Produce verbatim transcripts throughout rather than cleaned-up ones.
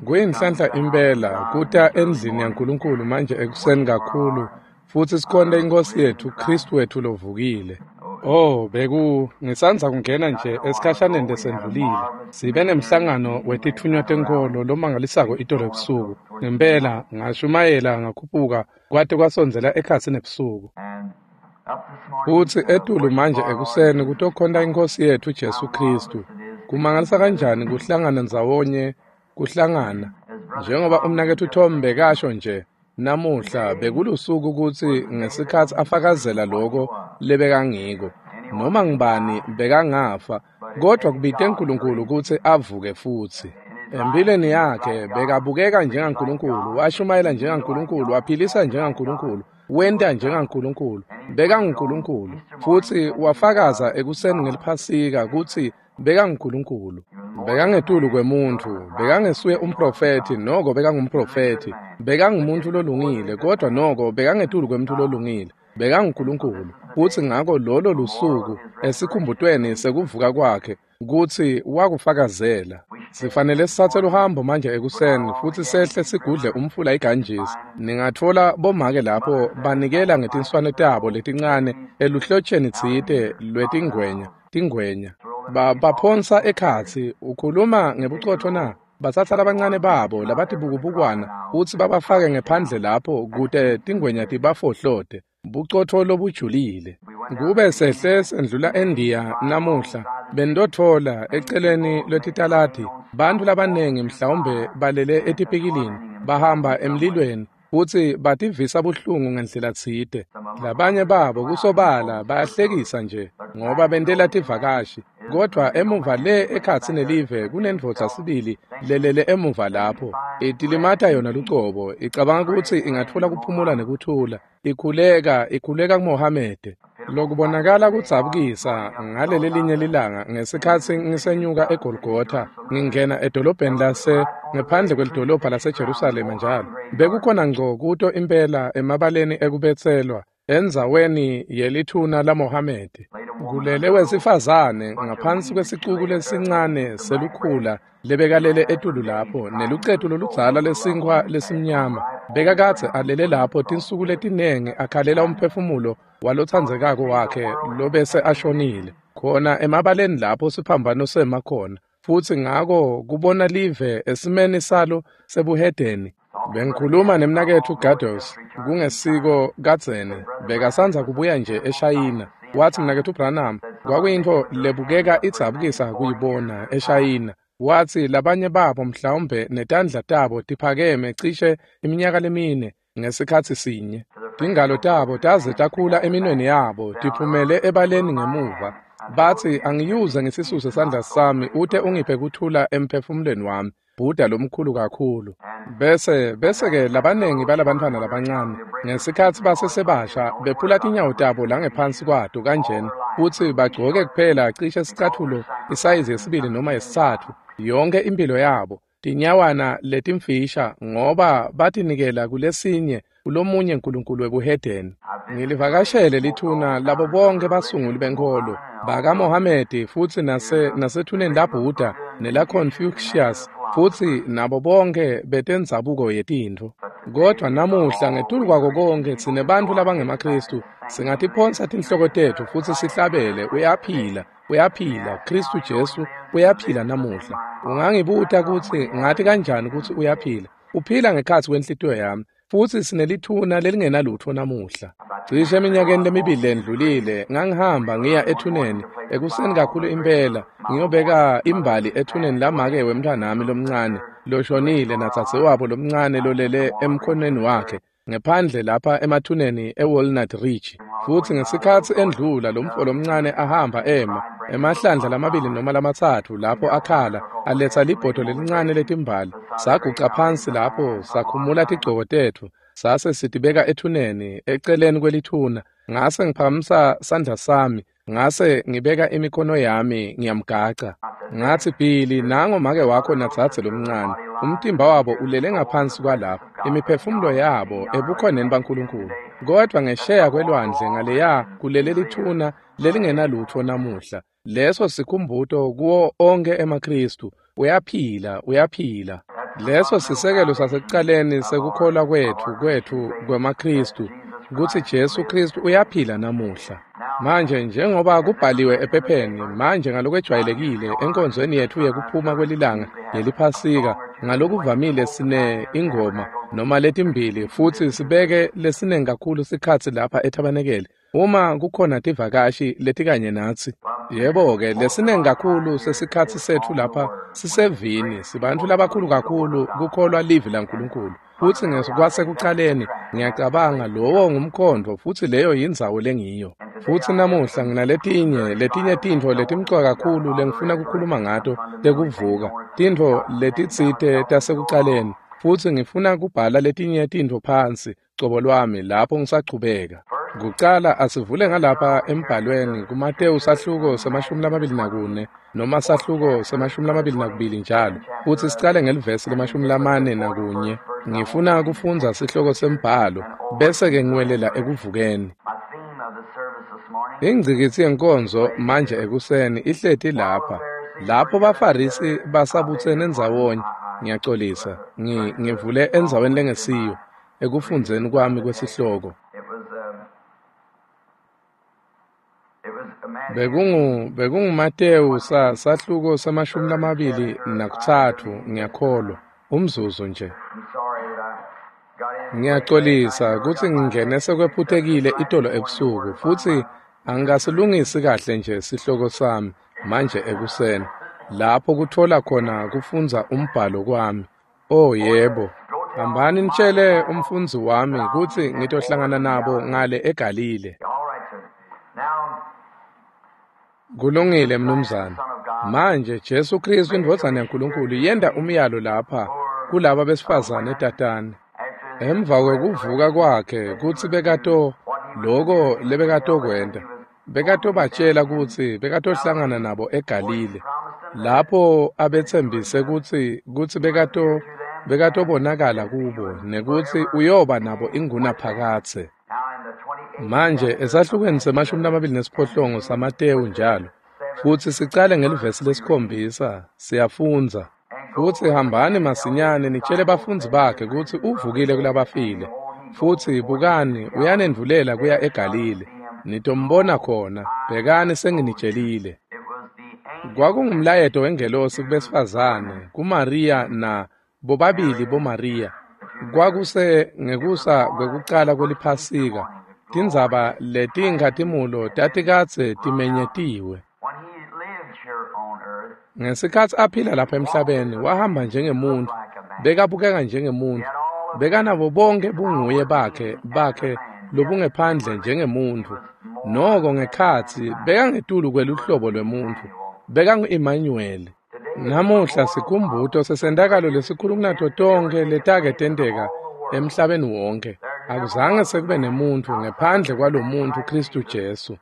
Kuyinhlanhla impela kuta endlini yaNkulunkulu manje ekuseni kakhulu futsi sikhonte iNkhosi yetfu Khristu wetfu lovukile. Oh, beku ngisandza kungena nje esikhashaneni lesendlulile. Sibe nemhlangano wetitfunywa tenkholo lomangalisako itolo ebusuku. Ngempela ngashumayela ngakhuphuka kwate kwasondzela ekhatsi nebusuku. Futsi etulu manje ekuseni kutokhonta iNkhosi yetfu Jesu Khristu. Kumangalisa kanjani kuhlangana ndzawonye kuhlangana njengoba umnaketfu Tom bekasho nje namuhla bekulusuku kutsi ngesikhatsi afakazela loko lebekangiko noma ngibani bekangafa kodwa kubite uNkulunkulu kutsi avuke futsi. Empilweni yakhe bekabukeka njengaNkulunkulu, washumayela njengaNkulunkulu, waphilisa njengaNkulunkulu, wenta njengaNkulunkulu, bekanguNkulunkulu futsi wafakaza ekuseni ngeliphasika kutsi bekanguNkulunkulu. Bekangetulu kwemuntfu, bekangesuye umprofethi noko bekangumprofethi, bekangumuntu lolungile kodwa noko bekangetulu kwemuntu lolungile, bekanguNkulunkulu. Futsi ngako lolo lusuku esikhumbutweni sekuvuka kwakhe kutsi wakufakazela. Sifanele sitsatse luhambo manje ekuseni futsi sehle sigudle umfula iGanges. Ningatfola bomake lapho banikela ngetinswane tabo letincane eluhlotsheni tsite lwetingwenya tingwenya. Ba baphonsa ekhatsi ukhuluma ngebucotfo na? Batsatsa labancane babo labatibukubukwana futsi babafake ngephandle lapho kute tingwenya tibafohlote. Bucotfo lobujulile. Kube sehle sendlula eNdiya namuhla bendotfola eceleni lwetitaladi bantfu labanengi mhlawumbe balele etipikilini bahamba emlilweni futsi bativisa buhlungu ngendlela tsite. Labanye babo kusobala bayahlekisa nje ngoba bentela tivakashi kodwa emuva le ekhatsi nelive kunendvodza sibili lelele emuva lapho itilimata yona lucobo icabanga kutsi ingatfola kuphumula nekuthula ikhuleka ikhuleka kuMohamede. Lokubonakala kudzabukisa ngaleli linye lilanga ngesikhatsi ngisenyuka eGolgotha ngingena edolobheni lase ngephandle kwelidolobha laseJerusalema njalo bekukhona ngco kuto impela emabaleni ekubetselwa endzaweni yelithuna laMohamede kulele wesifazane ngaphansi kwesicuku lesincane selukhula lebekalele etulu lapho nelucetu loludzala lesinkhwa lesimnyama. Bekakadze alele lapho tinsuku letinengi akhalela umphefumulo walotsandzekako wakhe lobese ashonile khona emabaleni lapho siphambano sema khona. Futsi ngako kubona live esimeni salo sebuhedeni. Bengikhuluma nemnaketfu Gados kungesiko kadzeni bekasandza kubuya nje eShayina. Watsi mnaketfu Branham kwakuyintfo lebukeka idzabukisa kuyibona eShayina. Watsi labanye babo mhlawumbe netandla tabo tiphakeme cishe iminyaka lemine ngesikhatsi sinye. Tingalo tabo taze takhula eminweni yabo tiphumele ebaleni ngemuva. Batsi angiyuze ngisisuse sandla sami ute ungiphe kuthula emphefumulweni wami. Buddha lomkhulu kakhulu. Bese bese-ke labanengi balabantfwana labancane ngesikhatsi basesebasha bephula tinyawo tabo langephansi kwato kanjena futsi bagcoke kuphela cishe sicatfulo isayizi yesibili noma yesitsatfu yonke impilo yabo tinyawana letimfisha ngoba batinikela kulesinye kulomunye nkulunkulu webuhedeni. Ngilivakashele lithuna labo bonke basunguli benkholo bakaMohamedi futsi nase nasethuneni laBuddha nelaConfucius futsi nabo bonke betendzabuko yetintfo. Kodwa namuhla ngetulu kwako konke tsine bantfu labangemaKhristu singatiphonsa tinhloko tetfu futsi sihlabele uyaphila uyaphila Khristu Jesu uyaphila namuhla. Ungangibuta kutsi ngati kanjani kutsi uyaphila? Uphila ngekhatsi kwenhlitiyo yami futsi sinelithuna lelingenalutfo namuhla. Cishe eminyakeni lemibili lendlulile ngangihamba ngiya ethuneni ekuseni kakhulu impela ngiyobeka imbali ethuneni lamake wemntfwanami lomncane loshonile nadzadzewabo lomncane lolele emkhonweni wakhe ngephandle lapha emathuneni eWalnut Ridge. Futsi ngesikhatsi endlula lomfo lomncane ahamba ema emahlandla lamabili noma lamatsatfu lapho akhala aletsa libhodo lelincane letimbali. Saguca phansi lapho sakhumula tigcoko tetfu sase sitibeka ethuneni eceleni kwelithuna. Ngase ngiphakamisa sandla sami ngase ngibeka imikhono yami ngiyamgaca. Ngatsi Billy nango make wakho nadzadze lomncane umtimba wabo ulele ngaphansi kwalapho imiphefumulo yabo ebukhoneni baNkulunkulu. Kodwa ngesheya kwelwandle ngaleya kulele lithuna lelingenalutfo namuhla. Leso sikhumbuto kuwo onke emaKhristu. Uyaphila, uyaphila. Leso sisekelo sasekucaleni sekukholwa kwetfu kwetfu kwemaKhristu kutsi Jesu Khristu uyaphila namuhla. Manje njengoba kubhaliwe ephepheni, manje ngalokwejwayelekile enkonzweni yetfu yekuphuma kwelilanga yeliphasika, ngalokuvamile sine ingoma noma letimbili futsi sibeke lesinengi kakhulu sikhatsi lapha ethabanekele uma kukhona tivakashi letikanye natsi. Yebo-ke, lesinengi kakhulu sesikhatsi setfu lapha sisevini, sibantfu labakhulu kakhulu kukholwa livi laNkulunkulu. Futsi kwasekucaleni ngiyacabanga lowo ngumkhondvo futsi leyo yindzawo lengiyo. Futsi namuhla nginaletinye letinye tintfo letimcoka kakhulu lengifuna kukhuluma ngato tekuvuka, tintfo letitsite tasekucaleni, futsi ngifuna kubhala letinye tintfo phansi cobo lwami lapho ngisachubeka. Kucala asivule ngalapha embhalweni kuMatewu sahluko semashumi lamabili nakune noma sahluko semashumi lamabili nakubili njalo, futsi sicale ngelivesi lemashumi lamane nakunye. Ngifuna kufundza sihloko sembhalo bese-ke ngiwelela ekuvukeni. Ingcikitsi yenkonzo manje ekuseni ihleti lapha. Lapho baFarisi basabutsene ndzawonye, ngiyacolisa, ngivule endzaweni lengesiyo ekufundzeni kwami kwesihloko. Bekungu bekunguMatewu sa sahluko samashumi lamabili nakutsatfu ngiyakholwa, umzuzu nje. Ngiyacolisa kutsi ngingene sekwephutekile itolo ebusuku futsi angikasilungisi kahle nje sihloko sami manje ekuseni lapho kutfola khona kufundza umbhalo kwami. Oh yebo, hambani nitshele umfundzi wami kutsi ngitohlangana nabo ngale eGalile. Kulungile mnumzane. Manje Jesu Khristu indvodzana yaNkulunkulu yenta umyalo lapha kulaba besifazane tatane. Emva kwekuvuka kwakhe kutsi bekato loko lebekatokwenta, bekatobatshela kutsi bekatohlangana nabo eGalile lapho abetsembise kutsi kutsi bekato bekatobonakala kubo nekutsi uyoba nabo ingunaphakadze. Manje esahlukweni semashumi lamabili nesiphohlongo saMatewu njalo, futsi sicale ngelivesi lesikhombisa siyafundza. Futsi hambani masinyane nitshele bafundzi bakhe kutsi uvukile kulabafile, futsi bukani uyanendvulela kuya eGalile, nitombona khona, bhekani senginitshelile. Kwakungumlayeto wengelosi kubesifazane, kuMariya na bobabili boMariya. Kwakuse ngekusa kwekucala kweliphasika, tindzaba letinkhatimulo tatikadze timenyetiwe. Ngesikhatsi aphila lapha emhlabeni, wahamba njengemuntfu, bekabukeka njengemuntfu, bekanabo bonke bunguye bakhe bakhe lobungephandle njengemuntfu. Noko ngekhatsi bekangetulu kweluhlobo lwemuntfu, bekangu-Emmanuel. Namuhla sikhumbuto sesentakalo lesikhulu kunato tonkhe letake tenteka emhlabeni wonke. Akuzange sekube nemuntfu ngephandle kwalomuntfu Khristu Jesu,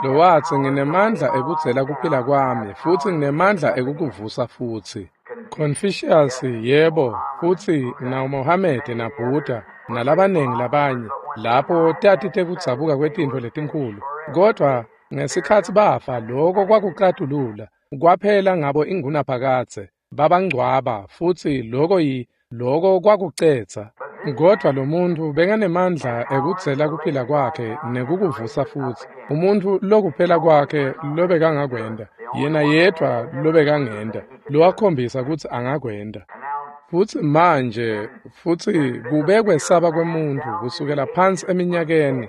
lowatsi nginemandla ekudzela kuphila kwami futsi nginemandla ekukuvusa futsi. Confucius yebo, futsi na Mohammed na Buddha nalabanengi labanye lapho tati tekudzabuka kwetintfo letinkhulu, kodvwa ngesikhatsi bafa loko kwakucatulula kwaphela ngabo ingunaphakadze, babangcwaba futsi loko yi loko kwakucetsa. Kodvwa lo muntfu bekanemandla ekudzela kuphila kwakhe nekukuvusa futsi, umuntfu lokuphela kwakhe lobekangakwenta, yena yedvwa lobekangenta, lowakhombisa kutsi angakwenta. Futsi manje futsi kube kwesaba kwemuntfu kusukela phansi eminyakeni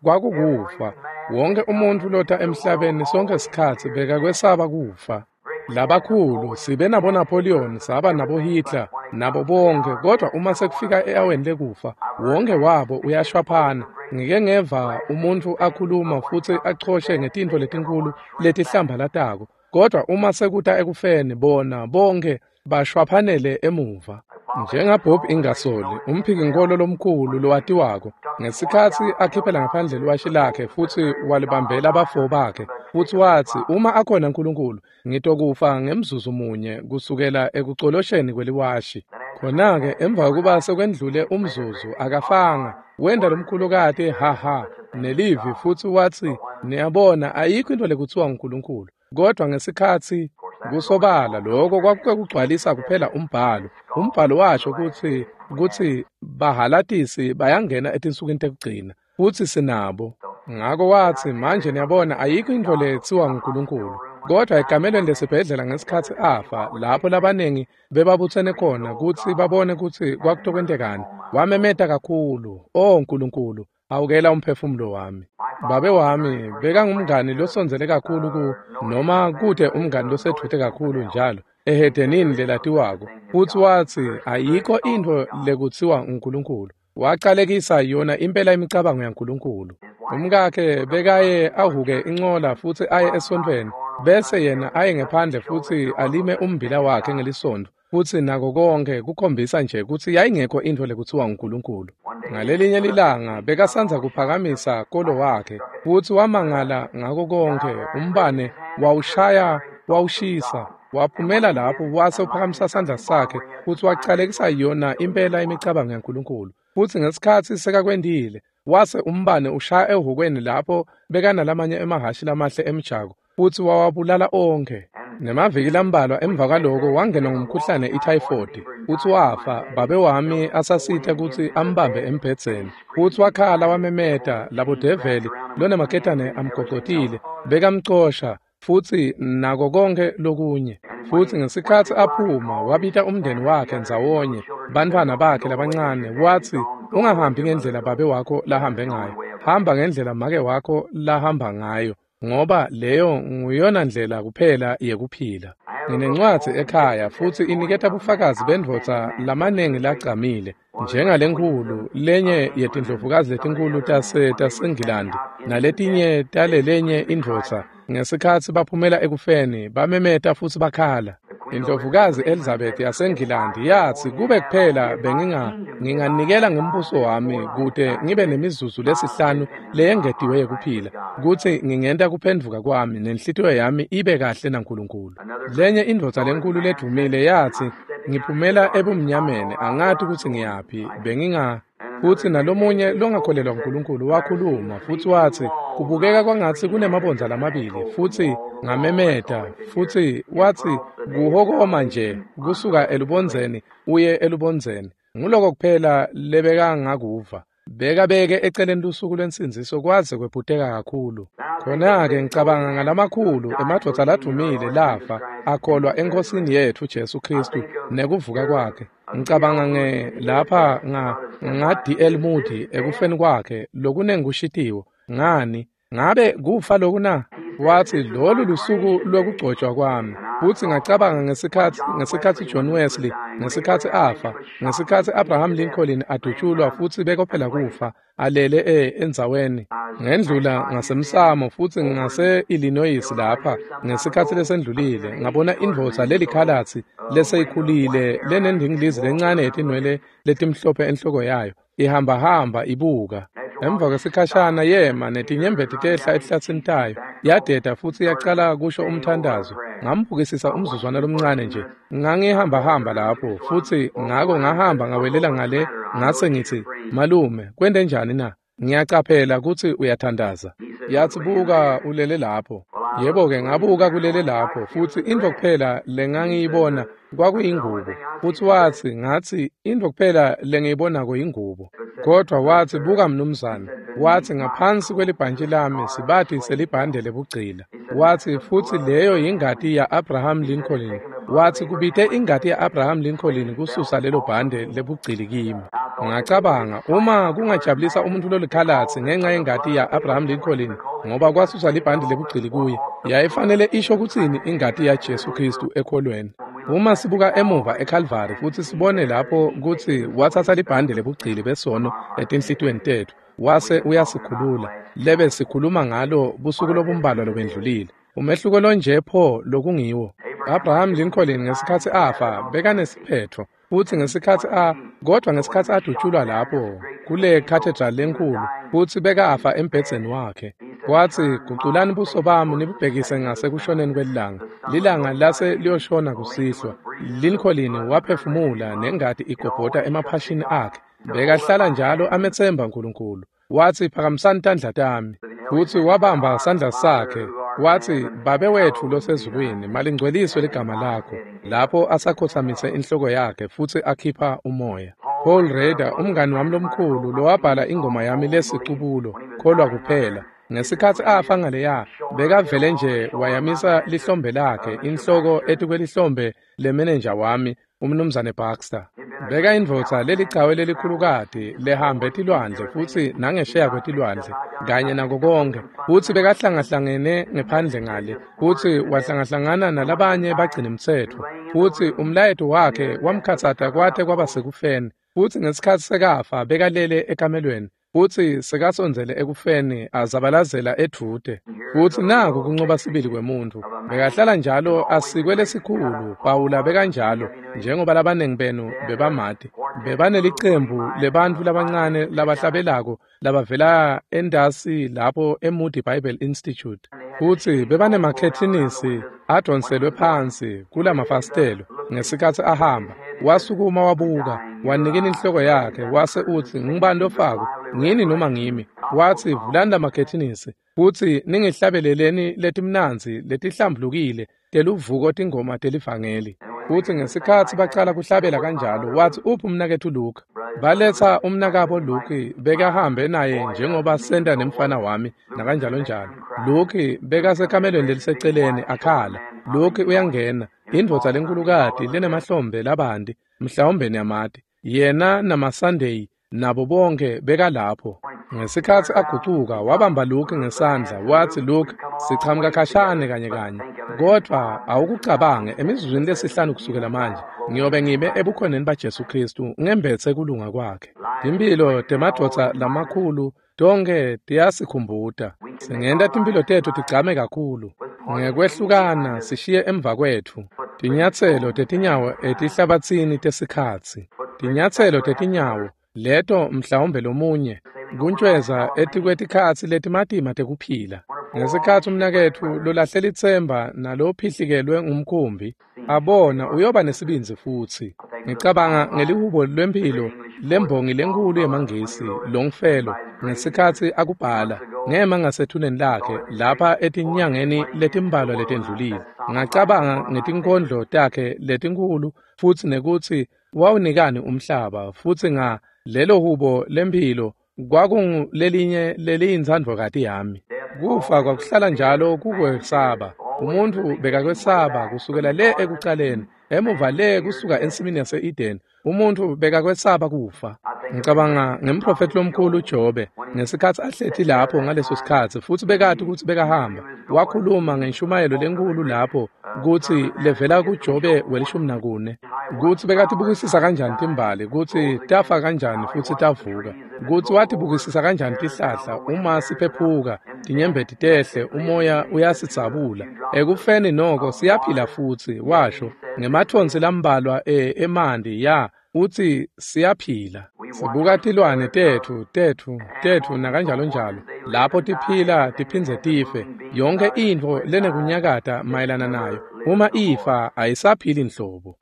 kwakukufa. Wonke umuntfu lota emhlabeni sonke sikhatsi bekakwesaba kufa. Labakhulu sibe nabo Napoleon, saba nabo Hitler, nabo bonke, kodwa uma sekufika e-aweni lekufa wonke wabo uyashwaphana. Ngike ngeva umuntfu akhuluma futsi achoshe ngetintfo letinkulu letihlambalatako, kodwa uma sekuta ekufeni bona bonke bashwaphanele emuva. NjengaBob Ingersoll, umphikinkholo lomkhulu lowatiwako, ngesikhatsi akhiphela ngaphandle liwashi lakhe futsi walibambela abafo bakhe, futsi watsi uma akhona uNkulunkulu ngitokufa ngemzuzu munye kusukela ekucolosheni kweliwashi. Khona-ke emva kokuba sekwendlule umzuzu akafanga, wenda lomkhulukati ha ha nelivi futsi watsi niyabona ayikho into lekutsiwa nguNkulunkulu. Kodwa ngesikhatsi kusobala lokho kwakukugcwalisa kuphela umbhalo. Umbhalo washo kutsi kutsi bahalatisi bayangena etinsukwini tekugcina futsi sinabo. Ngako watsi, manje niyabona ayikho intfo letsiwa nguNkulunkulu. Kodwa ekamelweni lesibhedlela ngesikhatsi afa, lapho labaningi bebabutsene khona kutsi babone kutsi kwakutokwentekani, wamemeta kakhulu, "O Nkulunkulu, awukela umphefumulo wami." Babe wami bekangumngani losondzele kakhulu ku noma kute umngani losedvute kakhulu njalo ehedenini lelatiwako, futsi watsi ayikho intfo lekutsiwa nguNkulunkulu. Wacalekisa yona impela imicabango yaNkulunkulu. Umkakhe bekaye ahuke incola futsi aye esontfweni, bese yena aye ngephandle futsi alime ummbila wakhe ngelisontfo, futsi nako konke kukhombisa nje kutsi yayingekho intfo lekutsiwa nguNkulunkulu. Ngalelinye lilanga bekasandza kuphakamisa kolo wakhe futsi wamangala ngako konke, umbane wawushaya wawushisa. Waphumela lapho wase uphakamisa sandla sakhe futsi wacalekisa yona impela imicabango yaNkulunkulu. Futsi ngesikhatsi sekakwentile, wase umbane ushaya ehhukweni lapho bekanalamanye emahhashi lamahle emjako futsi wawabulala onkhe. Nemaviki lambalwa emva kwaloko wangenwa ngumkhuhlane ithayifodi futsi wafa. Babe wami asasita kutsi ambambe embhedzeni futsi wakhala wamemeta, labodeveli lonemaketane amgocotile bekamcosha futsi nako konke lokunye. Futsi ngesikhatsi aphuma wabita umndeni wakhe ndzawonye, bantfwana bakhe labancane, watsi, ungahambi ngendlela babe wakho lahambe ngayo, hamba ngendlela make wakho lahamba ngayo, ngoba leyo nguyona ndlela kuphela yekuphila. Nginencwadzi ekhaya futsi iniketa bufakazi bendvodza lamanengi lagcamile, njengalenkhulu lenye yetindlovukazi letinkhulu tase taseNgilandi naletinye talelenye indvodza. Ngesikhatsi baphumela ekufeni bamemeta futsi bakhala. Indlovukazi Elizabeth yaseNgilandi yatsi, kube kuphela benginga nginganikela ngombuso wami kute ngibe nemizuzu lesihlanu leyengetiwe yekuphila, kutsi ngingenta kuphendvuka kwami nenhlitiyo yami ibe kahle naNkulunkulu. Lenye indvodza lenkulu ledvumile yatsi, ngiphumela ebumnyameni angati kutsi ngiyaphi, benginga. Futsi nalomunye longakholelwa kuNkulunkulu wakhuluma futsi watsi, kubukeka kwangatsi kunemabondza lamabili, futsi ngamemeta futsi watsi kuhokoma nje kusuka elubondzeni uye elubondzeni. Nguloko kuphela lebekangakuva. Bekabeke eceleni lusuku lwensindziso kwaze kwephuteka kakhulu. Khona-ke ngicabanga ngalamakhulu emadvodza ladvumile lafa akholwa eNkhosini yetfu Jesu Khristu nekuvuka kwakhe. Ngicabanga nge lapha nga nga D L Moody ekufeni kwakhe lokunengushitiwo. Ngani ngabe kufa loku na? Watsi lolu lusuku lwekugcotshwa kwami. Futsi ngacabanga ngesikhatsi ngesikhatsi John Wesley, ngesikhatsi afa, ngesikhatsi Abraham Lincoln adutshulwa futsi bekophela kufa alele e endzaweni. Ngendlula ngasemsamo futsi ngase Illinois lapha ngesikhatsi lesendlulile ngabona indvodza lelikhalatsi leseyikhulile lenendingilizi lencane yetinwele letimhlophe enhloko yayo ihamba hamba ibuka. Emva kwesikhashana yema netinyembeti tehla ehlatsini tayo yadeda futsi yacala kusho umthandazo. Ngambukisisa umzuzwana lomncane nje. Ngangihamba hamba lapho futsi ngako ngahamba ngawelela ngale ngase ngithi, malume kwente njani na? Ngiyacaphela kutsi uyathandaza. Yathi buka ulele lapho. Yebo-ke ngabuka kulele lapho futsi intfo kuphela lengangiyibona kwakuyingubo. Futsi watsi ngatsi intfo kuphela lengiyibonako yingubo. Kodwa watsi buka mnumzane, watsi ngaphansi kwelibhantshi lami sibati selibhande lebugcila. Watsi futsi leyo yingati ya-Abraham Lincoln. Watsi kubite ingati ya-Abraham Lincoln kususa lelo bhande lebugcili kimi. Ngacabanga uma kungajabulisa umuntu lolikhalatsi ngenxa yengati ya-Abraham Lincoln ngoba kwasusa libhande lebugcili kuye, yayifanele isho kutsini ingati yaJesu Khristu ekholweni. Uma sibuka emuva eCalvary futsi sibone lapho kutsi watsatsa libhande lebugcili besono etinhlitiyweni tetfu wase uyasikhulula, lebe sikhuluma ngalo busuku lobumbalwa lobendlulile. Umehluko lonje pho lokungiwo. Abraham Lincoln ngesikhatsi afa bekanesiphetfo futsi ngesikhatsi a kodwa ngesikhatsi adutshulwa lapho kule cathedral lenkulu futsi bekafa embhedzeni wakhe. Watsi guculani buso bami nibubhekise ngasekushoneni kwelilanga. Lilanga lase liyoshona kusihlwa. Lincoln waphefumula nengati igobhota emaphashini akhe. Bekahlala njalo ametsemba uNkulunkulu. Watsi phakamisani tandla tami. Futsi wabamba sandla sakhe. Watsi, Babe wetfu losezulwini, malingcweliswe ligama lakho, lapho asakhotsamise inhloko yakhe futsi akhipha umoya. Paul Rader, umngani wami lomkhulu lowabhala ingoma yami lesicubulo, Kholwa Kuphela. Ngesikhatsi afa ngaleya, bekavele nje wayamisa lihlombe lakhe, inhloko etikwelihlombe lemenenja wami, umnumzane Baxter. Beka indvodza lelicawe lelikhulukati lehambe tilwandle futsi nangesheya kwetilwandle kanye nako konkhe, futsi bekahlangahlangene ngephandle ngale, futsi wahlangahlangana nalabanye bagcinimtsetfo, futsi umlayeto wakhe wamkhatsata kwate kwaba sekufeni, futsi ngesikhatsi sekafa bekalele ekamelweni, futsi sekasondzele ekufeni azabalazela edvute. Futsi naku kuncoba sibili kwemuntfu. Bekahlala njalo asikwe lesikhulu. Pawula bekanjalo, njengoba labanengi benu bebamati. Bebanelicembu lebantfu labancane labahlabelako labavela endasi lapho eMoody Bible Institute. Futsi bebanemakhethinisi adonselwe phansi kulamafasitelo. Ngesikhatsi ahamba, wasukuma wabuka, wanikina inhloko yakhe, wase utsi, ngubani lofako, ngini noma ngimi? Watsi, vulani lamakhethinisi, futsi ningihlabeleleni letimnandzi letihlambulukile teluvuko tingoma telivangeli. Futsi ngesikhatsi bacala kuhlabela kanjalo, watsi, uphi umnaketfu Luke? Baletsa umnakabo Luke, bekahambe naye njengoba senta nemfana wami nakanjalo njalo. Luke bekasekamelweni leliseceleni akhala. Luke uyangena, indvodza lenkulukati lenemahlombe labanti, mhlawumbe niyamati. Yena namaSunday nabo bonke bekalapho. Ngesikhatsi agucuka, wabamba Luke ngesandla, watsi, Luke, sichamuka khashane kanye kanye, kodvwa awukucabange emizuzwini lesihlanu kusukela manje, ngiyobe ngibe ebukhoneni baJesu Khristu ngembetse kulunga kwakhe. Timphilo temadvodza lamakhulu tonke tiyasikhumbuta. Singenta timphilo tetfu tigcame kakhulu ngekwehlukana sishiye emva kwetfu tinyatselo tetinyawo etihlabatsini tesikhatsi. Tinyatselo tetinyawo leto mhlawumbe lomunye kuntjweza etikwetikhatsi letimatima tekuphila. Ngesikhatsi umnaketfu lolahle litsemba nalophihlikelwe ngumkhumbi abona uyoba nesibindzi futsi. Ngicabanga ngelihubo lwemphilo lembongi lenkhulu yemaNgisi Longfellow ngesikhatsi akubhala, ngema ngasethuneni lakhe lapha etinyangeni letimbalwa letendlulile. Ngacabanga ngetinkondlo takhe letinkhulu futsi nekutsi wawunikani umhlaba, futsi nga lelo hubo lemphilo kwakungulelinye leliyintsandvokati yami. Kufa kwakuhlala njalo kukwesaba. Umuntfu bekakwesaba kusukela le ekucaleni, emuva le kusuka ensimini yase-Eden. Umuntfu bekakwesaba kufa. Ngicabanga ngemprofethi lomkhulu Jobe ngesikhatsi ahleti lapho ngaleso sikhatsi, futsi bekati kutsi bekahamba. Wakhuluma ngenshumayelo lenkhulu lapho kutsi levela kuJobe welishumi nakune, kutsi bekatibukisisa kanjani timbali, kutsi tafa kanjani futsi tavuka, kutsi watibukisisa kanjani tihlahla uma siphephuka, tinyembeti tehle, umoya uyasitsabula. Ekufeni noko siyaphila futsi, washo, ngemathonsi lambalwa e emanti ya utsi siyaphila. Sibuka tilwane tetfu tetfu tetfu nakanjalo njalo, lapho tiphila tiphindze tife. Yonke intfo lenekunyakata mayelana nayo, uma ifa ayisaphili nhlobo.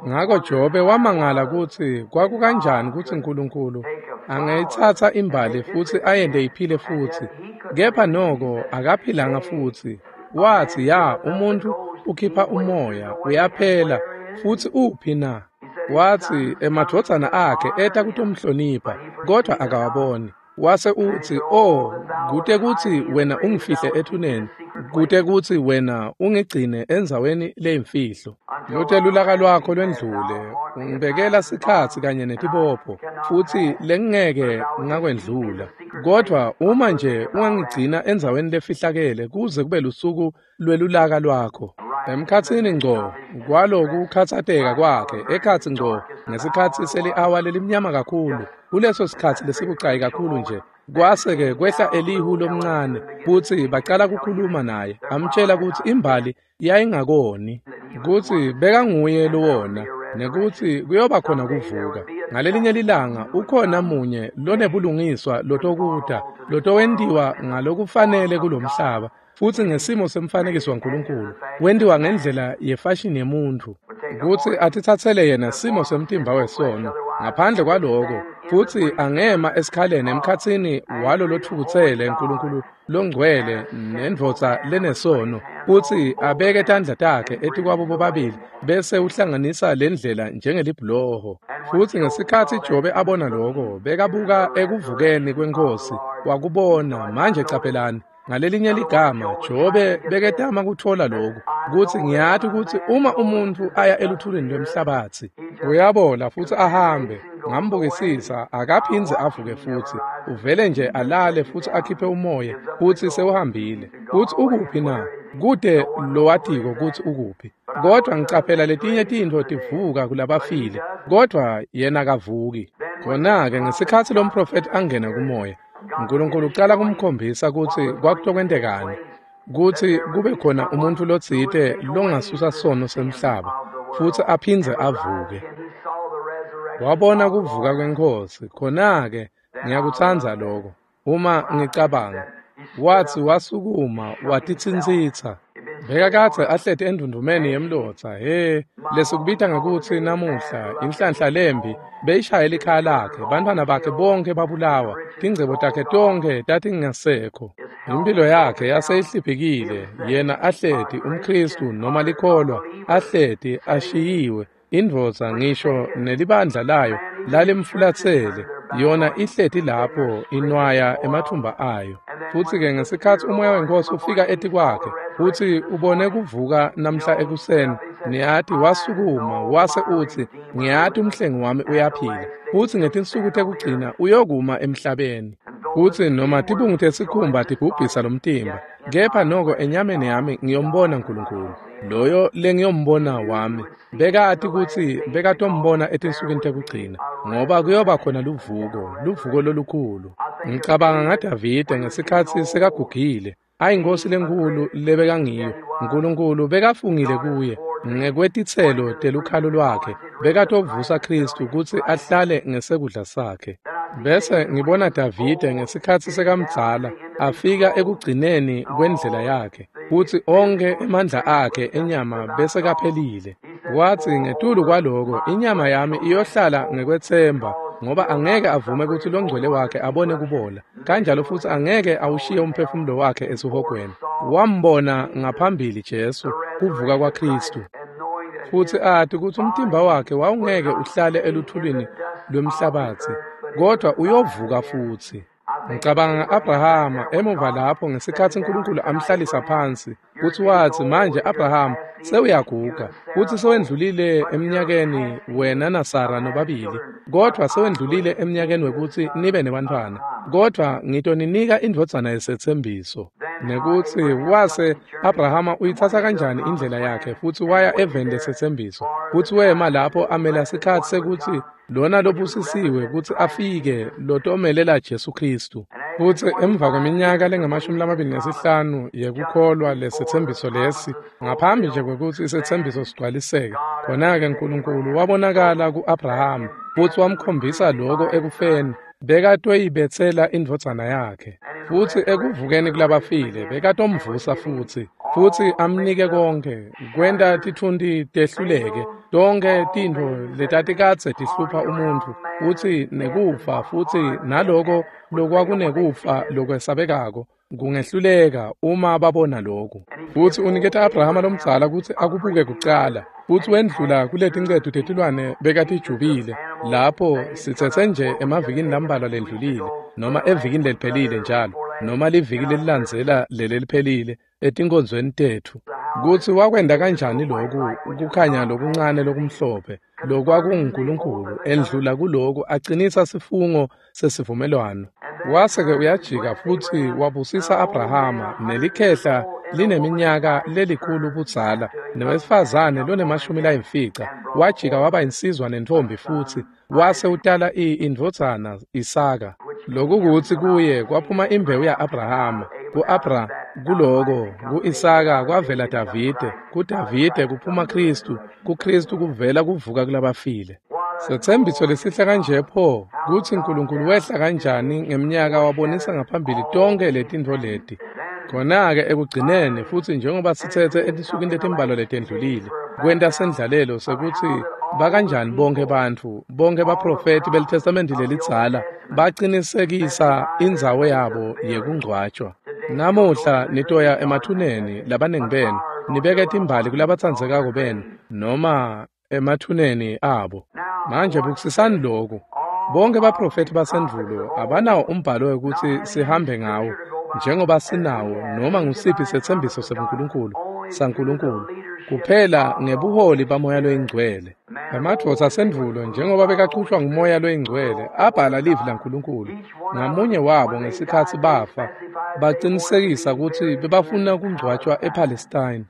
Ngako Jobe wamangala kutsi kwakukanjani kutsi Nkulunkulu angayitsatsa imbali futsi ayente iphile futsi, kepha noko akaphilanga futsi. Watsi, ya, umuntfu ukhipha umoya uyaphela, futsi uphi na? Watsi emadvodzana akhe eta kutomhlonipha, kodwa akawaboni. Wase utsi, oh, kute kutsi wena ungifihle ethuneni, kute kutsi wena ungigcine endzaweni leyimfihlo. Lute lulaka lwakho lwendlule, ungibekela sikhatsi kanye netibopho, futsi lengeke ngakwendlula. Kodwa uma nje ungangigcina endzaweni lefihlakele kuze kube lusuku lwelulaka lwakho. Emkhatsini ngco kwalokukhatsateka kwakhe, ekhatsi ngco ngesikhatsi seli-awa lelimnyama kakhulu, kuleso sikhatsi lesibucayi kakhulu nje, kwase-ke kwehla Elihu lomncane, kutsi bacala kukhuluma naye, amtjela kutsi imbali yayingakoni, kutsi bekanguye lowona, nekutsi kuyoba khona kuvuka. Ngalelinye lilanga ukhona munye lonebulungiswa lotokuta, lotowentiwa ngalokufanele kulomhlaba, futsi ngesimo semfanekiso waNkulunkulu, wentiwa ngendlela yefashini yemuntfu, kutsi atitsatsele yena simo semtimba wesono, Ngaphandle kwaloko, futsi angema esikhaleni emkhatsini walo lotfukutsele Nkulunkulu longcwele nendvodza lenesono, futsi abeke tandla takhe etikwabo bobabili bese uhlanganisa lendlela njengelibhuloho. Futsi ngesikhatsi Jobe abona loko, bekabuka ekuvukeni kweNkhosi, wakubona. Manje caphelani, ngalelinye ligama Jobe beketama kutfola lokhu, kutsi ngiyati kutsi uma umuntfu aya eluthulini lwemhlabatsi uyabola futsi ahambe, ngambukisisa akaphindze avuke futsi, uvele nje alale futsi akhiphe umoya futsi sewuhambile. Futsi ukuphi na? Kute lowatiko kutsi ukuphi. Kodwa ngicaphela letinye tintfo tivuka kulabafile, kodwa yena akavuki. Khona-ke ngesikhatsi lomprofethi angena kumoya, Nkulunkulu ucala kumkhombisa kutsi kwakutokwentekani, kutsi kube khona umuntfu lotsite longasusa sono semhlaba futsi aphindze avuke. Wabona kuvuka kweNkhosi. Khona-ke ngiyakutsandza lokho. Uma ngicabanga, watsi wasukuma watitsintsitsa. Bekakadze ahleti endvundvumeni yemlotsa, he, lesikubita ngekutsi namuhla inhlanhla lembi beyishayela likhaya lakhe, bantfwana bakhe bonke babulawa, tingcebo takhe tonkhe tatingasekho. Impilo yakhe yaseyihliphikile, yena ahleti umKhristu noma likholwa, ahleti ashiyiwe, indvodza ngisho nelibandla layo lalimfulatsele, yona ihleti lapho inwaya emathumba ayo. Futsi-ke ngesikhatsi umoya weNkhosi ufika etikwakhe, futsi ubone kuvuka namhla ekuseni, niyati wasukuma wase utsi, ngiyati umhlengi wami uyaphila, futsi ngetinsuku tekugcina uyokuma emhlabeni. Futsi noma tibungu tesikhumba tibhubhisa lomtimba, kepha noko enyameni yami ngiyombona Nkulunkulu, loyo lengiyombona wami. Bekati kutsi bekatombona etinsukwini tekugcina, ngoba kuyoba khona luvuko, luvuko lolukhulu. Ngicabanga ngaDavide ngesikhatsi sekagugile, ayinkosi lenkhulu lebekangiyo. Nkulunkulu bekafungile kuye ngekwetitselo telukhalo lwakhe, bekatovusa Khristu kutsi ahlale ngesekudla sakhe. Bese ngibona Davide ngesikhatsi sekamdzala afika ekugcineni kwendlela yakhe, futsi onkhe emandla akhe enyama bese kaphelile. Watsi ngetulu kwaloko, inyama yami iyohlala ngekwetsemba, ngoba angeke avume kutsi longcwele wakhe abone kubola, kanjalo futsi angeke awushiye umphefumulo wakhe esihogweni. Wambona ngaphambili Jesu, kuvuka kwaKhristu, futsi ati kutsi umtimba wakhe wawungeke uhlale eluthulini lwemhlabatsi, kodwa uyovuka futsi. Ngicabanga nga-Abrahama emuva lapho ngesikhatsi Nkulunkulu amhlalisa phansi, kutsi watsi, manje Abrahama sewuyaguga, futsi sewendlulile eminyakeni wena naSara nobabili, kodwa sewendlulile eminyakeni wekutsi nibe nebantfwana, kodwa ngitoninika indvodzana yesetsembiso. Nekutsi wase Abrahama uyitsatsa kanjani indlela yakhe futsi waya eveni lesetsembiso, futsi wema lapho amela sikhatsi sekutsi lona lobusisiwe kutsi afike lotomelela Jesu Khristu. Futsi emva kweminyaka lengamashumi lamabili nesihlanu yekukholwa lesetsembiso lesi, ngaphambi nje kwekutsi isetsembiso sigcwaliseke, khona-ke Nkulunkulu wabonakala ku-Abrahama futsi wamkhombisa loko ekufeni bekatoyibetsela indvodzana yakhe. Futsi ekuvukeni kulabafile bekatomvusa futsi, futsi amnike konkhe, kwenta tithunti tehluleke, tonkhe tintfo letatikadze tihlupha umuntfu, futsi nekufa, futsi naloko lokwakunekufa lokwesabekako kungehluleka uma babona lokhu. Futsi uniketa Abrahama lomdzala kutsi akubuke kucala, futsi wendlula kuletincetu tetilwane bekatijubile, lapho sitsetse nje emavikini lambalwa lendlulile, noma evikini leliphelile njalo, noma liviki lelilandzela leleliphelile etinkonzweni tetfu, kutsi wakwenta kanjani loku kukhanya lokuncane lokumhlophe lokwakunguNkulunkulu endlula kuloku acinisa sifungo sesivumelwano. Wase-ke uyajika futsi wabusisa Abrahama nelikhehla lineminyaka lelikhulu budzala newesifazane lonemashumi layimfica. Wajika waba insizwa nentfombi futsi wase utala indvodzana Isaka. Lokukutsi kuye kwaphuma imbewu ya-Abrahama, ku-Abra kuloko, ku-Isaka kwavela Davide, kuDavide kuphuma Khristu, kuKhristu kuvela kuvuka kulabafile. Setsembiso lesihle kanje pho, kutsi Nkulunkulu wehla kanjani ngeminyaka wabonisa ngaphambili tonkhe letintfo leti. Khona-ke ekugcineni futsi njengoba sitsetse etinsukwini letimbalwa letendlulile, kwenta sendlalelo sekutsi bakanjani bonke bantfu, bonke baprofethi beliTestamenti lelidzala bacinisekisa indzawo yabo yekungcwatjwa. Namuhla nitoya emathuneni labanengi benu, nibeke timbali kulabatsandzekako benu noma emathuneni abo. Manje bukisisani lokhu. Bonke baprofethi basendvulo abanawo umbhalo wekutsi sihambe ngawo njengoba sinawo noma ngusiphi setsembiso sebuNkulunkulu saNkulunkulu kuphela ngebuholi baMoya loyiNgcwele. Emadvodza asendvulo njengoba bekachutjwa nguMoya loyiNgcwele abhala livi laNkulunkulu ngamunye wabo ngesikhatsi bafa bacinisekisa kutsi bebafuna kungcwatjwa ePalestine.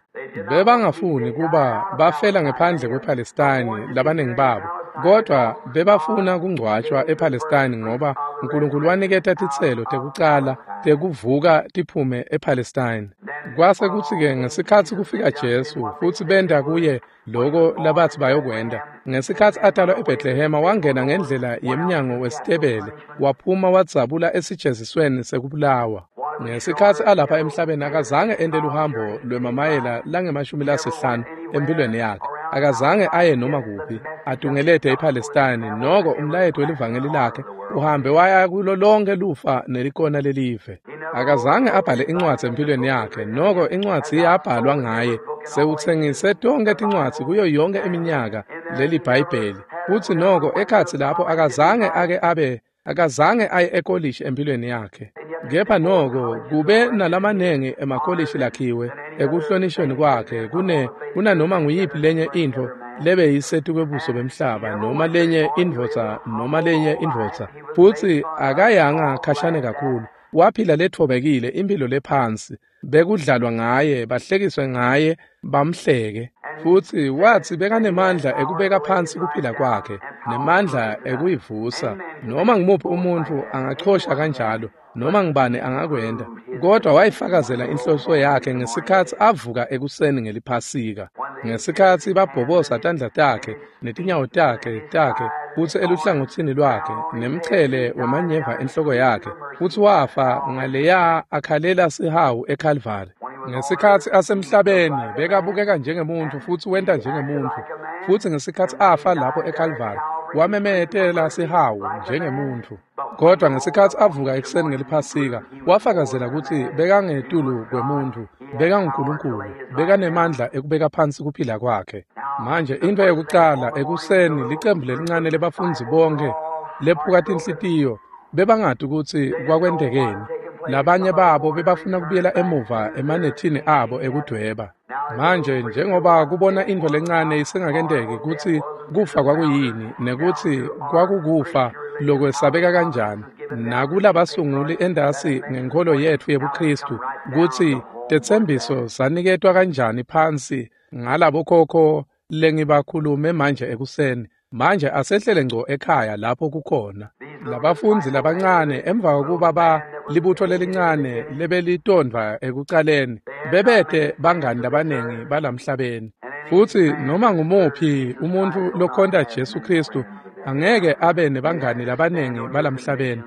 Bebangafuni kuba bafela ngephandle kwePalestine labanengi babo, kodwa bebafuna kungcwatjwa ePalestine ngoba uNkulunkulu waniketa titselo tekucala tekuvuka tiphume ePalestine. Kwase kutsi-ke ngesikhatsi kufika Jesu futsi benta kuye loko labatsi bayokwenta. Ngesikhatsi atalwa eBhetlehema wangena ngendlela yemnyango wesitebele waphuma wadzabula esijezisweni sekubulawa. Ngesikhatsi alapha emhlabeni akazange ente luhambo lwemamayela langemashumi lasihlanu empilweni yakhe. Akazange aye noma kuphi atungelete ePalestine, noko umlayeto welivangeli lakhe uhambe waya kulo lonke lufa nelikona lelive. Akazange abhale incwadzi empilweni yakhe, noko incwadzi yabhalwa ngaye. Sewutsengise tonke tincwadzi kuyo yonke iminyaka leli Bhayibheli. Futsi noko ekhatsi lapho akazange ake abe akazange aye ekolishi empilweni yakhe. Kepha noko kube nalamanengi emakolishi lakhiwe ekuhlonishweni kwakhe kune kunanoma nguyiphi lenye intfo lebeyisetikwebuso bemhlaba noma lenye indvodza noma lenye indvodza. Futsi akayanga khashane kakhulu, waphila lethobekile impilo lephansi. Bekudlalwa ngaye, bahlekiswe ngaye, bamhleke. Futsi watsi bekanemandla ekubeka phansi kuphila kwakhe nemandla ekuyivusa. Noma ngumuphi umuntfu angachosha kanjalo, noma ngubani angakwenta, kodwa wayifakazela inhloso yakhe ngesikhatsi avuka ekuseni ngeliphasika. Ngesikhatsi babhobosa tandla takhe netinyawo takhe takhe futsi eluhlangotsini lwakhe nemchele wemanyeva enhloko yakhe, futsi wafa ngaleya akhalela sihawu eKalvari. Ngesikhatsi asemhlabeni bekabukeka njengemuntfu futsi wenta njengemuntfu, futsi ngesikhatsi afa lapho eKalvari wamemetela sihawu njengemuntfu. Kodwa ngesikhatsi avuka ekuseni ngeliphasika wafakazela kutsi bekangetulu kwemuntfu, bekanguNkulunkulu, bekanemandla ekubeka phansi kuphila kwakhe. Manje intfo yekucala ekuseni licembu lelincane lebafundzi bonke lephuka tinhlitiyo bebangati kutsi kwakwentekeni. Labanye babo bebafuna kubuyela emuva emanethini abo ekudweba. Manje njengoba kubona intfo lencane isengakenteki kutsi kufa kwakuyini nekutsi kwakukufa lokwesabeka kanjani, nakulabasunguli endasi ngenkholo yetfu yebuKhristu kutsi tetsembiso saniketwa kanjani phansi ngalabokhokho lengibakhulume manje ekuseni. Manje asehlele ngco ekhaya lapho kukhona labafundzi labancane emva kokuba ba libutho lelincane lebelitondvwa ekucaleni bebete bangani labanengi balamhlabeni. Futsi noma ngumuphi umuntfu lokhonta Jesu Khristu angeke abe nebangani labanengi balamhlabeni.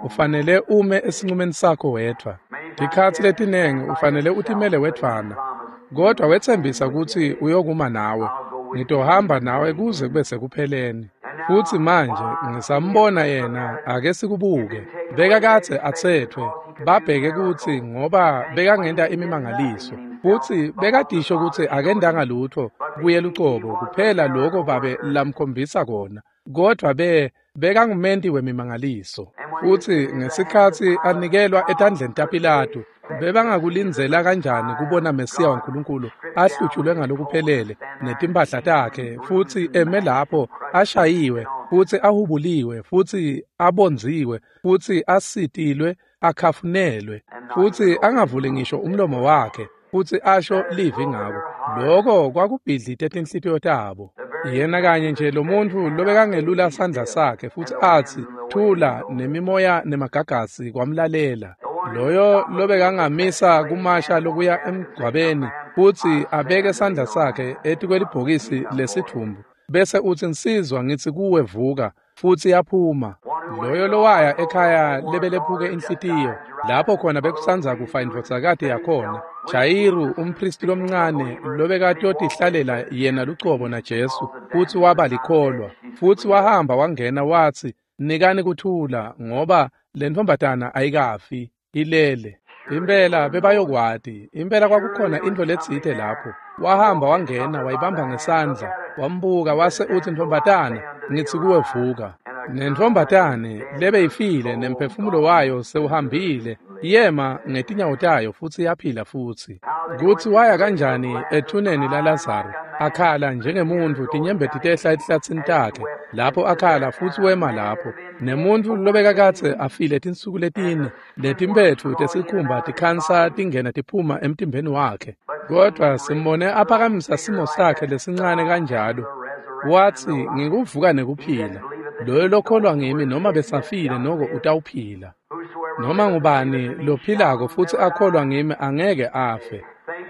Ufanele ume esincumeni sakho wedvwa. Tikhatsi letinengi ufanele utimele wedvwana, kodwa wetsembisa kutsi uyokuma nawe. Ngitohamba nawe kuze kube sekupheleni. Futsi manje ngisambona yena, ake sikubuke. Bekakadze atsetfwe, babheke kutsi ngoba bekangenta imimangaliso. Futsi bekadisho kutsi akendanga lutfo kuye lucobo kuphela loko babe lamkhombisa kona. Kodwa be bekangumenti wemimangaliso. Futsi ngesikhatsi anikelwa etandleni taPilatu, bebangakulindzela kanjani kubona Mesiya waNkulunkulu ahlutshulwe ngalokuphelele netimphahla takhe futsi eme lapho ashayiwe futsi ahubuliwe futsi abondziwe futsi asitilwe akhafunelwe futsi angavuli ngisho umlomo wakhe futsi asho livi ngako. Loko kwakubhidlite tinhlitiyo tabo. Yena kanye nje lo muntfu lobekangelula sandla sakhe futsi atsi thula nemimoya nemagagasi kwamlalela. Loyo lobekangamisa kumasha lokuya emgcwabeni futsi abeke sandla sakhe etikwelibhokisi lesithumbu bese utsi, "Nsizwa, ngitsi kuwe vuka," futsi yaphuma. Loyo lowaya ekhaya lebelephuke inhlitiyo, lapho khona bekusanza kufa indvodzakati yakhona, Jayiru umphristi lomncane lobekatotihlalela yena lucobo naJesu, futsi waba likholwa, futsi wahamba wangena watsi, "Nikani kuthula, ngoba lentfombatana ayikafi, ilele." Impela bebayokwati, impela kwakukhona intfo letsite lapho. Wahamba wangena wayibamba ngesandla, wambuka wase utsi, "Ntfombatana, ngitsi kuwe vuka." Nentfombatane lebeyifile nemphefumulo wayo sewuhambile, yema ngetinyawo tayo futsi yaphila futsi. Kutsi waya kanjani ethuneni laLazaru, akhala njengemuntfu, tinyembeti tehla etihlatsini takhe, lapho akhala futsi wema lapho. Nemuntfu lobekakadze afile tinsuku letine, letimpetfu tesikhumba tikhansa tingena tiphuma emtimbeni wakhe. Kodwa simbone aphakamisa simo sakhe lesincane kanjalo. Watsi, "Ngikuvuka nekuphila. Loyo lokholwa ngimi noma besafile noko utawuphila. Noma ngubani lophilako futsi akholwa ngimi angeke afe."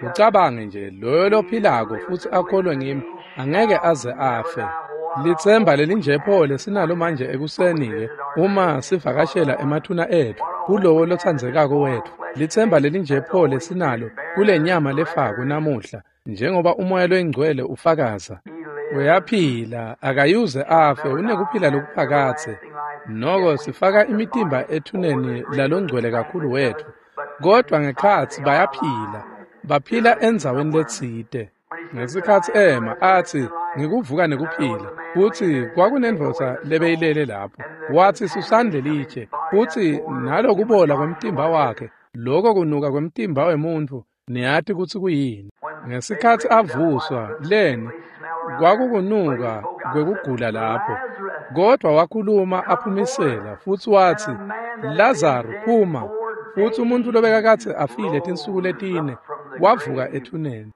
Ucabange nje, loyo lophilako futsi akholwe ngimi angeke aze afe. Litsemba lelinjepho lesinalo manje ekuseni-ke, uma sivakashela emathuna etfu, kulowo lotsandzekako wetfu. Litsemba lelinjepho lesinalo kule nyama lefako namuhla, njengoba umoya loyingcwele ufakaza. Uyaphila, akayuze afe, unekuphila lokuphakadze. Noko sifaka imitimba ethuneni lalongcwele kakhulu wetfu, kodwa ngekhatsi bayaphila, baphila endzaweni letsite. Ngesikhatsi ema atsi, "Ngikuvuka nekuphila," futsi kwakunendvodza lebeyilele lapho. Watsi, "Susani lelitshe," futsi nalokubola kwemtimba wakhe, loko kunuka kwemtimba wemuntfu, niyati kutsi kuyini. Ngesikhatsi avuswa, leni kwakukunuka kwekugula lapho. Kodwa wakhuluma aphumisela futsi watsi, "Lazaru, phuma." Futsi umuntfu lobekakadze afile tinsuku letine wavuka ethuneni.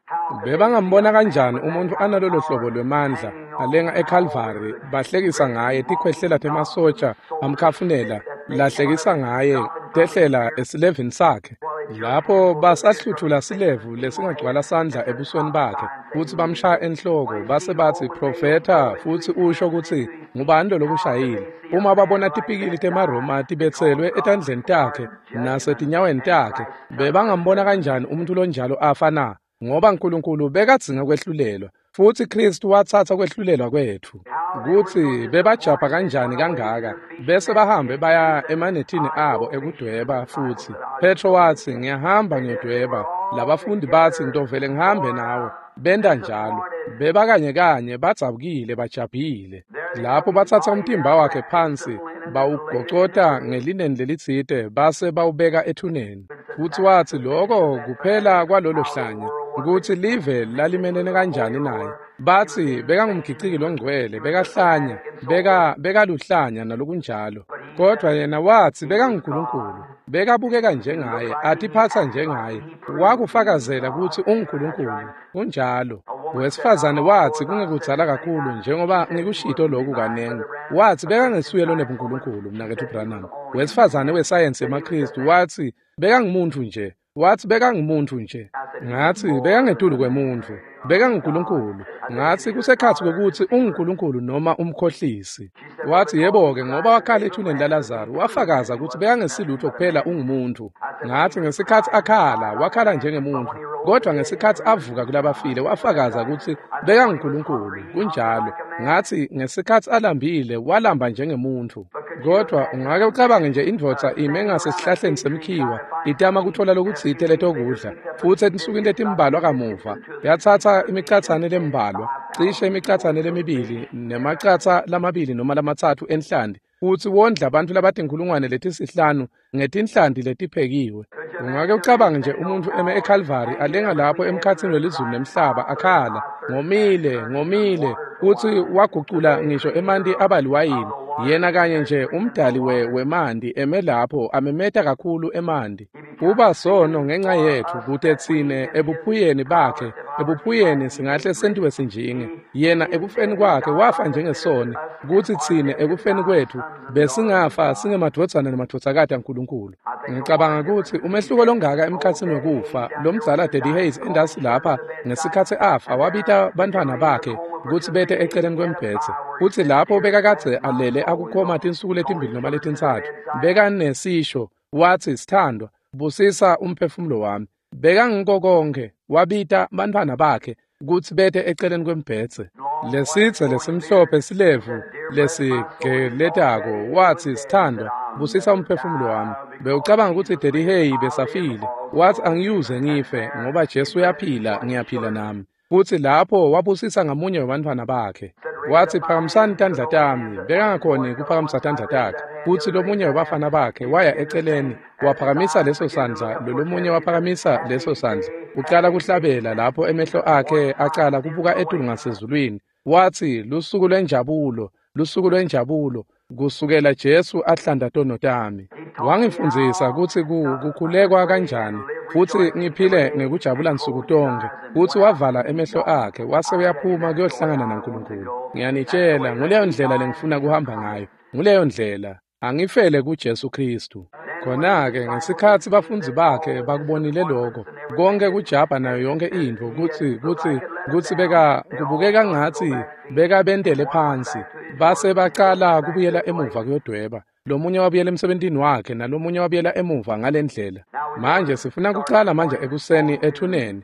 Bebangambona kanjani umuntfu analolo hlobo lwemandla alenga eKalvari, bahlekisa ngaye, tikhwehlela temasotsha amkhafunela, lahlekisa ngaye, tehlela esilevini sakhe. Lapho basahluthula silevu lesingagcwala sandla ebusweni bakhe, futsi bamshaya enhloko, base batsi, "Profetha futsi usho kutsi ngubani lo lokushayile." Uma babona tipikili temaRoma tibetselwe etandleni takhe nasetinyaweni takhe, bebangambona kanjani umuntfu lonjalo afa na? Ngoba Nkulunkulu bekadzinga kwehlulelwa, futsi Kristu watsatsa kwehlulelwa kwetfu. Kutsi bebajabha kanjani kangaka, bese bahambe baya emanethini abo ekudweba futsi. Petro watsi, "Ngiyahamba ngiyodweba." Labafundi batsi, "Ngitovele ngihambe nawe." Benta njalo. Bebakanye kanye badzabukile bajabhile. Lapho batsatsa umtimba wakhe phansi, bawugocota ngelineni lelitsite, base bawubeka ethuneni. Futsi watsi loko kuphela kwalolo hlanya, kutsi live lalimelene kanjani naye. Batsi bekangumgiciki longcwele, bekahlanya, beka bekaluhlanya nalokunjalo. Kodwa yena watsi bekanguNkulunkulu, bekabukeka njengaye, atiphatsa njengaye, wakufakazela kutsi unguNkulunkulu. Kunjalo. Wesifazane watsi kungekudzala kakhulu, njengoba ngikushito loku kanengi, watsi bekangesuye lonebuNkulunkulu, mnaketfu Branham. Wesifazane wesayensi yemaKhristu watsi bekangumuntu nje. Watsi bekangumuntu nje. Ngatsi bekangetulu kwemuntfu, bekanguNkulunkulu. Ngatsi kusekhatsi kwekutsi unguNkulunkulu noma umkhohlisi. Watsi yebo-ke, ngoba wakhala ethuneni laLazaru, wafakaza kutsi bekangesilutfo kuphela ungumuntu. Ngatsi ngesikhatsi akhala, wakhala njengemuntfu, kodwa ngesikhatsi avuka kulabafile, wafakaza kutsi bekanguNkulunkulu. Kunjalo. Ngatsi ngesikhatsi alambile, walamba njengemuntfu. Kodwa ungake ucabange nje indvodza ime ngasesihlahleni semkhiwa, itama kutfola lokutsite letokudla, futsi etinsukwini letimbalwa kamuva yatsatsa imicatsane lembalwa, cishe imicatsane lemibili nemacatsa lamabili noma lamatsatfu enhlanti, futsi wondla bantfu labatinkhulungwane letisihlanu ngetinhlanti letiphekiwe. Ungake ucabange nje umuntfu eme eKalvari alenga lapho emkhatsini welizulu nemhlaba akhala, "Ngomile, ngomile," futsi wagucula ngisho emanti aba liwayini. Yena kanye nje umdali we wemanti eme lapho amemeta kakhulu emanti. Uba sono ngenxa yetfu, kute tsine ebuphuyeni bakhe, ebuphuyeni singahle sentiwe sinjinge. Yena ekufeni kwakhe wafa njengesoni, kutsi tsine ekufeni kwetfu besingafa singemadvodzana nemadvodzakati aNkulunkulu. Ngicabanga kutsi umehluko longaka emkhatsini wekufa, lomdzala Daddy Hayes endasi lapha ngesikhatsi afa wabita bantfwana bakhe kutsi bete eceleni kwembhedze. Futsi lapho bekakadze alele akukhoma tinsuku letimbili noma letintsatfu, bekanesisho, watsi, "Sithandwa, busisa umphefumulo wami." Bekangiko konkhe, wabita bantfwana bakhe kutsi bete eceleni kwembhedze. Lesidze lesimhlophe silevu lesigeletako, watsi, "Sithandwa, busisa umphefumulo wami." Bewucabanga kutsi Daddy Hay besafile. Watsi, "Angiyuze ngife, ngoba Jesu uyaphila, ngiyaphila nami." Futsi lapho wabusisa ngamunye webantfwana bakhe. Watsi, "Phakamisani tandla tami." Bekangakhoni kuphakamisa tandla takhe. Futsi lomunye webafana bakhe waya eceleni, waphakamisa leso sandla, lolomunye waphakamisa leso sandla. Ucala kuhlabela lapho emehlo akhe acala kubuka etulu ngasezulwini. Watsi, "Lusuku lwenjabulo, lusuku lwenjabulo, kusukela Jesu ahlanda tono tami. Wangifundzisa kutsi kukhulekwa kanjani, futsi ngiphile ngekujabula nsuku tonkhe." Futsi wavala emehlo akhe, wase uyaphuma kuyohlangana naNkulunkulu. Ngiyanitshela, nguleyo ndlela lengifuna kuhamba ngayo. Nguleyo ndlela. Angifele kuJesu Kristu. Khona-ke ngesikhatsi bafundzi bakhe bakubonile lokho, konke kujabha nayo yonke intfo, kutsi kutsi kutsi beka kubukeka ngatsi bekabentele phansi, base bacala kubuyela emuva kuyodweba. Lomunye wabuyela emsebentini wakhe, nalomunye wabuyela emuva ngalendlela. Manje sifuna kucala manje ekuseni ethuneni.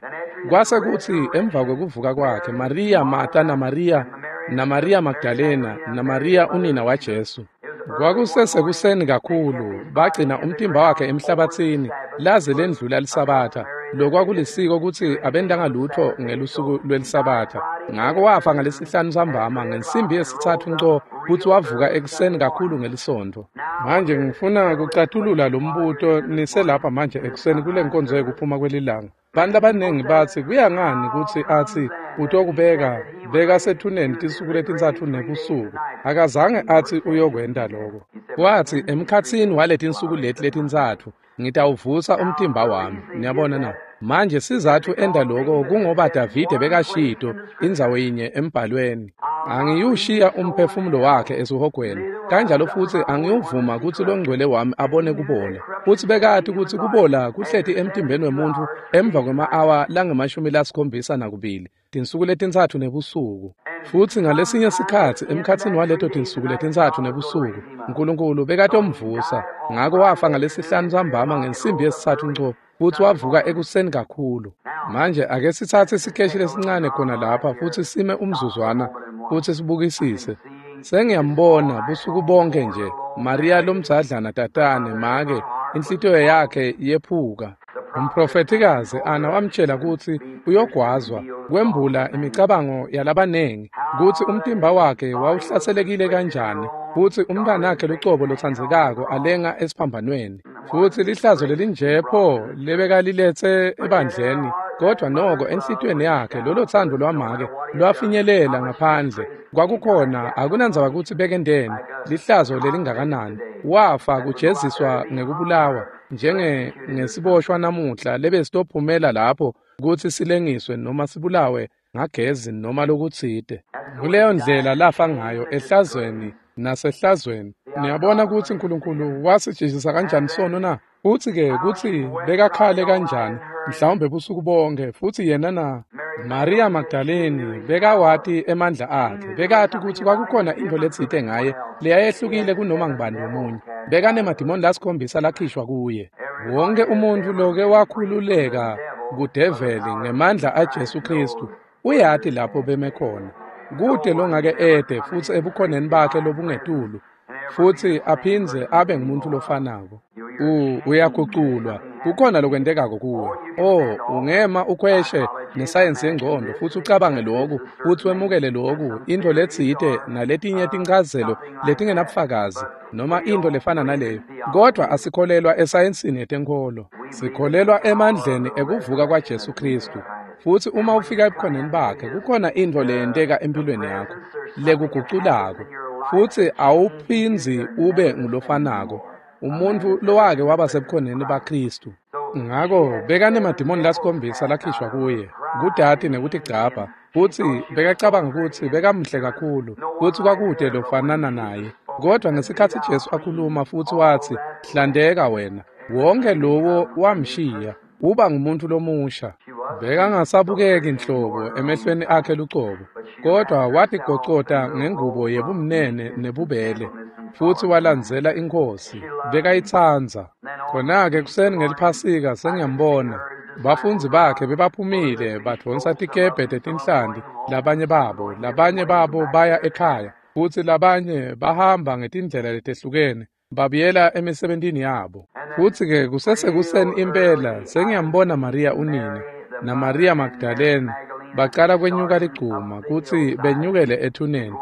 Kwase kutsi emva kwekuvuka kwakhe, Maria Marta na Maria na Maria Magdalena na Maria unina waJesu. Kwakusesekuseni kakhulu, bagcina umtimba wakhe emhlabatsini laze lendlula liSabatha. Lokwakulisiko kutsi abentanga lutho ngelusuku lweliSabatha. Ngako wafa ngalesihlanu sambama ngensimbi yesitsatfu nco, futsi wavuka ekuseni kakhulu ngelisontfo. Manje ngifuna kucatulula lo mbuto niselapha manje ekuseni kule nkonzo yekuphuma kwelilanga. Bantu labaningi batsi, kuya ngani kutsi atsi utokubeka beka sethuneni tinsuku letintsatfu nebusuku? Akazange atsi uyokwenta lokho. Watsi, emkhatsini waletinsuku leti letintsatfu ngitawuvusa umtimba wami. Niyabona na? Manje sizatfu enda lokho kungoba Davide bekashito indzawo yinye embhalweni, "Angiyushiya umphefumulo wakhe esihogweni, kanjalo futsi angiyuvuma kutsi longcwele wami abone kubola." Futsi bekati kutsi kubola kuhleti emtimbeni wemuntfu emva kwema-awa langemashumi lasikhombisa nakubili, tinsuku letintsatfu nebusuku. Futsi ngalesinye sikhatsi emkhatsini waleto tinsuku letintsatfu nebusuku, Nkulunkulu bekatomvusa. Ngako wafa ngalesihlanu sambama ngensimbi yesitsatfu nco, futsi wavuka ekuseni kakhulu. Manje ake sitsatse sikeshi lesincane khona lapha futsi sime umzuzwana futsi sibukisise. Sengiyambona busuku bonke nje Maria lomdzadlana tatane make, inhlitiyo yakhe yephuka. Umprofethikazi Ana wamtshela kutsi uyogwazwa, kwembula imicabango yalabanengi, kutsi umtimba wakhe wawuhlaselekile kanjani, futsi umntanakhe lucobo lotsandzekako alenga esiphambanweni. Futsi lihlazo lelinjepho lebekaliletse ebandleni, kodwa noko enhlitiyweni yakhe lolo thando lwamake lwafinyelela ngaphandle. Kwakukhona akunandzaba kutsi bekendeni, lihlazo lelingakanani. Wafa kujeziswa ngekubulawa njenge ngesiboshwa namuhla lebesitophumela lapho kutsi silengiswe noma sibulawe ngagezi noma lokutsite. Kuleyo ndlela lafa ngayo, ehlazweni nasehlazweni. Niyabona kutsi Nkulunkulu wasijezisa kanjani sono na? Futsi-ke kutsi bekakhale kanjani, mhlawumbe busuku bonke. Futsi yena na Maria Magdalene bekawati emandla akhe, bekati kutsi kwakukhona intfo letsite ngaye leyayehlukile kunoma ngubani lomunye. Bekanemadimoni lasikhombisa lakhishwa kuye. Wonke umuntfu loke wakhululeka kudeveli ngemandla aJesu Kristu uyati lapho beme khona. Kute longake ede futsi ebukhoneni bakhe lobungetulu, futsi aphindze abe ngumuntu lofanako. U uyaguculwa, kukhona lokwentekako kuwe. Oh, ungema ukhweshe nesayensi yengcondo futsi ucabange loku, futsi wemukele loku, intfo letsite naletinye tinchazelo letingenabufakazi noma intfo lefana naleyo. Kodwa asikholelwa esayensini yetenkholo. Sikholelwa emandleni ekuvuka kwaJesu Kristu. Futsi uma ufika ebukhoneni bakhe, kukhona intfo leyenteka empilweni yakho lekuguculako, futsi awuphindzi ube ngulofanako, umuntfu lowake waba sebukhoneni baKristu. Ngako bekanemadimoni lasikhombisa lakhishwa kuye, kudati nekutigcabha, futsi bekacabanga kutsi bekamhle kakhulu, futsi kwakude lofanana naye. Kodwa ngesikhatsi Jesu akhuluma futsi watsi, "Hlandeka wena," wonke lowo wamshiya, uba ngumuntu lomusha. Bekangasabukeki nhlobo emehlweni akhe lucobo, Kodwa watigocota ngengubo yebumnene nebubele, futsi walandzela iNkhosi, bekayitsandza. Khona-ke ekuseni ngeliPhasika sengiyambona. Bafundzi bakhe bebaphumile badvonsa tikebhe tetinhlanti, labanye babo, labanye babo baya ekhaya, futsi labanye bahamba ngetindlela letehlukene, babuyela emisebentini yabo. Futsi-ke kusesekuseni impela sengiyambona Mariya unina naMariya Magdalene bacala kwenyuka ligcuma kutsi benyukele ethuneni.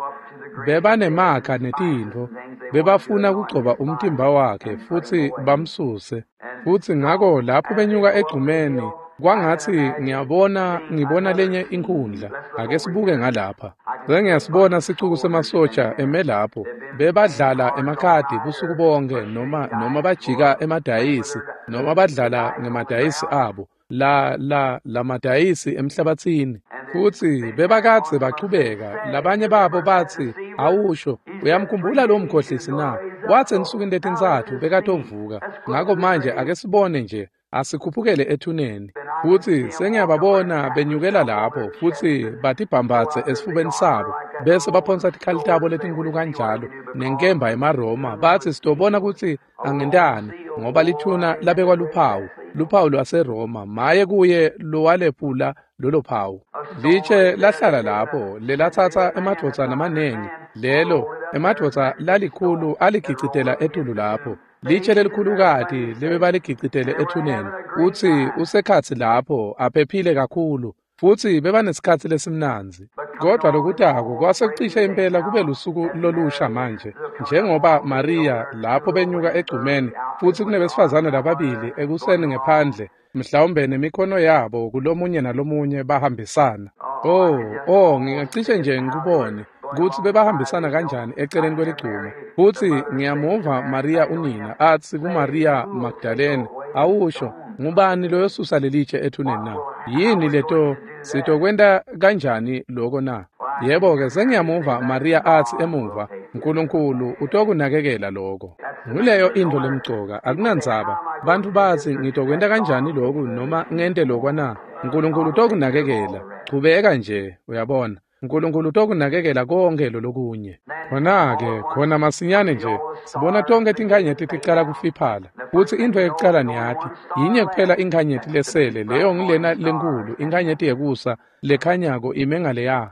Bebanemakha netintfo, bebafuna kugcoba umtimba wakhe futsi bamsuse. Futsi ngako lapho benyuka egcumeni, kwangatsi ngiyabona ngibona lenye inkhundla. Ake sibuke ngalapha. Sengiyasibona sicuku semasotja eme lapho. Bebadlala emakhadi busuku bonke noma noma bajika emadayisi noma badlala ngemadayisi abo. La la lamadayisi emhlabatsini. Futsi bebakadze bachubeka. Labanye babo batsi, awusho, uyamkhumbula lo mkhohlisi na? Watsi ensukwini letintsatfu bekatovuka. Ngako manje ake sibone nje, asikhuphukele ethuneni. Futsi sengiyababona benyukela lapho futsi batibhambatse esifubeni sabo, bese baphonsa tikhali tabo letinkhulu kanjalo nenkemba emaRoma, batsi sitobona kutsi angentani, ngoba lithuna labekwa luphawu, luphawu lwaseRoma, maye kuye lowalephula lolo phawu. Litshe lahlala lapho, lelatsatsa emadvodza lamanengi, lelo emadvodza lalikhulu aligicitela etulu lapho. Litshe lelikhulukati lebebaligicitele ethuneni, utsi usekhatsi lapho aphephile kakhulu, futsi bebanesikhatsi lesimnandzi. Kodwa lokutako kwase kucishe impela kube lusuku lolusha manje, njengoba Mariya lapho benyuka egcumeni, futsi kunebesifazane lababili ekuseni ngephandle, mhlawumbe nemikhono yabo kulomunye nalomunye bahambisana. Oh, oh, ngingacishe nje ngikubone kutsi bebahambisana kanjani eceleni kweligcuma. Futsi ngiyamuva Mariya unina atsi kuMariya Magdalene, awusho, ngubani loyosusa lelitshe ethuneni na? Yini leto sitokwenta kanjani loko na? Yebo-ke, sengiyamuva Mariya atsi emuva, Nkulunkulu utokunakekela loko. Nguleyo intfo lemcoka, akunandzaba. Bantfu batsi ngitokwenta kanjani loku noma ngente lokwa na? Nkulunkulu utokunakekela. Chubeka nje, uyabona. Nkulunkulu utokunakekela konke lolokunye. Khona-ke, khona masinyane nje, sibona tonke tinkhanyeti ticala kufiphala. Futsi intfo yekucala niyati, yinye kuphela inkhanyeti lesele, leyo ngilena lenkhulu, inkhanyeti yekusa lekhanyako ime ngaleya.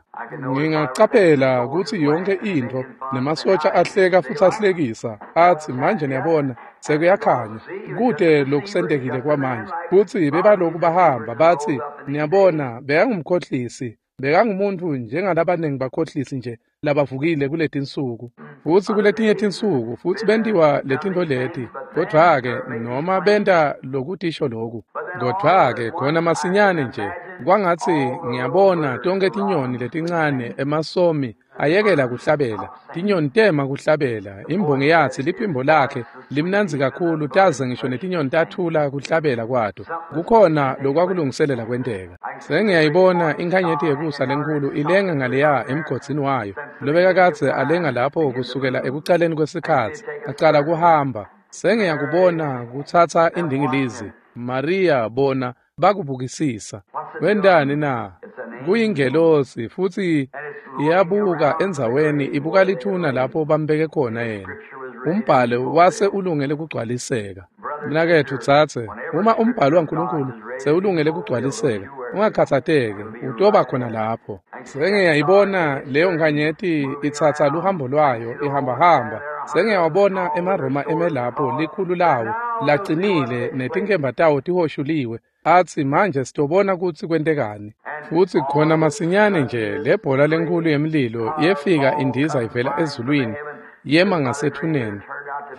Ngingacaphela kutsi yonke intfo nemasotja ahleka futsi ahlekisa, atsi manje niyabona, sekuyakhanya, kute lokusentekile kwamanje. Futsi bebaloku bahamba batsi, niyabona, bekangumkhohlisi, bekangumuntu njengalabanengi bakhohlisi nje labavukile kuletinsuku. Futsi kuletinye tinsuku futsi bentiwa letintfo leti, kodvwa-ke noma benta lokutisho loku, kodvwa-ke khona masinyane nje kwangatsi ngiyabona tonke tinyoni letincane emasomi ayekela kuhlabela, tinyoni tema kuhlabela. Imbongi yatsi liphimbo lakhe limnandzi kakhulu taze ngisho netinyoni tathula kuhlabela kwato. Kukhona lokwakulungiselela kwenteka. Sengiyayibona inkhanyeti yekusa lenkhulu ilenga ngaleya emgodzini wayo, lobekakadze alenga lapho kusukela ekucaleni kwesikhatsi, acala kuhamba. Sengiyakubona kutsatsa indingilizi. Mariya bona bakubukisisa. Wentani na? Kuyingelosi futsi iyabuka endzaweni, ibuka lithuna lapho bambeke khona yena. Umbhalo wase ulungele kugcwaliseka. Mnaketfu tsatse, uma umbhalo waNkulunkulu sewulungele kugcwaliseka, ungakhatsateki, utoba khona lapho. Sengiyayibona leyo nkhanyeti itsatsa luhambo lwayo, ihambahamba. Sengiyawabona emaRoma eme lapho, likhulu lawo lacinile netinkemba tawo tihoshuliwe. Atsi manje sitobona kutsi kwentekani. Futsi khona masinyane nje lebhola lenkhulu yemlilo yefika indiza ivela ezulwini, yema ngasethuneni.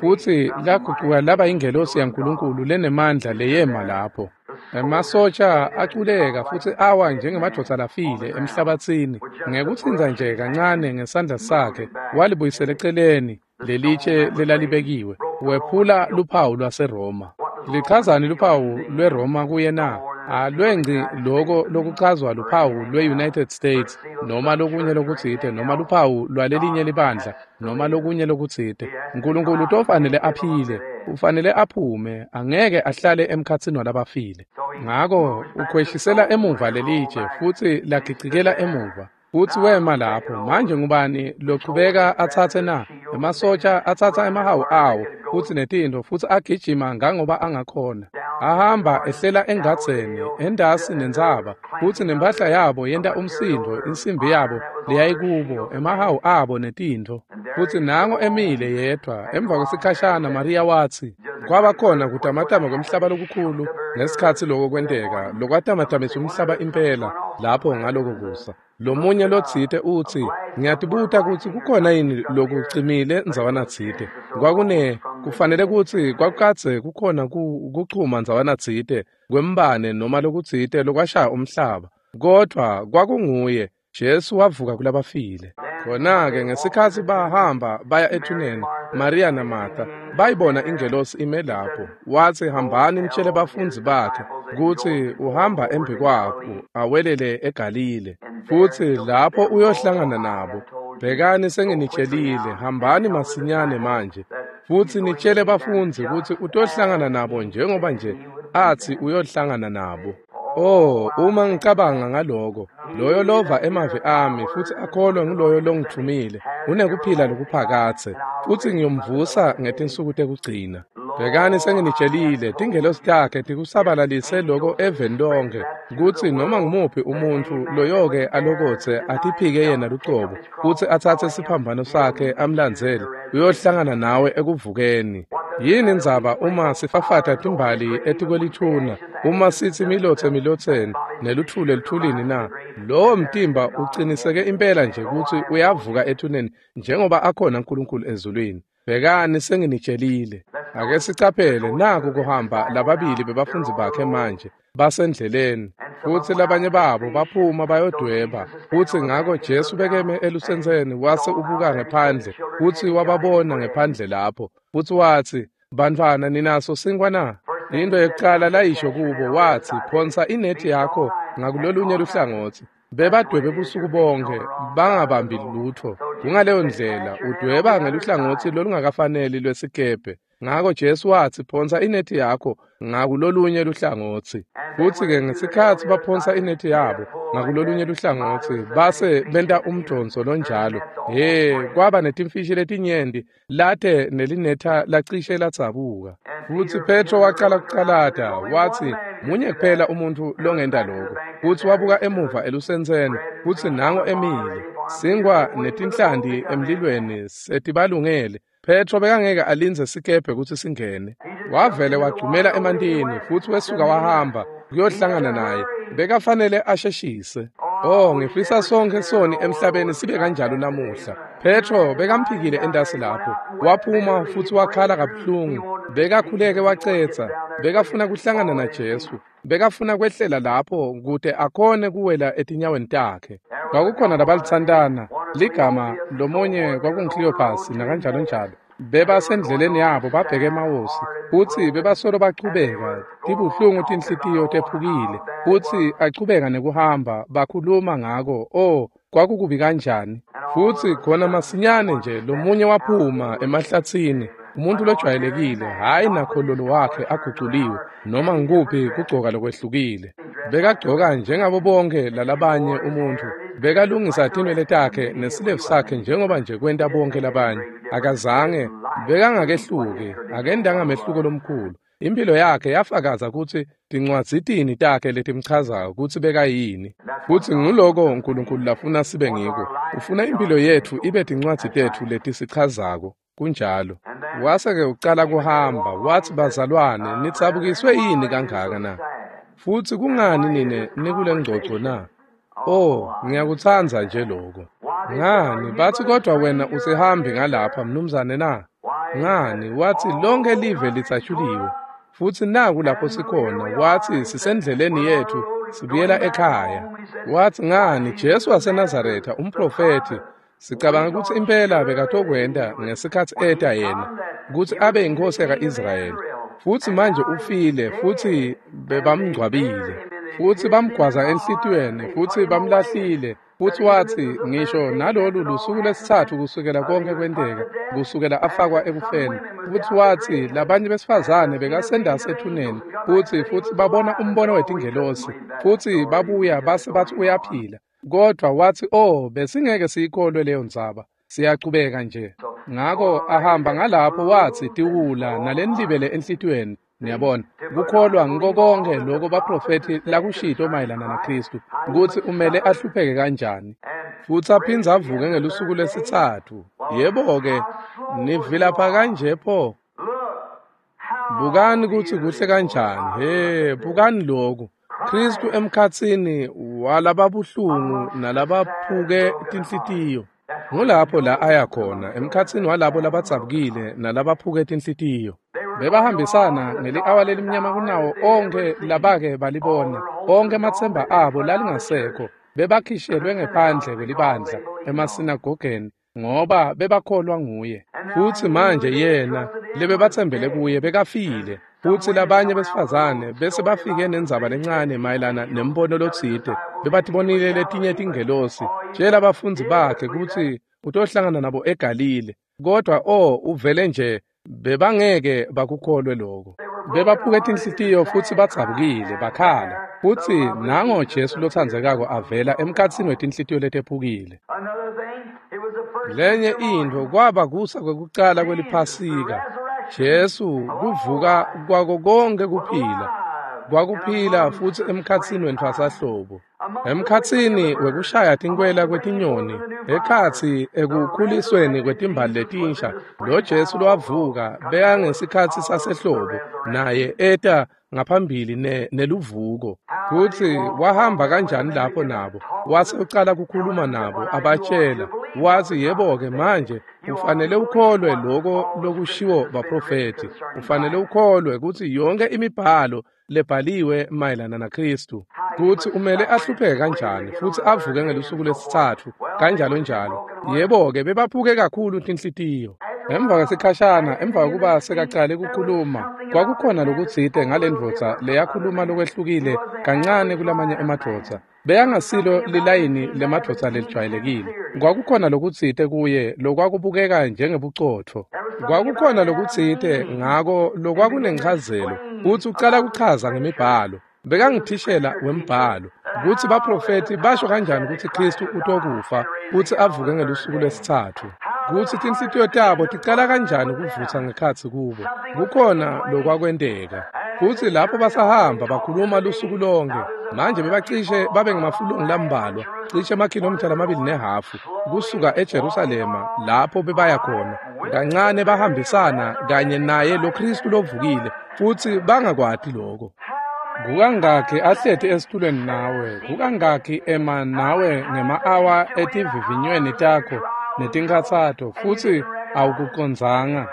Futsi lagucuka laba ingelosi yaNkulunkulu lenemandla leyema lapho. Emasotja aculeka futsi awa njengemadvodza lafile emhlabatsini. Ngekutsintsa nje kancane ngesandla sakhe walibuyisela eceleni lelitshe lelalibekiwe, wephula luphawu lwaseRoma. Lichazani luphawu lweRoma kuye na? Alwengci loko lokuchazwa luphawu lwe-United States noma lokunye lokutsite, noma luphawu lwalelinye libandla noma lokunye lokutsite. Nkulunkulu utofanele aphile, ufanele aphume, angeke ahlale emkhatsini walabafile. Ngako ukhweshisela emuva lelitshe futsi lagicikela emuva. Futsi wema lapho. Manje ngubani lochubeka atsatse na? Emasotja atsatsa emahawu awo futsi netintfo futsi agijima ngangoba angakhona. Ahamba ehlela engadzeni, endasi nentsaba, futsi nempahla yabo yenta umsindvo, insimbi yabo leyayikubo, emahawu abo netintfo. Futsi nango emile yedvwa. Emva kwesikhashana Mariya watsi, kwaba khona kutamatama kwemhlaba lokukhulu ngesikhatsi loko kwenteka, lokwatamatamisa umhlaba impela lapho ngaloko kusa. Lomunye lotsite utsi, ngiyatibuta kutsi kukhona yini lokucimile ndzawana tsite. Kwakune kufanele kutsi kwakukadze kukhona kuchuma ndzawana tsite kwembane noma lokutsite lokwashaya umhlaba. Kodvwa kwakunguye Jesu wavuka kulabafile. Khona-ke ngesikhatsi bahamba baya ethuneni, Mariya naMartha bayibona ingelosi ime lapho. Watsi, hambani nitjele bafundzi bakhe kutsi uhamba embikwabo awelele eGalile, futsi lapho uyohlangana nabo. Bhekani, senginitjelile, hambani masinyane manje futsi nitjele bafundzi kutsi utohlangana nabo njengoba nje atsi uyohlangana nabo. Oh, uma ngicabanga ngaloko, loyo lova emavi ami futsi akholwe nguloyo longithumile unekuphila lokuphakadze, futsi ngiyomvusa ngetinsuku tekugcina. Bhekani, senginitjelile, tingelosi takhe tikusabalalise loko eveni lonkhe, kutsi noma ngumuphi umuntfu loyoke alokotse atiphike yena lucobo futsi atsatse siphambano sakhe amlandzele, uyohlangana nawe ekuvukeni. Yini indzaba uma sifafata timbali etikwelithuna, uma sitsi milotse emilotseni neluthuli eluthulini na? Lowo mtimba uciniseke impela nje kutsi uyavuka ethuneni njengoba akhona uNkulunkulu ezulwini. Bhekani, senginitjelile. Ake sicaphele, naku kuhamba lababili bebafundzi bakhe manje basendleleni, futsi labanye babo baphuma bayodweba. Futsi ngako Jesu bekeme elusentseni wase ubuka ngephandle, futsi wababona ngephandle lapho, futsi watsi, bantfwana, ninaso sinkwa na? Into yekucala layisho kubo watsi, phonsa inethi yakho ngakulolunye luhlangotsi. Bebadwebe busuku bonke bangabambi lutfo. Kungaleyo ndlela udweba ngeluhlangotsi lolungakafaneli lwesikebhe. Ngako Jesu watsi, phonsa inethi yakho ngakulolunye luhlangotsi. Futsi-ke ngesikhatsi baphonsa inethi yabo ngakulolunye luhlangotsi, base benta umdonso lonjalo. He, kwaba netimfishi letinyenti late nelinetha lacishe ladzabuka. Futsi Petro wacala kucalata, watsi, munye kuphela umuntfu longenta lokho. Futsi wabuka emuva elusentseni, futsi nango emile, sinkwa netinhlanti emlilweni setibalungele. Petro bekangeke alindze sikebhe kutsi singene. Wavele wagcumela emantini futsi wesuka wahamba kuyohlangana naye. Bekafanele asheshise. Oh, ngifisa sonkhe soni emhlabeni sibe kanjalo namuhla. Petro bekamphikile entasi lapho. Waphuma futsi wakhala kabuhlungu. Bekakhuleke wacetsa. Bekafuna kuhlangana naJesu. Bekafuna kwehlela lapho kute akhone kuwela etinyaweni takhe. Kwakukhona labalitsantana, ligama lomunye kwakunguKleopas nakanjalo njalo. Bebasendleleni yabo babheke emawosi, futsi bebasolo bachubeka, tibuhlungu tinhlitiyo tephukile, futsi achubeka nekuhamba bakhuluma ngako. Oh, kwakukubi kanjani. Futsi khona masinyane nje lomunye waphuma emahlatsini, umuntu lojwayelekile, hhayi nakhololo wakhe aguculiwe noma ngikuphi kugcoka lokwehlukile. Bekagcoka njengabo bonke lalabanye umuntu. Bekalungisa tinwele takhe nesilevu sakhe njengoba nje kwenta bonke labanye. Akazange, bekangakehluki, akendanga mehluko lomkhulu. Impilo yakhe yafakaza kutsi tincwadzi tini takhe letimchazako kutsi bekayini. Futsi nguloko uNkulunkulu lafuna sibe ngiko. Ufuna impilo yetfu ibe tincwadzi tetfu letisichazako. Kunjalo. Wase-ke ucala kuhamba, watsi, bazalwane, nidzabukiswe yini kangaka na? Futsi kungani nine nikule ngcoco na? Oh, ngiyakutsandza nje lokho. Ngani, batsi kodwa wena usihambi ngalapha mnumzane na? Ngani, watsi lonke live litsatshuliwe. Futsi naku lapho sikhona, watsi sisendleleni yetfu sibuyela ekhaya. Watsi ngani, Jesu waseNazaretha umprofethi, sicabanga kutsi impela bekatokwenta ngesikhatsi eta yena, kutsi abe inkosi yaka-Israyeli. Futsi manje ufile, futsi bebamngcwabile. Futsi bamgwaza enhlitiyweni, futsi bamlahlile. Futsi watsi, ngisho nalolu lusuku lwesitsatfu kusukela konke kwenteka, kusukela afakwa ekufeni. Futsi watsi, labanye besifazane bekasendasi ethuneni, futsi futsi babona umbono wetingelosi, futsi babuya base batsi uyaphila. Kodwa wathi, "Oh, besingeke siyikholwe leyo ndzaba. Siyachubeka nje." Ngako ahamba ngalapho wathi tiwula nalenilibele enhlitiyweni. Niyabona, kukholwa ngiko konke lokho baprofethi lakushito mayelana naKristu, kutsi umele ahlupheke kanjani futsi aphindze avuke ngelusuku lwesitsatfu. Yebo-ke, nivilapha kanje pho. Bukani kutsi kuhle kanjani. He, bukani lokhu. Kristu emkhatsini walababuhlungu nalabaphuke tinhlitiyo. Ngulapho la aya khona, emkhatsini walabo labadzabukile nalabaphuke tinhlitiyo. Bebahambisana ngeli-awa lelimnyama kunawo onkhe labake balibona, onkhe ematsemba abo lalingasekho. Bebakhishelwe ngephandle kwelibandla emasinagogeni ngoba bebakholwa nguye. Futsi manje yena lebebatsembele kuye bekafile. Futsi labanye besifazane bese bafike nendzaba lencane mayelana nembono lotsite. Bebatibonile letinye tingelosi. Tjela abafundzi bakhe kutsi utohlangana nabo eGalile. Kodwa oh, uvele nje bebangeke bakukholwe lokho. Bebaphuke tinhlitiyo futsi badzabukile bakhala. Futsi nango Jesu lotsandzekako avela emkhatsini wetinhlitiyo letephukile. Lenye intfo kwaba kusa kwekucala kweliPhasika. Jesu kuvuka kwako konke kuphila. Kwakuphila futsi emkhatsini wentfwasahlobo. Emkhatsini wekushaya tinkwela kwetinyoni, ekhatsi ekukhulisweni kwetimbali letinsha, lo Jesu lowavuka bekangesikhatsi sasehlobo, naye eta ngaphambili ne neluvuko. Kutsi wahamba kanjani lapho nabo, wase ucala kukhuluma nabo abatshela, wathi, "Yebo-ke manje ufanele ukholwe lokho lokushiwo baprofethi, ufanele ukholwe kutsi yonke imibhalo lebhaliwe mayelana naKristu, kutsi umele ahlupheke kanjani futsi avuke ngelusuku lwesitsatfu, kanjalo njalo." Yebo-ke, bebaphuke kakhulu tinhlitiyo. Emva kwesikhashana, emva kokuba sekacale kukhuluma, kwakukhona lokutsite ngalendvodza leyakhuluma lokwehlukile kancane kulamanye emadvodza. Bekangasilo lilayini lemadvodza lelijwayelekile. Kwakukhona lokutsite kuye lokwakubukeka njengebucotfo. Kwakukhona lokutsite ngako lokwakunenchazelo, futsi ucala kuchaza ngemibhalo. Bekangithishela wembhalo kutsi baprofethi basho kanjani kutsi Kristu utokufa futsi avuke ngelusuku lwesitsatfu, kutsi tinhlitiyo tabo ticala kanjani kuvutsa ngekhatsi kubo. Kukhona lokwakwenteka. Futsi lapho basahamba bakhuluma lusuku lonke. Manje bebacishe babe ngemafulungu lambalwa, cishe emakhilomitha lamabili nehhafu kusuka eJerusalema lapho bebaya khona. Kancane bahambisana kanye naye lo Kristu lovukile, futsi bangakwati lokho. Kukangakhi ahleti esitulweni nawe, kukangakhi ema nawe ngema-awa etivivinyweni takho netinkhatsato, futsi awukucondzanga.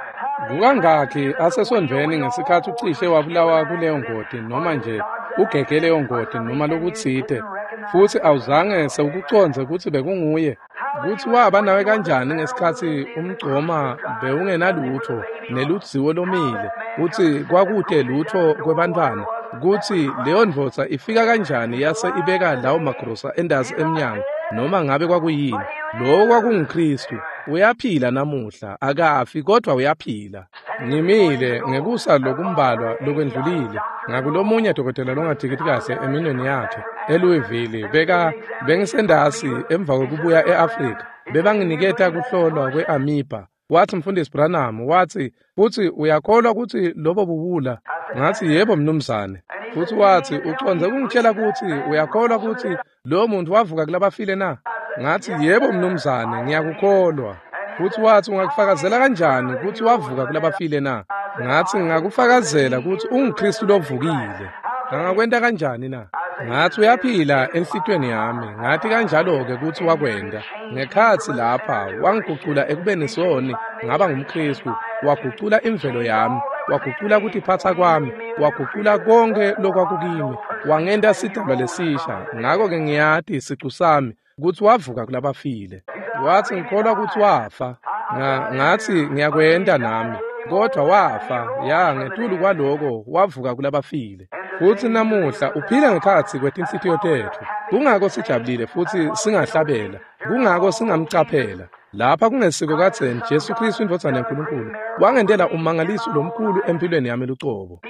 Kukangakhi asesondvweni ngesikhatsi ucishe wabulawa kuleyo ngoti, noma nje ugege leyo ngoti noma lokutsite, futsi awuzange sewukucondze kutsi bekunguye. Kutsi waba nawe kanjani ngesikhatsi umgcoma bewungenalutho neludziwo lomile, kutsi kwakute lutho kwebantfwana, kutsi leyo ndvodza ifika kanjani yase ibeka lawo magrosa endasi emnyango, noma ngabe kwakuyini. Lowo kwakunguKristu. Uyaphila namuhla, akafi kodwa uyaphila. Ngimile ngekusa lokumbalwa lokwendlulile ngakulomunye dokotela longathikiti kahle eminweni yakhe eLouisville. Beka bengisendasi emva kwekubuya e-Afrika, bebanginiketa kuhlolwa kwe-amoeba. Wathi, "Mfundisi Branham," wathi, "futsi uyakholwa kutsi lobo buwula?" Ngathi, "Yebo mnumzane." Futsi wathi, "Ucondze kungitshela kutsi uyakholwa kutsi lowo muntu wavuka kulabafile na?" Ngathi, "Yebo mnumzane, ngiyakukholwa." Futsi wathi, "Ungakufakazela kanjani kutsi wavuka kulabafile na?" Ngathi, "Ngakufakazela kutsi unguKristu lovukile." Angakwenta kanjani na? Ngathi, "Uyaphila enhlitiyweni yami." Ngathi kanjalo-ke kutsi wakwenta. Ngekhatsi lapha wangigucula ekubeni soni ngaba ngumKristu, wagucula imvelo yami, wagucula kutiphatsa kwami, wagucula konke lokwakukimi, wangenta sidalwa lesisha. Ngako-ke ngiyati sicu sami kutsi wavuka kulabafile. Wathi, "Ngikholwa kutsi wafa." Nga, ngathi, "Ngiyakwenta nami." Kodwa wafa, ya, ngetulu kwaloko wavuka kulabafile. Futsi namuhla uphila ngekhatsi kwetinhlitiyo tetfu. Kungako sijabulile futsi singahlabela, kungako singamcaphela. Lapha kungesiko kadzeni Jesu Kristu indvodzana yaNkulunkulu wangentela ummangaliso lomkhulu empilweni yami lucobo.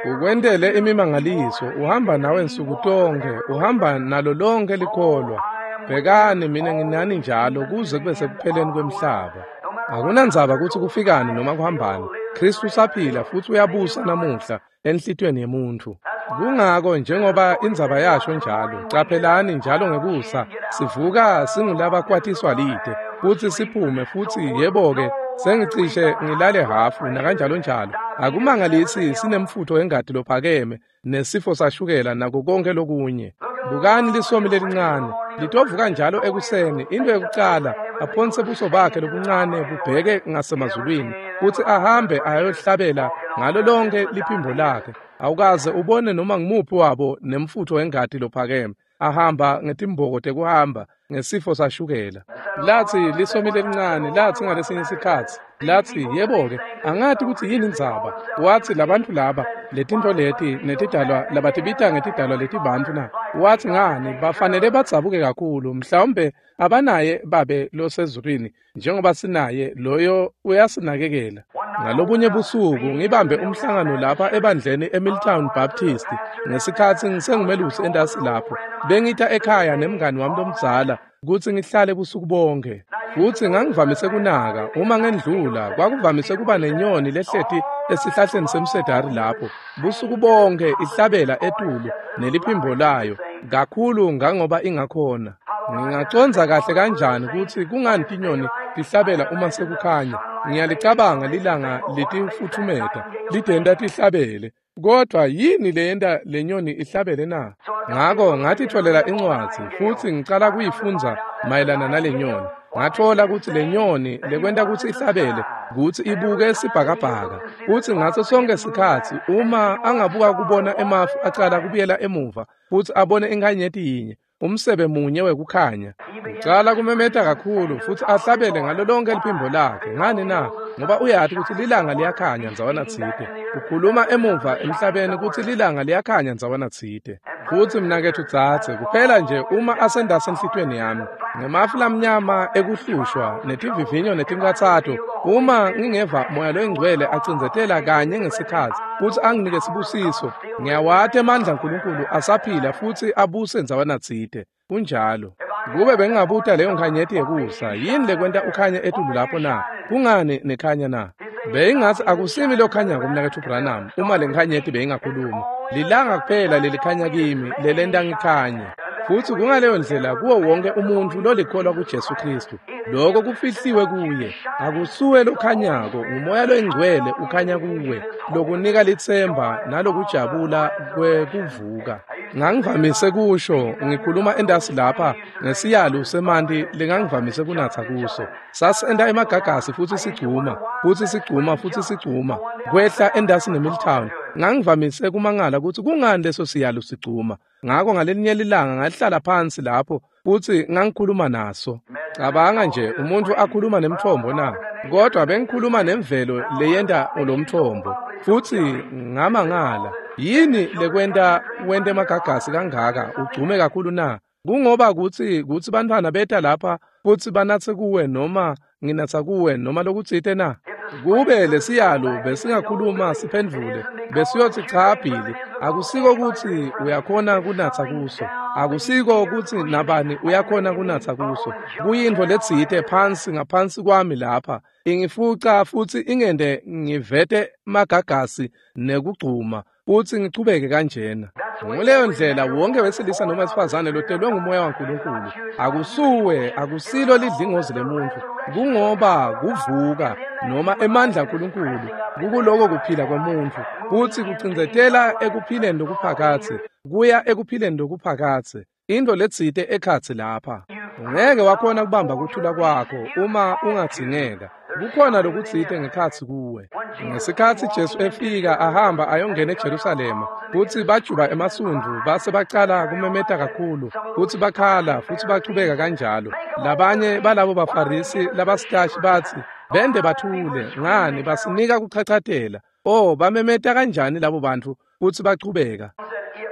Ukwentele imimangaliso, uhamba nawe nsuku tonkhe, uhamba nalo lonke likholwa. Bhekani mina nginani njalo kuze kube sekupheleni kwemhlaba. Akunandzaba kutsi kufikani noma kuhambani. Kristu usaphila futsi uyabusa namuhla enhlitiyweni yemuntfu. Kungako njengoba indzaba yasho njalo, caphelani njalo ngekusa sivuka singulabakwatiswa lide futsi siphume futsi yebo-ke sengicishe ngilale hafu nakanjalo njalo. Akumangalisi sinemfutho wengati lophakeme nesifo sashukela nako konke lokunye. Bukani lisomi lelincane litovuka njalo ekuseni, into yekucala aphonse buso bakhe lobuncane bubheke ngasemazulwini futsi ahambe ayohlabela ngalo lonke liphimbo lakhe. Awukaze ubone noma ngumuphi wabo nemfutho wengati lophakeme ahamba ngetimboko tekuhamba ngesifo sashukela. Lathi lisomi lelincane lathi ngalesinye isikhatsi lathi yebo-ke angati kutsi yini indzaba. Wathi labantu laba letinto leti netidalwa labatibita ngetidalwa letibantfu na, wathi ngani bafanele badzabuke kakhulu, mhlawumbe abanaye babe losezulwini njengoba sinaye loyo uyasinakekela. Ngalobunye busuku ngibambe umhlangano lapha ebandleni eMilltown Baptist ngesikhatsi ngisengumelusi entasi lapho. Bengita ekhaya nemngani wami lomdzala kutsi ngihlale busuku bonke. Futsi ngangivamise kunaka uma ngendlula kwakuvamise kuba nenyoni lehleti esihlahleni semsedari lapho busuku bonke ihlabela etulu neliphimbo layo kakhulu ngangoba ingakhona. Ngingacondza kahle kanjani kutsi kungani tinyoni tihlabela uma sekukhanya. Ngiyalicabanga lilanga litifutfumeta lidenta tihlabele, kodwa yini leyenta lenyoni ihlabele na? Ngako ngatitfolela incwadzi futsi ngicala kuyifundza mayelana nale nyoni. Ngatfola kutsi le nyoni lekwenta kutsi ihlabele kutsi ibuke sibhakabhaka, kutsi ngaso sonke sikhatsi uma angabuka kubona emafu acala kubuyela emuva futsi abone inkhanyeti yinye, umsebe munye wekukhanya, ucala kumemeta kakhulu futsi ahlabele ngalo lonke liphimbo lakhe. Ngani na? Ngoba uyati kutsi lilanga liyakhanya ndzawana tsite. Ukhuluma emuva emhlabeni kutsi lilanga liyakhanya ndzawana tsite. Futsi mnaketfu dzadze, kuphela nje uma asendase enhlitiyweni yami ngemafu lamnyama ekuhlushwa netivivinyo netinkhatsato, uma ngingeva moya loyingcwele acindzetela kanye ngesikhatsi futsi anginike sibusiso, ngiyawati emandla aNkulunkulu asaphila futsi abuse ndzawana tsite. Kunjalo. Kube bengingabuta leyo nkhanyeti yekusa, yini lekwenta ukhanye etulu lapho na? Kungani nekhanya na? Beyingatsi akusimi lokhanyako mnaketfu Branham uma le nkhanyeti beyingakhuluma. Lilanga kuphela lelikhanya kimi lelenta ngikhanye. Futsi kungaleyo ndlela kuwo wonke umuntfu lolikholwa kuJesu Kristu. Lokho kufihliwe kuye. Akusuwe lokhanyako, ngumoya loyingcwele ukhanya kuwe, lokunika litsemba nalokujabula kwekuvuka. Ngangivamise kusho ngikhuluma endasi lapha ngesiyalu semanti lengangivamise kunatsa kuso. Sasenta emagagasi futsi sigcuma, futsi sigcuma futsi sigcuma kwehla endasi neMilltown. Ngangivamise kumangala kutsi kungani leso siyalu sigcuma. Ngako ngalelinye lilanga ngahlala phansi lapho futsi ngangikhuluma naso. Cabanga nje umuntu akhuluma nemthombo na, kodwa bengikhuluma nemvelo leyenta lomthombo. Futsi ngamangala, yini lekwenta wente emagagasi kangaka ugcume kakhulu na? Kungoba kutsi kutsi bantfwana beta lapha futsi banatse kuwe noma nginatsa kuwe noma lokutsite na? Kube lesiyalo besingakhuluma siphendvule besiyotsi cha Billy, akusiko kutsi uyakhona kunatsa kuso, akusiko kutsi nabani uyakhona kunatsa kuso. Kuyintfo letsite phansi ngaphansi kwami lapha ingifuca futsi ingende ngivete magagasi nekugcuma futsi ngichubeke kanjena. Nguleyo ndlela wonke wesilisa noma wesifazane lotelwe ngumoya waNkulunkulu. Akusuwe, akusilo lidlingozi lemuntfu, kungoba kuvuka noma emandla aNkulunkulu kukuloko kuphila kwemuntfu futsi kucindzetela ekuphileni lokuphakatse kuya ekuphileni lokuphakatse. Into letsite ekhatsi lapha. Ungeke wakhona kubamba kuthula kwakho uma ungadzingeka. Kukhona lokutsite ngekhatsi kuwe. Ngesikhatsi Jesu efika ahamba ayongena eJerusalema, futsi bajuba emasundvu base bacala kumemeta kakhulu, futsi bakhala futsi bachubeka kanjalo. Labanye balabo baFarisi labasitashi batsi, bende bathule, ngani basinika kuchachatela. Oh, bamemeta kanjani labo bantu futsi bachubeka.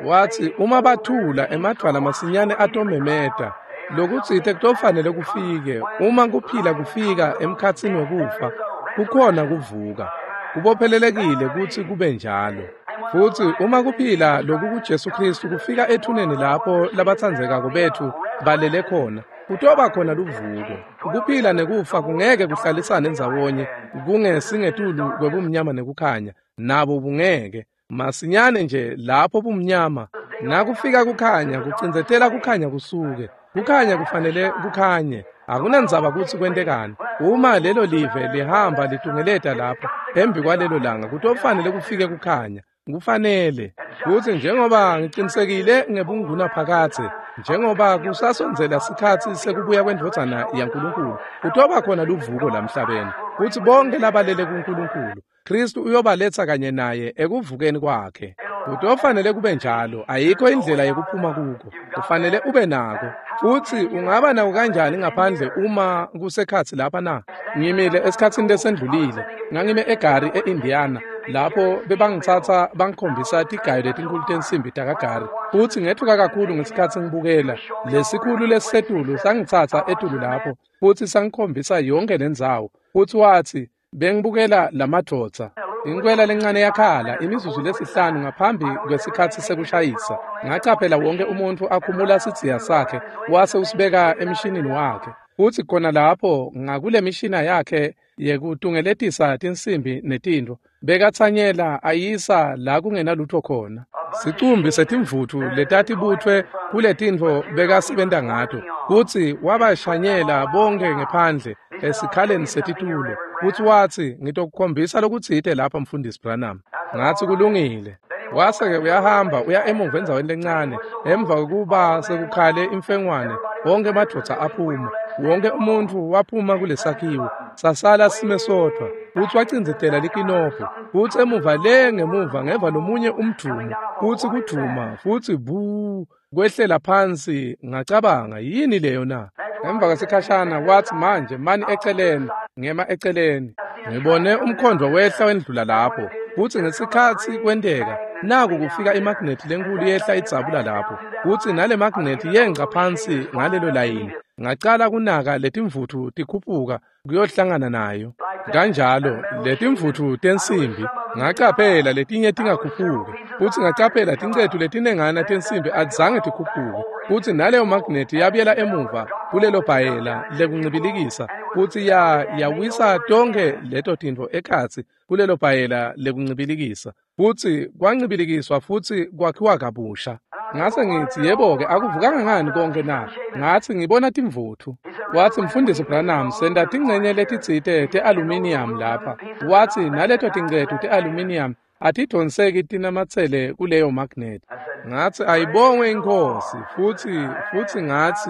Watsi uma bathula emadvwala masinyane atomemeta. Lokutsite kutofanele kufike uma kuphila kufika emkhatsini wekufa, kukhona kuvuka. Kubophelelekile kutsi kube njalo. Futsi uma kuphila loku kuJesu Khristu kufika ethuneni lapho labatsandzekako betfu balele khona, kutoba khona luvuko. Kuphila nekufa kungeke kuhlalisane ndzawonye, kungesingetulu kwebumnyama nekukhanya, nabo bungeke. Masinyane nje lapho bumnyama, nakufika kukhanya, kucindzetela kukhanya kusuke. Kukhanya kufanele kukhanye. Akunandzaba kutsi kwentekani. Uma lelo live lihamba litungeleta lapho embi kwalelo langa, kutofanele kufike kukhanya. Kufanele. Futsi njengoba ngicinisekile ngebunguna phakadze, njengoba kusasondzela sikhatsi sekubuya kwendvodzana yaNkulunkulu, kutoba khona luvuko lamhlabeni. Futsi bonke labalele kuNkulunkulu, Khristu uyobaletsa kanye naye ekuvukeni kwakhe. Kutofanele kube njalo, ayikho indlela yekuphuma kuko. Kufanele ube nako. Futsi ungaba nako kanjani ngaphandle uma kusekhatsi lapha na? Ngimile esikhatsini lesendlulile, ngangime eGary eIndiana, lapho bebangitsatsa bangikhombisa tigayo letinkulu tensimbi takaGary. Futsi ngetfuka kakhulu ngesikhatsi ngibukela. Lesikhulu lesisetulu sangitsatsa etulu lapho, futsi sangikhombisa yonke lendzawo. Futsi watsi, bengibukela lamadvodza. Inkwela lencane yakhala imizuzu lesihlanu ngaphambi kwesikhatsi sekushayisa. Ngacaphela wonke umuntfu akhumula sidziya sakhe wase usibeka emshinini wakhe. Futsi khona lapho ngakule mishina yakhe yekutungeletisa tinsimbi netintfo, bekatsanyela ayisa la kungenalutfo khona. Sicumbi setimvutfu letatibutfwe kuletintfo bekasebenta ngato, kutsi wabashanyela bonke ngephandle esikhaleni setitulo. Futsi watsi, ngitokukhombisa lokutsite lapha Mfundisi Branham. Ngatsi kulungile. Wase-ke uyahamba uya emuva endzaweni lencane. Emva kwekuba sekukhale imfengwane, wonke emadvodza aphuma. Wonke umuntfu waphuma kulesakhiwo. Sasala sime sodvwa. Futsi wacindzetela likinobho. Futsi emuva le ngemuva ngeva lomunye umdvumo. Futsi kudvuma, futsi bu kwehlela phansi. Ngacabanga, yini leyo na? Emva kwesikhashana watsi, manje mani eceleni. Ngema eceleni. Ngibone umkhondvo wehla wendlula lapho. Futsi ngesikhatsi kwenteka, naku kufika imagnethi lenkulu yehla idzabula lapho. Futsi nale magnethi yengca phansi ngalelo layini. Ngacala kunaka letimvutfu tikhuphuka kuyohlangana nayo. Kanjalo letimvutfu tensimbi ngacaphela letinye tingakhuphuki. Futsi ngacaphela tincetu letinengana tensimbi atizange tikhuphuke. Futsi naleyo magnethi yabuyela emuva kulelo bhayela lekuncibilikisa. Futsi ya yawisa tonkhe leto tintfo ekhatsi kulelo bhayela lekuncibilikisa. Futsi kwancibilikiswa futsi kwakhiwa kabusha. Ngase ngitsi, yebo-ke, akuvukanga ngani konke na? Ngatsi ngibona timvutfu. Watsi, Mfundisi Branham, senta tincenye letitsite te-aluminium lapha. Watsi naleto tincetu te-aluminium atidonseki tinamatsele kuleyo magnet. Ngatsi ayibongwe iNkhosi. Futsi futsi ngatsi,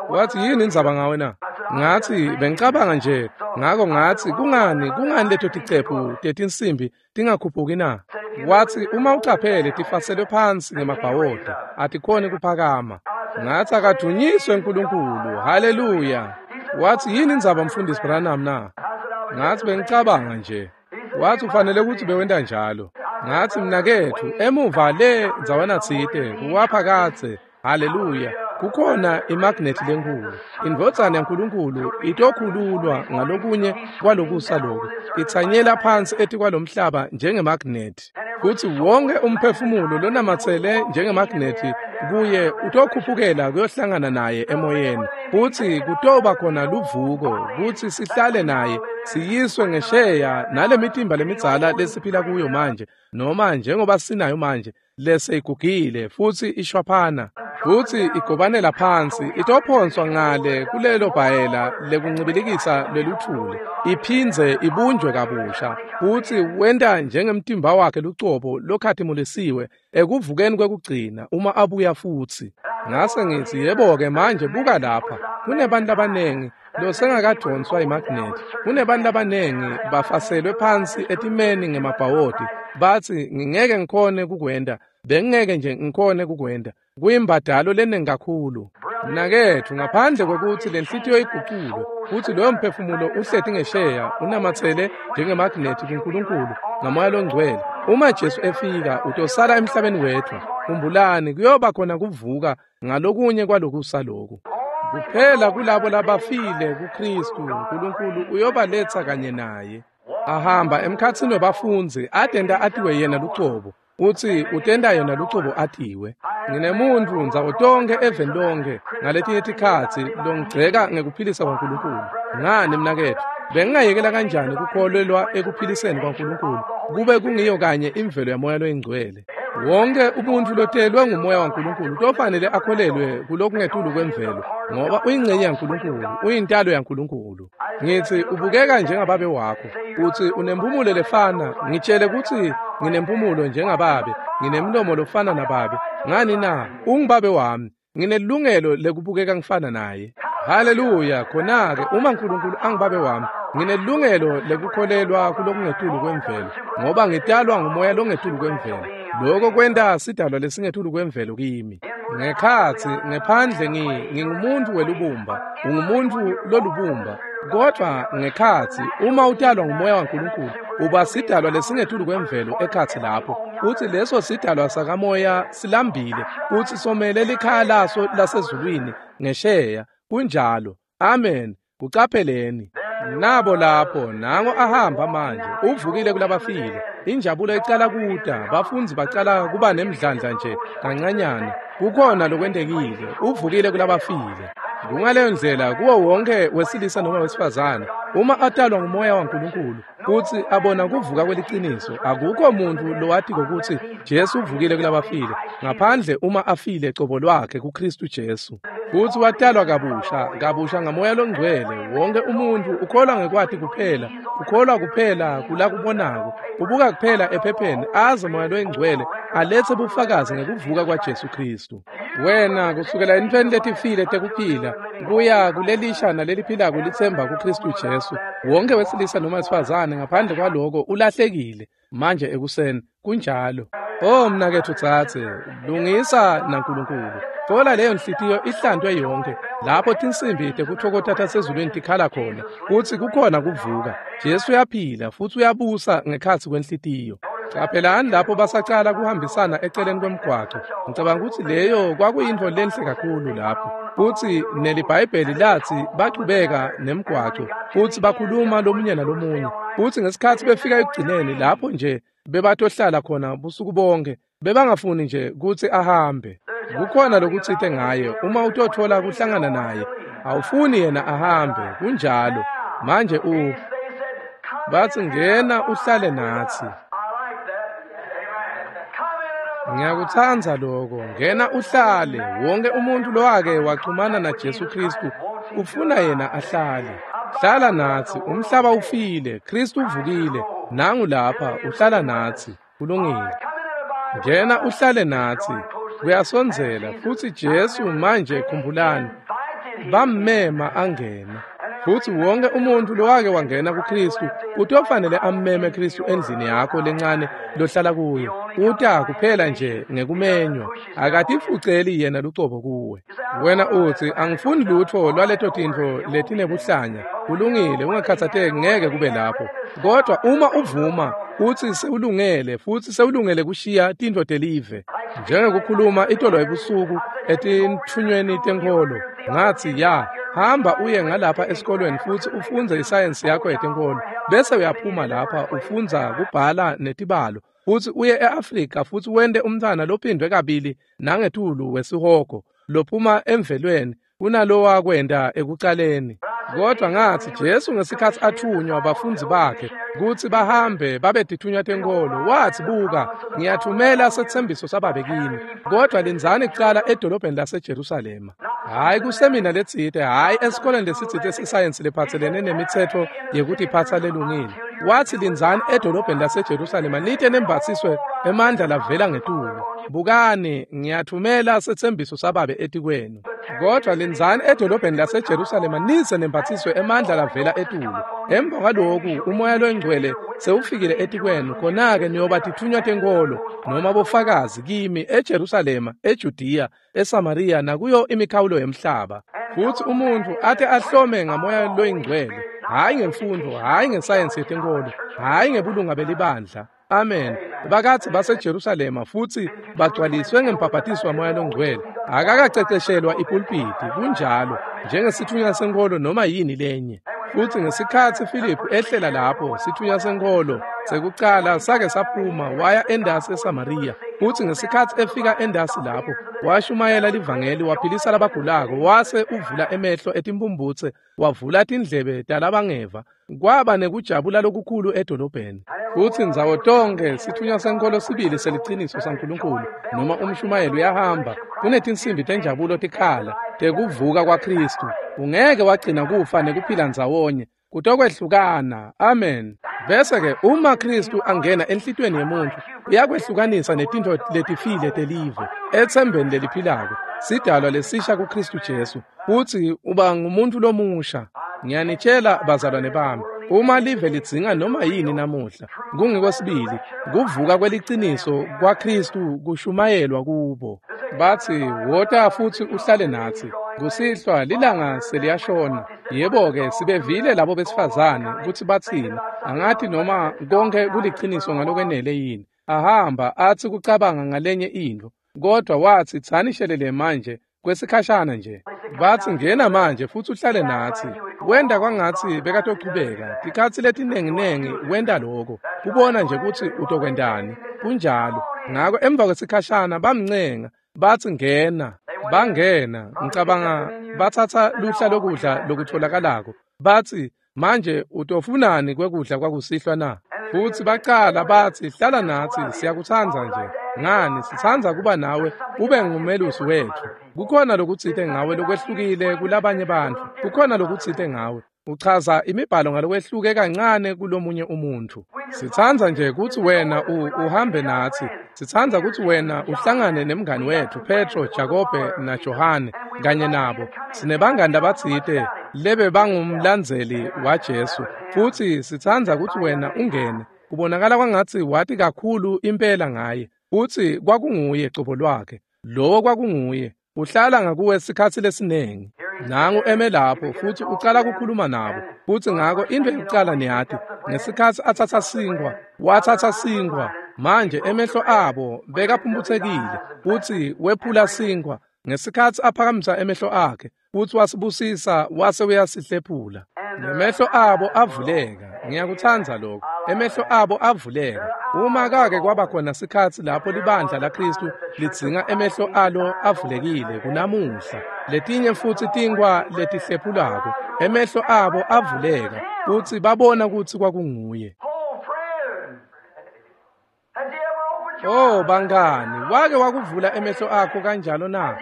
watsi yini indzaba ngawe na? Ngatsi bengicabanga nje. Ngako ngatsi kungani kungani leto ticephu tetinsimbi tingakhuphuki na? Watsi uma ucaphele tifaselwe phansi ngemabhawodo, atikhoni kuphakama. Ngatsi akadunyiswe uNkulunkulu. Haleluya. Watsi yini indzaba Mfundisi Branham na? Ngatsi bengicabanga nje. Watsi ufanele kutsi bewenta njalo. Ngatsi mnaketfu, emuva le ndzawana tsite kuwaphakadze. Haleluya. Kukhona imagnethi lenkulu. Indvodzana yaNkulunkulu itokhululwa ngalokunye kwalokusa loku. Itsanyela phansi etikwalomhlaba njengemagnethi. Futsi wonke umphefumulo lonamatsele njengemagnethi kuye utokhuphukela kuyohlangana naye emoyeni. Futsi kutoba khona luvuko kutsi sihlale naye siyiswe ngesheya nale mitimba lemidzala lesiphila kuyo manje, noma njengoba sinayo manje leseyigugile futsi ishwaphana futsi igobanela phansi, itophonswa ngale kulelo bhayela lekuncibilikisa lweluthuli, iphindze ibunjwe kabusha. Futsi wenta njengemtimba wakhe lucobo lokhatimulisiwe ekuvukeni kwekugcina uma abuya futsi. Ngase ngitsi, yebo-ke, manje buka lapha, kunebantu labanengi losengakadonswa imagnethi. Kunebantu labanengi bafaselwe phansi etimeni ngemabhawodi. Batsi ngingeke ngikhone kukwenta, bengingeke nje ngikhone kukwenta. Kuyimbadalo lenengi kakhulu. Mnaketfu, ngaphandle kwekutsi lenhlitiyo iguculwe, futsi loyo mphefumulo uhleti ngesheya unamatsele njengemagnethi kuNkulunkulu ngaMoya loNgcwele. Uma Jesu efika, utosala emhlabeni wethu. Khumbulani, kuyoba khona kuvuka ngalokunye kwalokusa loku. Kuphela kulabo labafile kuKhristu, uNkulunkulu uyobaletsa kanye naye. Ahamba emkhatsini webafundzi, atenta atiwe yena lucobo. Utsi utenta yena lucobo atiwe. Nginemuntfu ndzawo tonkhe eveni lonkhe ngaletinye tikhatsi longigceka ngekuphilisa kwaNkulunkulu. Ngani mnaketfu, bengingayekela kanjani kukholelwa ekuphiliseni kwaNkulunkulu kube kungiyo kanye imvelo yaMoya loyiNgcwele? Wonke umuntfu lotelwe nguMoya waNkulunkulu utofanele akholelwe kulokungetulu kwemvelo, ngoba uyingcenye yaNkulunkulu, uyintalo yaNkulunkulu. Ngitsi ubukeka njengababe wakho, utsi unempumulo lefana, ngitshele kutsi nginempumulo njengababe, nginemlomo lofana nababe. Ngani na? Ungubabe wami, nginelungelo lekubukeka ngifana naye. Haleluya! Khona-ke uma Nkulunkulu angibabe wami, nginelungelo lekukholelwa kulokungetulu kwemvelo, ngoba ngitalwa nguMoya longetulu kwemvelo. Lokho kwenta sidalwa lesingetulu kwemvelo kimi. Ngekhatsi, ngephandle ngi ngingumuntu welubumba, ungumuntu lolubumba. Kodwa ngekhatsi, uma utalwa nguMoya waNkulunkulu, uba sidalwa lesingetulu kwemvelo ekhatsi lapho. Utsi leso sidalwa sakamoya silambile, utsi somele likhaya laso lasezulwini ngesheya. Kunjalo. Amen. Kucapheleni. Nabo lapho, nango ahamba manje, uvukile kulabafile. Injabulo icala kuta, bafundzi bacala kuba nemdlandla nje kancanyana. Kukhona lokwentekile, uvukile kulabafile. Kungaleyo ndlela kuwo wonke wesilisa noma wesifazane, uma atalwa nguMoya waNkulunkulu, kutsi abona kuvuka kweliciniso, akukho muntfu lowatiko kutsi Jesu uvukile kulabafile, ngaphandle uma afile cobo lwakhe kuKhristu Jesu. Futsi watalwa kabusha, kabusha ngaMoya loNgcwele. Wonke umuntfu ukholwa ngekwati kuphela, ukholwa kuphela kulakubonako, ubuka kuphela ephepheni, aze Moya loyiNgcwele aletse bufakazi ngekuvuka kwaJesu Khristu. Wena kusukela entfweni letifile tekuphila kuya kulelisha naleliphilako litsemba kuKhristu Jesu. Wonke wesilisa noma wesifazane ngaphandle kwaloko ulahlekile manje ekuseni. Kunjalo. Oh mnaketfu dzadze, lungisa naNkulunkulu. Thola leyo nhliziyo ihlantwe yonke, lapho tinsimbi tekutfokota tasezulwini tikhala khona, kutsi kukhona kuvuka. Jesu uyaphila futsi uyabusa ngekhatsi kwenhlitiyo. Caphelani lapho basacala kuhambisana eceleni kwemgwaco. Ngicabanga kutsi leyo kwakuyintfo lenhle kakhulu lapho. Futsi neliBhayibheli latsi bachubeka nemgwaco, futsi bakhuluma lomunye nalomunye. Futsi ngesikhatsi befika ekugcineni lapho nje bebatohlala khona busuku bonke, bebangafuni nje kutsi ahambe. Kukhona lokutsite ngaye, uma utothola kuhlangana naye, awufuni yena ahambe. Kunjalo. Manje u batsi ngena uhlale natsi. Ngiyakutsandza lokho. Ngena uhlale. Wonke umuntu lowake waxhumana naJesu Khristu ufuna yena ahlale. Hlala natsi. Umhlaba ufile, Khristu uvukile. Nangu lapha uhlala natsi. Kulungile. Ngena uhlale natsi. Kuyasondzela futsi Jesu manje khumbulani, bammema angena. Futsi wonke umuntu lowake wangena kuKhristu utofanele ammeme Khristu endlini yakho lencane lohlala kuyo. Uta kuphela nje ngekumenywa, akatifuceli yena lucobo kuwe. Wena utsi angifuni lutfo lwaleto tintfo letinebuhlanya. Kulungile, ungakhatsateki, ngeke kube lapho. Kodwa uma uvuma utsi sewulungele, futsi sewulungele kushiya tintfo telive. Njengekukhuluma itolo ebusuku etintfunyweni tenkholo, ngatsi ya, hamba uye ngalapha esikolweni futsi ufundze isayensi yakho yetenkholo, bese uyaphuma lapha ufundza kubhala netibalo, futsi uye e-Afrika futsi wente umntfwana lophindwe kabili nangetulu wesihogo lophuma emvelweni kunalowa kwenta ekucaleni. Kodwa ngatsi Jesu ngesikhatsi athunywa bafundzi bakhe kutsi bahambe babe tithunywa tenkholo, watsi buka, ngiyathumela setsembiso sababe kini, kodwa lindzani kucala edolobheni laseJerusalema. Hhayi kusemina letsite, hhayi esikoleni lesitsite sesayensi lephatselene nemitsetfo yekutiphatsa lelungile. Watsi lindzani edolobheni laseJerusalema lite nembatsiswe emandla lavela ngetulu. Bukani, ngiyathumela setsembiso sababe etikwenu. Kodwa lindzani edolobheni laseJerusalema nize nembatsiswe emandla lavela etulu. Emva kwaloku uMoya loNgcwele sewufikile etikwenu, khona-ke niyoba tithunywa tenkholo noma bofakazi kimi eJerusalema, eJudiya, eSamariya nakuyo imikhawulo yemhlaba. Futsi umuntfu ate ahlome ngaMoya loyiNgcwele, hhayi ngemfundvo, hhayi ngesayensi yetenkholo, hhayi ngebulunga belibandla. Amen. Bakatsi baseJerusalema futsi bagcwaliswe ngembhabhatiso waMoya loNgcwele. Akakaceceshelwa ipulpiti, kunjalo, njengesithunywa senkholo noma yini lenye. Futsi ngesikhatsi Filiphu ehlela lapho, sitfunywa senkholo sekucala sake saphuma waya endasi eSamariya. Futsi ngesikhatsi efika endasi lapho, washumayela livangeli, waphilisa labagulako, wase uvula emehlo etimphumphutse, wavula tindlebe talabangeva. Kwaba nekujabula lokukhulu edolobheni. Futsi ndzawo tonkhe sitfunywa senkholo sibili seliciniso saNkulunkulu noma umshumayeli uyahamba, kunetinsimbi tenjabulo tikhala tekuvuka kwaKhristu. Ungeke wagcina kufa nekuphila ndzawonye, kutokwehlukana. Amen. Bese-ke uma Khristu angena enhlitiyweni yemuntfu, uyakwehlukanisa netintfo letifile telive etsembeni leliphilako, sidalwa lesisha kuKhristu Jesu, futsi uba ngumuntfu lomusha. Ngiyanitshela bazalwane bami, uma live lidzinga noma yini namuhla, kungiko sibili kuvuka kweliciniso kwaKhristu kushumayelwa kubo. Batsi, wota futsi uhlale natsi. Kusihlwa lilanga seliyashona. Yebo-ke, sibevile labo besifazane kutsi batsini. Angathi noma konke kuliciniso ngalokwenele yini. Ahamba atsi kucabanga ngalenye intfo, kodwa watsi tsani shelele manje kwesikhashana nje. Batsi ngena manje futsi uhlale natsi. Wenta kwangatsi bekatochubeka. Tikhatsi letinenginengi wenta loko, kubona nje kutsi utokwentani. Kunjalo. Ngako emva kwesikhashana bamncenga, batsi ngena. Bangena, ngicabanga batsatsa luhla lokudla lokutholakalako. Batsi, manje utofunani kwekudla kwakusihlwa na? Futsi bacala batsi, hlala natsi, siyakutsandza nje. Ngani, sitsandza kuba nawe, ube ngumelusi wetfu. Kukhona lokutsite ngawe lokwehlukile kulabanye bantfu. Kukhona lokutsite ngawe. Uchaza imibhalo ngalokwehluke kancane kulomunye umuntfu. Sitsandza nje kutsi wena uhambe natsi. Sitsandza kutsi wena uhlangane nemngani wetfu Petro, Jakobe naJohane kanye nabo. Sinebangani labatsite lebe bangumlandzeli waJesu. Futsi sitsandza kutsi wena ungene. Kubonakala kwangatsi wati kakhulu impela ngaye. Futsi kwakunguye cobo lwakhe. Lowo kwakunguye. Uhlala ngakuwe sikhatsi lesinengi. Nangu eme lapho futsi ucala kukhuluma nabo. Futsi ngako intfo yekucala niyati, ngesikhatsi atsatsa sinkhwa, watsatsa sinkhwa. Manje emehlo abo bekaphumphutsekile, futsi wephula sinkhwa. Ngesikhatsi aphakamisa emehlo akhe, futsi wasibusisa wase uyasihlephula. Nemehlo abo avuleka. Ngiyakutsandza lokho. Emehlo abo avuleka. Uma kake kwaba khona sikhatsi lapho libandla laKhristu lidzinga emehlo alo avulekile kunamuhla. Letinye futsi tinkhwa letihlephulako. Emehlo abo avuleka futsi babona kutsi kwakunguye. Oh bangani, wake wakuvula emehlo akho kanjalo na?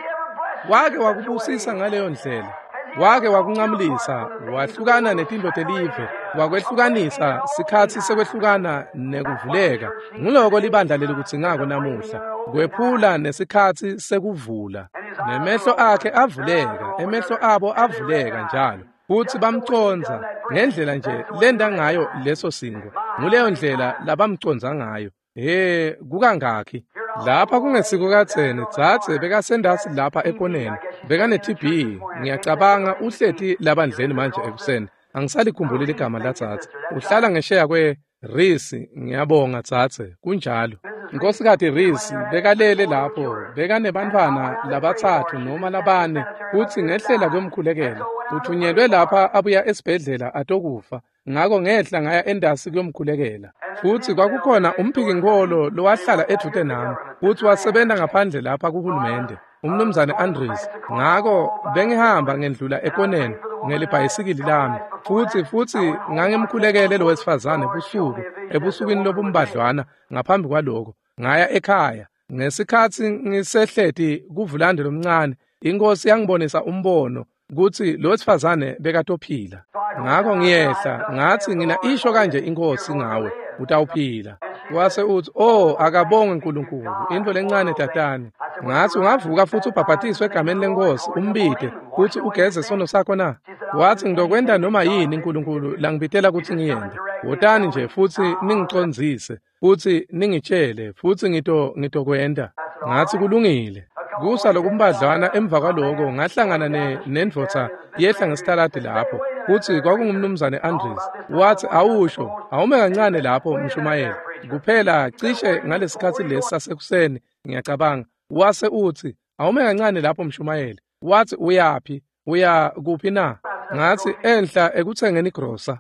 Wake wakubusisa ngaleyo ndlela? Wake wakunqamulisa, wahlukana netintfo telive, wakwehlukanisa sikhatsi sekwehlukana nekuvuleka. Nguloko libandla lelikudzingako namuhla, kwephula nesikhatsi sekuvula. Nemehlo akhe avuleka, emehlo abo avuleka njalo. Futsi bamcondza ngendlela nje lenda ngayo leso sinkhwa. Nguleyo ndlela labamcondza ngayo. He, kukangakhi? Lapha kungesiko kadzeni, dzadze bekasendasi lapha ekoneni. Bekane-T B, ngiyacabanga uhleti labandleni manje ekuseni. Angisalikhumbuli ligama ladzadze. Uhlala ngesheya kwe-Risi, ngiyabonga dzadze, kunjalo. Nkhosikati Risi bekalele lapho, bekanebantfwana labatsatfu noma labane, futsi ngehlela kuyomkhulekela. Uthunyelwe lapha abuya esibhedlela atokufa. Ngako ngehla ngaya endasi kuyomkhulekela. Futsi kwakukhona umphikinkholo lowahlala edvute nami, futsi wasebenta ngaphandle lapha kuhulumende, umnumzane Andres. Ngako bengihamba ngendlula ekoneni ngelibhayisikili lami, futsi futsi ngangimkhulekele lo wesifazane busuku, ebusukwini lobumbadlwana ngaphambi kwaloko. Ngaya ekhaya. Ngesikhatsi ngisehleti kuvulande lomncane, iNkhosi yangibonisa umbono kutsi lo wesifazane bekatophila. Ngako ngiyehla ngatsi ngina isho kanje iNkhosi ngawe, utawuphila. Wase utsi, oh, akabongwe uNkulunkulu, intfo lencane tatane. Ngatsi ungavuka futsi ubhabhatiswe egameni leNkhosi, umbite futsi ugeze sono sakho na? Watsi ngizokwenta noma yini uNkulunkulu langibitela kutsi ngiyente. Wotani nje futsi ningicondzise, futsi ningitshele, futsi ngito ngitokwenta. Ngatsi kulungile. Kusa lokumbadlwana emva kwaloko ngahlangana ne nendvodza yehla ngesitaladi lapho, futsi kwakungumnumzane Andres. Watsi awusho, awume kancane lapho mshumayeli. Kuphela cishe ngalesikhatsi lesi sasekuseni ngiyacabanga. Wase utsi awume kancane lapho mshumayeli. Watsi uyaphi? Uya kuphi na? Ngathi, enhla ekutsengeni igrosa.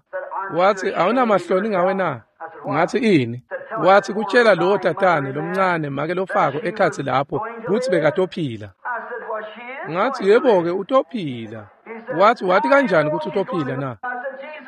Wathi, awunamahloni ngawe na? Ngathi, ini? Wathi, kutshela lowo tatane lomncane make lofako ekhatsi lapho kutsi bekatophila. Ngathi, yebo-ke utophila. Wathi, wathi kanjani kutsi utophila na?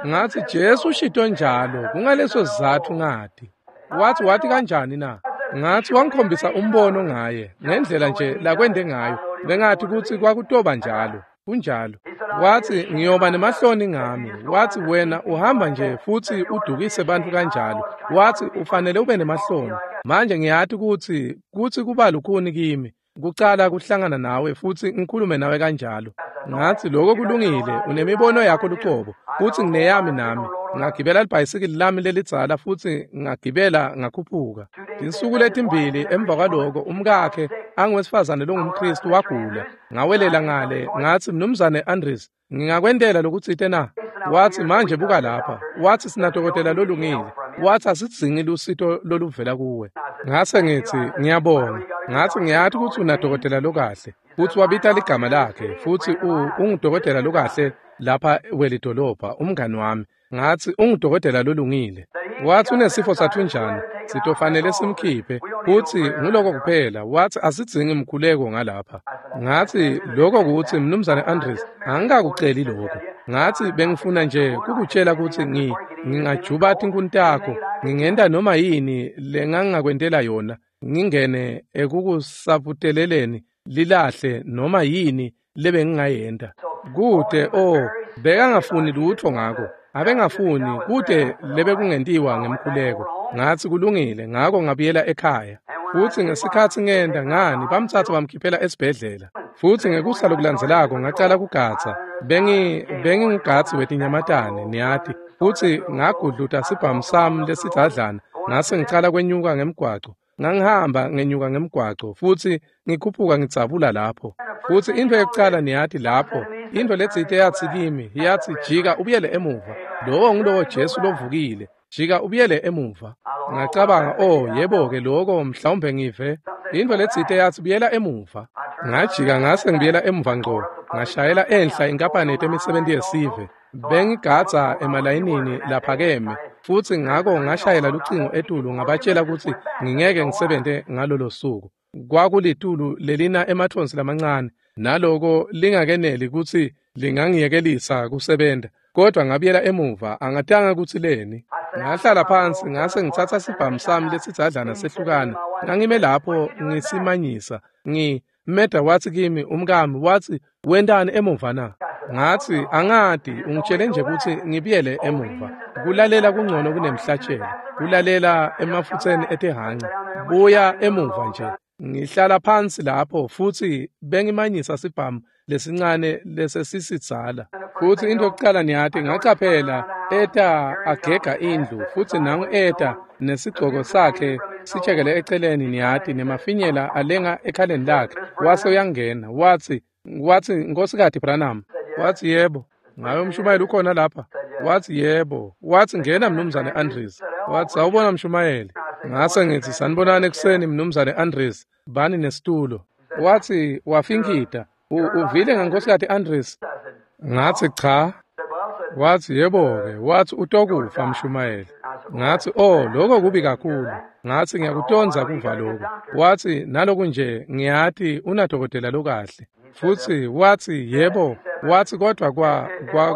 Ngathi, Jesu ushito njalo, kungaleso sizatfu ngati. Wathi, wathi kanjani na? Ngathi, wangikhombisa umbono ngaye, ngendlela nje lakwende ngayo. Bengathi kutsi kwakutoba njalo. Kunjalo. Wathi, ngiyoba nemahloni ngami. Wathi, wena uhamba nje futsi udukise bantfu kanjalo. Wathi, ufanele ube nemahloni. Manje ngiyati kutsi kutsi kuba lukhuni kimi kucala kuhlangana nawe futsi ngikhulume nawe kanjalo. Ngathi, lokho kulungile, unemibono yakho lucobo, futsi ngineyami nami. Ngagibela libhayisikili lami lelidzala futsi ngagibela ngakhuphuka. Tinsuku letimbili emva kwaloko umkakhe anguwesifazane longumKristu wagula. Ngawelela ngale, ngathi, Mnumzane Andres, ngingakwentela lokutsite na? Wathi, manje buka lapha. Wathi, sinadokotela lolungile. Wathi, asidzingi lusito loluvela kuwe. Ngase ngithi, ngiyabonga. Ngathi, ngiyathi kutsi unadokotela lokahle. Futsi wabita ligama lakhe, futsi ungudokotela lokahle lapha welidolobha, umngani wami. Ngathi, ungudokotela lolungile. Wathi, unesifo sathunjana, sitofanele simkhiphe, futsi nguloko kuphela. Wathi, asidzingi mkhuleko ngalapha. Ngathi, lokho kutsi Mnumzane Andres, angikakuceli lokho. Ngathi, bengifuna nje kukutshela kutsi ngi ngingajuba tinkhuni takho, ngingenta noma yini lengangakwentela yona, ngingene ekukusaputeleleni lilahle noma yini lebengingayenta. Kute, oh, bekangafuni lutfo ngako. Abengafuni kute lebekungentiwa ngemkhuleko. Ngathi, kulungile, ngako ngabuyela ekhaya. Futsi ngesikhatsi ngenda ngani bamtsatsa bamkhiphela esibhedlela. Futsi ngekusa lokulandzelako ngacala kugatsa. Bengi bengingugatsi wetinyamatane, niyati. Futsi ngagudluta sibhamu sami lesidzadlana, ngase ngicala kwenyuka ngemgwaco. Ngangihamba ngenyuka ngemgwaco futsi ngikhuphuka ngidzabula lapho. Futsi intfo yekucala niyati lapho, intfo letsite yatsi kimi, yatsi, jika ubuyele emuva. Lowo ngulowo Jesu lovukile. Jika ubuyele emuva. Ngacabanga, oh, yebo-ke lokho mhlawumbe ngive. Intfo letsite yatsi, buyela emuva. Ngajika ngase ngibuyela emuva ngco. Ngashayela enhla inkampani yetemisebenti yesive. Bengigadza emalayinini laphakeme, futsi ngako ngashayela lucingo etulu ngabatshela kutsi ngingeke ngisebente ngalolo suku. Kwakulitulu lelina emathonsi lamancane, naloko lingakeneli kutsi lingangiyekelisa kusebenta, kodwa ngabuyela emuva, angatanga kutsi leni. Ngahlala phansi ngase ngitsatsa sibhamu sami lesidzadlana sehlukana. Ngangime lapho ngisimanyisa. Ngi Meda wathi kimi, umkami, wathi, wentani emuva na? Ngathi, angati, ungitshele nje kutsi ngibuyele emuva. Kulalela kungcono kunemhlatshelo. Kulalela emafutseni etihhanca. Buya emuva nje. Ngihlala phansi lapho futsi bengimanyisa sibhamu lesincane lesesisidzala. Futsi into yokucala niyati, ngacaphela eta agega indlu, futsi nangu eta nesigcoko sakhe sitshekele eceleni, niyati, nemafinyela alenga ekhaleni lakhe. Wase uyangena, wathi, wathi, Nkosikazi Branham. Wathi, yebo. Ngabe umshumayeli ukhona lapha? Wathi, yebo. Wathi, ngena Mnumzane Andres. Wathi, sawubona mshumayeli. Ngase ngithi, sanibonani ekuseni Mnumzane Andres, bani nesitulo. Wathi, wafinkida. Uvile ngaNkosikazi Andres? Ngathi, cha. Wathi, yebo-ke. Wathi, utokufa mshumayeli. Ngathi, oh, lokho kubi kakhulu. Ngathi, ngiyakutondza kuva lokho. Wathi, naloku nje ngiyati unadokotela lokahle. Futsi wathi, yebo. Wathi, kodwa kwa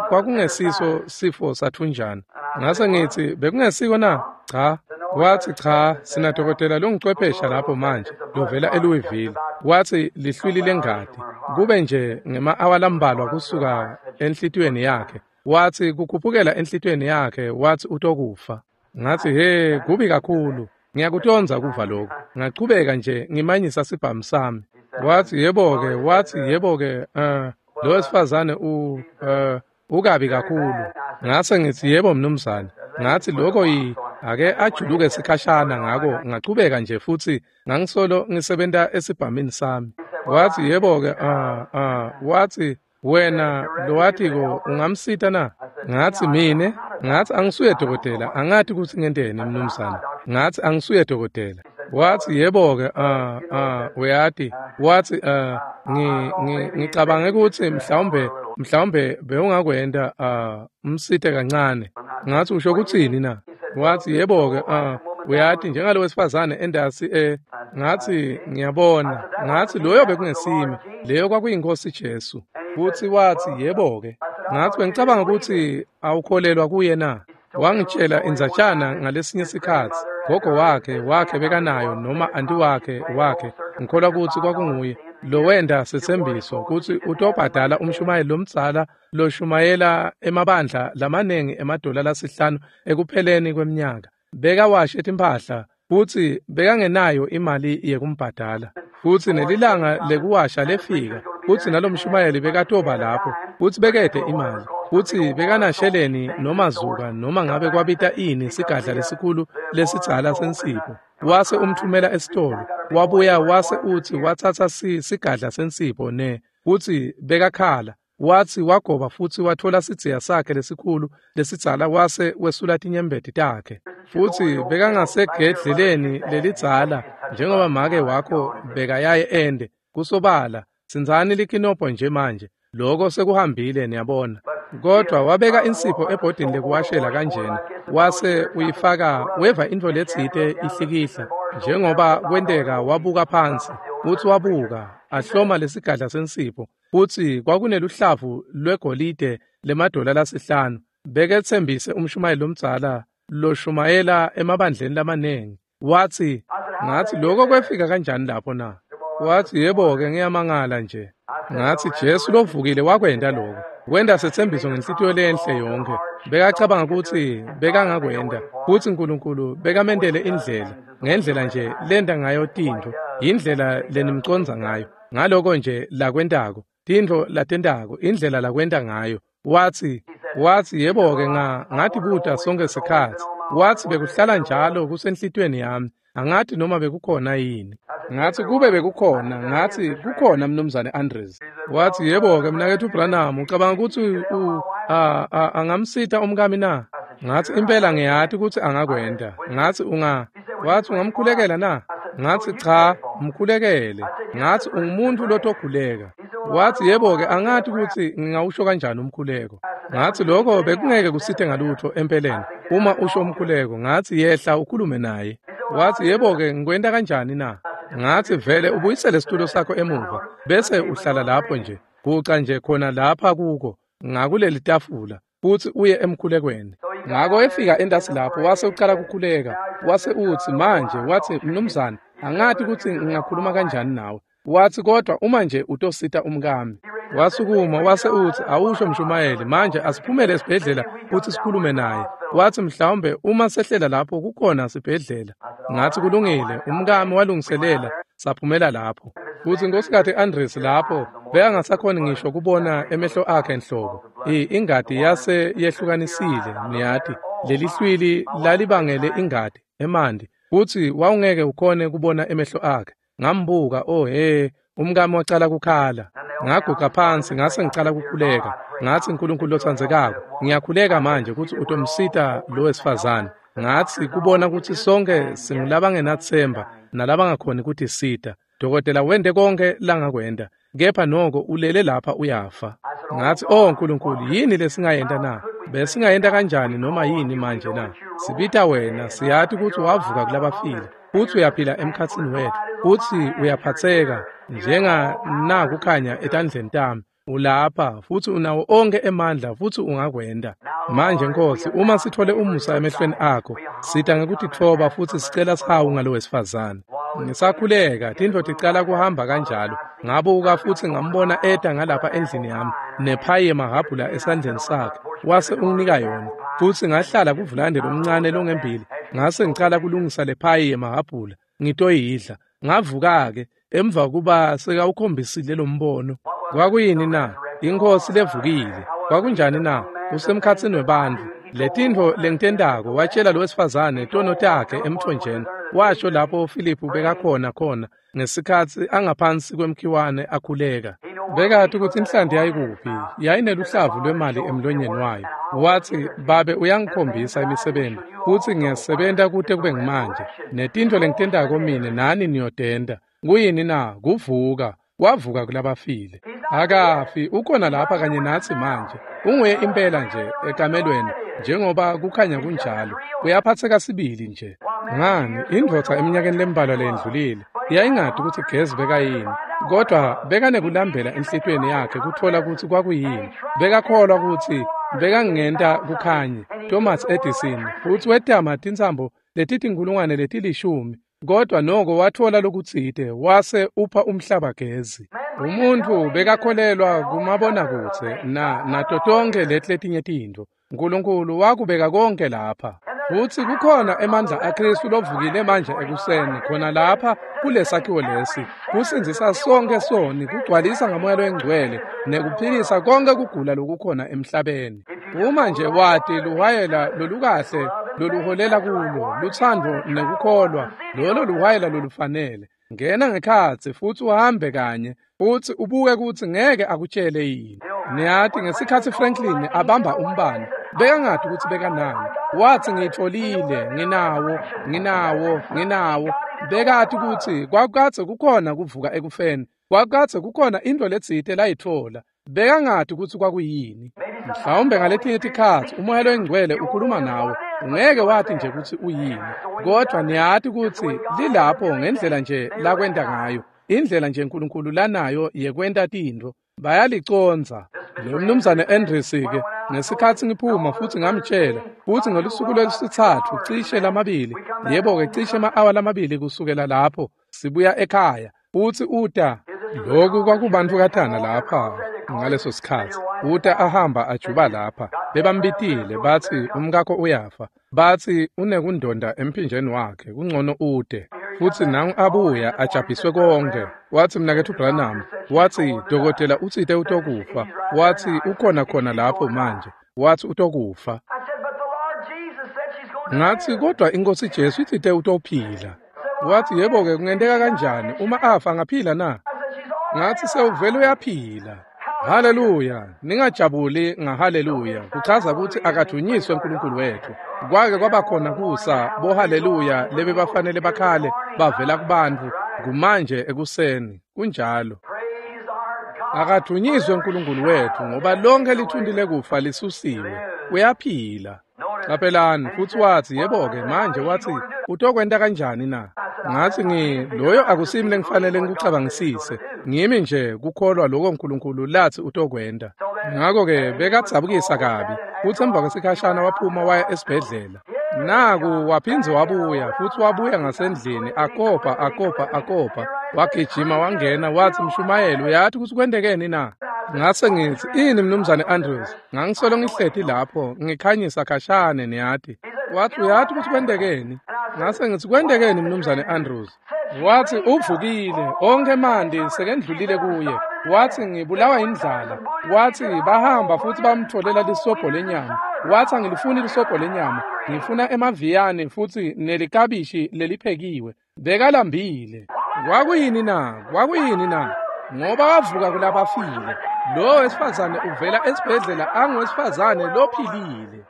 kwakungesiso sifo sathunjana. Ngase ngithi, bekungesiko na? Cha. Wathi, cha, sinadokotela longucwephesha lapho manje lovela eLouisville. Wathi, lihlwili lengati. Kube nje ngema-awa lambalwa kusuka enhlitiyweni yakhe. Wathi, kukhuphukela enhlitiyweni yakhe, wathi utokufa. Ngathi, he, kubi kakhulu. Ngiyakutondza kuva lokho. Ngachubeka nje ngimanyisa sibhamu sami. Wathi, yebo-ke, wathi, yebo-ke, uh, lo wesifazane u uh, ukabi kakhulu. Ngase ngithi, yebo mnumzane. Ngathi, lokho yi ake ajuluke sikhashana, ngako ngachubeka nje futsi ngangisolo ngisebenta esibhamini sami. Wathi, yebo-ke, ah ah, wathi, wena lowatiko ungamsita na? Ngathi, mine? Ngathi, angisuye dokotela, angati kutsi ngenteni mnumzane. Ngathi, angisuye dokotela. Wathi, yebo-ke, ah ah, uyati. Wathi, uh, ngi ngicabange kutsi mhlawumbe Mhlawumbe bewungakwenta uh, umsite kancane. Ngathi usho kutsini na? Wathi yebo-ke uh, uyati njengalo wesifazane endasi eh ngathi ngiyabona. Ngathi loyo bekungesimi, leyo kwakuyinkosi Jesu. Futhi wathi yebo-ke. Ngathi bengicabanga ukuthi awukholelwa kuye na? Wangitshela indzatshana ngalesinye isikhatsi. Gogo wakhe wakhe bekanayo noma anti wakhe wakhe ngikholwa ukuthi kwakunguye lo wenda setsembiso kutsi utobhadala umshumayeli lomdzala loshumayela emabandla lamanengi emadola lasihlanu ekupheleni kweminyaka. Bekawashe timphahla futsi bekangenayo imali yekumbhadala. Futsi nelilanga lekuwasha lefika futsi nalomshumayeli bekatoba lapho futsi bekede imali. Futsi bekanasheleni noma zuka noma ngabe kwabita ini sigadla lesikhulu lesidzala sensipho. Wase umthumela esitolo wabuya wase uthi watsatsa sigadla sensipho ne futsi bekakhala. Wathi wagoba futsi wathola sidziya sakhe lesikhulu lesidzala wase wesula tinyembeti takhe. Futsi bekangasegedleleni lelidzala njengoba make wakho bekayaye ende kusobala. Sinzani likinobho nje manje, lokho sekuhambile niyabona. Kodwa wabeka insipho ebhodini lekuwashela kanjena wase uyifaka weva intfo letsite ihlikihla njengoba kwenteka. Wabuka phansi uthi wabuka ahloma lesigadla sensipho futsi kwakuneluhlavu lwegolide lemadola lasihlanu. Beketsembise umshumayeli lomdzala loshumayela emabandleni lamanengi. Wathi ngathi lokho kwefika kanjani lapho na? Wathi yebo-ke ngiyamangala nje. Ngathi Jesu lovukile wakwenta lokho. Wenda setsembiso ngenhlitiyo lenhle yonke. Bekacabanga ukuthi bekangakwenda futsi uNkulunkulu bekamendele indlela ngendlela nje lenda ngayo tintfo, indlela lenimconza ngayo. Ngaloko nje lakwentako, tintfo latentako, indlela lakwenta ngayo. Wathi wathi yebo-ke nga ngatibuta sonke sikhatsi. Wathi bekuhlala njalo kusenhlitiyweni yami. Angathi noma bekukhona yini. Ngathi kube bekukhona, ngathi kukhona mnumzane Andres. Wathi yebo-ke mnaketfu Branham, ucabanga ukuthi u angamsita umkami na? Ngathi impela ngiyati ukuthi angakwenta. Ngathi unga wathi ungamkhulekela na? Ngathi cha, mkhulekele. Ngathi ungumuntu lotokhuleka. Wathi yebo-ke angathi ukuthi ngingawusho kanjani umkhuleko. Ngathi lokho bekungeke kusite ngalutho empeleni uma usho umkhuleko. Ngathi yehla ukhulume naye. Wathi yebo-ke ngikwenta kanjani na? Ngathi vele ubuyisele isitulo sakho emuva bese uhlala lapho nje, guca nje khona lapha kuko ngakuleli tafula futhi uye emkhulekweni. Ngako efika endasi lapho wase ucala kukhuleka. Wase uthi manje, wathi mnumzane angathi ukuthi ngingakhuluma kanjani nawe. Wathi kodwa uma nje utosita umkami. Wasukuma wase uthi awusho mshumayeli manje asiphumele esibhedlela futhi sikhulume naye. Wathi mhlawumbe uma sehlela lapho kukhona sibhedlela. Ngathi kulungile, umkami walungiselela saphumela lapho. Futhi inkosikati Andres lapho bekangasakhoni ngisho kubona emehlo akhe enhlobo. Ingadi yase yehlukanisile niyati leli hlwili lalibangele ingadi emanti futhi wawungeke ukhone kubona emehlo akhe. Ngambuka, oh he, umkami wacala kukhala. Ngaguqa phansi ngase ngicala kukhuleka. Ngathi uNkulunkulu lotsandzekako, ngiyakhuleka manje ukuthi utomsita lo wesifazane. Ngathi kubona ukuthi sonke singulabangenathemba nalabangakhoni kutisita. Dokotela wente konke langakwenta, kepha noko ulele lapha uyafa. Ngathi oh uNkulunkulu, yini lesingayenta na? Besingayenta kanjani noma yini manje na? Sibita wena, siyati ukuthi wavuka kulabafile futhi uyaphila emkhatsini wethu futhi uyaphatheka njenga nakukhanya etandleni tami. Ulapha futhi unawo onke emandla futhi ungakwenda. Manje Nkosi, uma sithole umusa emehlweni akho, sita ngekutitfoba futhi sicela sihawu ngalo wesifazane. Ngisakhuleka tintfo ticala kuhamba kanjalo. Ngabuka futhi ngambona eta ngalapha endlini yami nephayi yemahhabhula esandleni sakhe, wase unginika yona. Futhi ngahlala kuvulande lomncane longembili, ngase ngicala kulungisa lephayi yemahhabhula ngitoyidla. Ngavuka-ke emva kuba sekawukhombisile lo mbono. Kwakuyini na? Inkosi levukile. Kwakunjani na? Usemkhatsini webantfu. Letintfo lengitentako watshela lo wesifazane tono takhe emthonjeni. Washo lapho Filiphu bekakhona khona ngesikhatsi angaphansi kwemkhiwane akhuleka. Bekati ukuthi inhlanti yayikuphi, yayineluhlavu lwemali emlonyeni wayo. Wathi babe uyangikhombisa imisebenzi futhi ngiyasebenta kute kube ngimanje. Netintfo lengitentako mine nani niyotenta. Kuyini na? Kuvuka. Wavuka kulabafile. Akafi, ukhona lapha kanye natsi manje. Unguye impela nje ekamelweni njengoba kukhanya kunjalo. Uyaphatseka sibili nje. Ngani, indvodza eminyakeni lembalwa leyendlulile yayingati kutsi gezi bekayini, kodwa bekanekulambela enhlitiyweni yakhe kutfola kutsi kwakuyini. Bekakholwa kutsi bekangenta kukhanye. Thomas Edison futsi wetama tintsambo letitinkhulungwane letilishumi, kodwa noko watfola lokutsite wase upha umhlaba gezi. Umuntfu bekakholelwa kumabonakudze na nato tonkhe leti letinye tintfo. Nkulunkulu wakubeka konke lapha. Futsi kukhona emandla aKhristu lovukile manje ekuseni khona lapha kulesakhiwo lesi, kusindzisa sonke soni, kugcwalisa ngaMoya loNgcwele nekuphilisa konke kugula lokukhona emhlabeni. Uma nje wati luhwayela lolukahle loluholela kulo, lutsandvo nekukholwa, lolo luhwayela lolufanele. Ngena ngekhatsi futsi uhambe kanye, futsi ubuke kutsi ngeke akutshele yini. Niyati ngesikhatsi Franklin abamba umbane, bekangati kutsi bekanani. Watsi ngitfolile, nginawo, nginawo, nginawo. Bekati kutsi kwakukadze kukhona kuvuka ekufeni, kwakukadze kukhona intfo letsite layitfola. Bekangati kutsi kwakuyini. Mhlawumbe ngaletinye tikhatsi uMoya loNgcwele ukhuluma nawe, ungeke wati nje kutsi uyini, kodwa niyati kutsi lilapho ngendlela nje lakwenta ngayo, indlela nje Nkulunkulu lanayo yekwenta tintfo. Bayalicondza. Lo mnumzane Andrews-ke ngesikhatsi ngiphuma futsi ngamtshela, futsi ngelusuku lwesitsatfu cishe lamabili, yebo-ke cishe ema-awa lamabili kusukela lapho sibuya ekhaya, futsi uta. Lokhu kwakubantukatana lapha ngaleso sikhatsi. Uta ahamba ajuba lapha. Bebambitile batsi umkakho uyafa. Batsi unekundonda emphinjeni wakhe, kungcono ute. Futsi nangu abuya ajabhiswe konke. Watsi mnaketfu Branham, watsi dokotela utsite utokufa. Watsi ukhona khona lapho manje. Watsi utokufa. Ngatsi kodwa iNkhosi Jesu itsite utophila. Watsi yebo-ke kungenteka kanjani uma afa angaphila na? Ngatsi sewuvele uyaphila. Haleluya, ningajabuli ngahaleluya, kuchaza kutsi akadvunyiswe uNkulunkulu wethu. Kwake kwaba khona kusa bohaleluya lebebafanele bakhale bavela kubantfu kumanje ekuseni, kunjalo. Akadvunyiswe uNkulunkulu wethu ngoba lonke lithunti lekufa lisusiwe, uyaphila. Caphelani, futsi watsi yebo-ke manje watsi utokwenta kanjani na? Ngatsi ngi loyo akusimi lengifanele ngikucabangisise, ngimi nje kukholwa lokho uNkulunkulu latsi utokwenta. Ngakho-ke bekadzabukisa kabi, futsi emva kwesikhashana waphuma waya esibhedlela. Naku waphindze wabuya, futsi wabuya ngasendlini akopa akopa akopa, wagijima wangena watsi mshumayeli uyati kutsi kwentekeni na? Ngase ngitsi ini mnumzane Andrews, ngangisolo ngihleti lapho ngikhanyisa khashane niyati. Watsi uyati kutsi kwentekeni? Ngase ngitsi kwentekeni mnumzane Andrews? Watsi uvukile, onke emanti sekendlulile kuye. Watsi ngibulawa indlala. Watsi bahamba futsi bamtfolela lisobho lenyama. Watsi angilifuni lisobho lenyama, ngifuna emaviyane futsi nelikabishi leliphekiwe. Bekalambile. Kwakuyini na? Kwakuyini na? Ngoba wavuka kulabafile. Lo wesifazane uvela esibhedlela angowesifazane lophilile.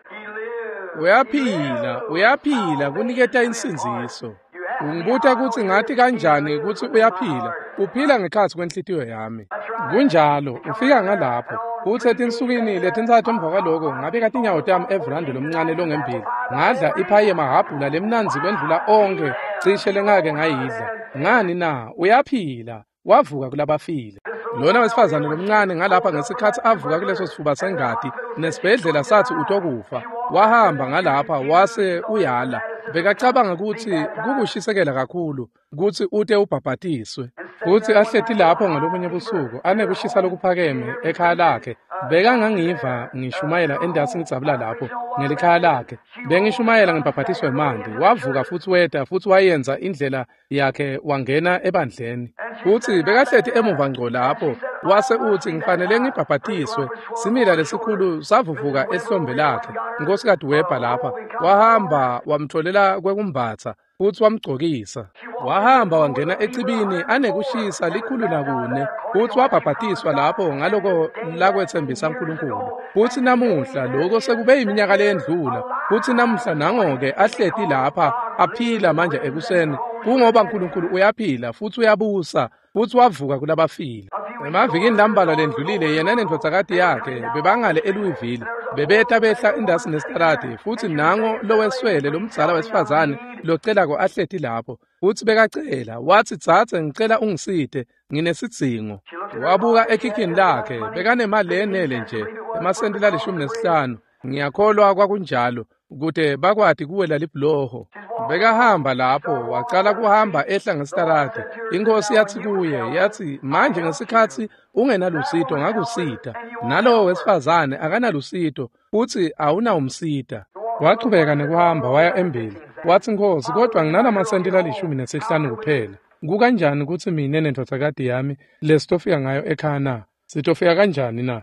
Uyaphila, uyaphila kuniketa insindziso. Ungibuta kutsi ngati kanjani kutsi uyaphila? Uphila ngekhatsi kwenhlitiyo yami. Kunjalo, ufika ngalapho. Futsi etinsukwini letintsatfu emva kwaloko ngabeka tinyawo tami everandi lomncane longembili. Ngadla iphayi yemahhabhula lemnandzi kwendlula onkhe cishe lengake ngayidla. Ngani na? Uyaphila. Wavuka kulabafile. Lona wesifazane lomncane ngalapha ngesikhatsi avuka kuleso sifuba sengati nesibhedlela satsi utokufa. Wahamba ngalapha wase uyala. Bekacabanga kutsi kukushisekela kakhulu kutsi ute ubhabhatiswe. Futsi ahleti lapho ngalobunye busuku anekushisa lokuphakeme ekhaya lakhe. Bekangangiva ngishumayela endasi ngidzabula lapho ngelikhaya lakhe. Bengishumayela ngibhabhatiswe emanti. Wavuka futsi weta futsi wayenza indlela yakhe wangena ebandleni. Futsi bekahleti emuva ngco lapho wase utsi ngifanele ngibhabhatiswe. Simila lesikhulu savuvuka ehlombe lakhe. Nkosikazi Webha lapha wahamba wamtfolela kwekumbatsa futsi wamgcokisa. Wahamba wangena ecibini anekushisa likhulu nakune futsi wabhabhatiswa lapho ngaloko lakwetsembisa uNkulunkulu. Futsi namuhla lokho sekube iminyaka leyendlula, futsi namuhla nango-ke ahleti lapha aphila manje ekuseni, kungoba uNkulunkulu uyaphila futsi uyabusa futsi wavuka kulabafile. Emavikini lambalwa lendlulile yena nendvodzakati yakhe bebangale eLouisville bebeta behla indasi nesitaladi futsi nango loweswele lomdzala wesifazane locelako ahleti lapho futsi bekacela watsi dzadze ngicela ungisite nginesidzingo. Wabuka ekhikhini lakhe bekanemali lenele nje emasenti lalishumi nesihlanu ngiyakholwa kwakunjalo kute bakwati kuwela libhuloho. Bekahamba lapho wacala kuhamba ehla ngesitaladi. Inkosi yathi kuye yathi manje ngesikhatsi ungenalusito ngakusita nalowo wesifazane akanalusito futsi awunawumsita. Wachubeka nekuhamba waya embili watsi Nkosi kodwa nginalamasenti lalishumi nesihlanu kuphela. Kukanjani kutsi mine nendvodzakati yami lesitofika ngayo ekhaya na? Sitofika kanjani na?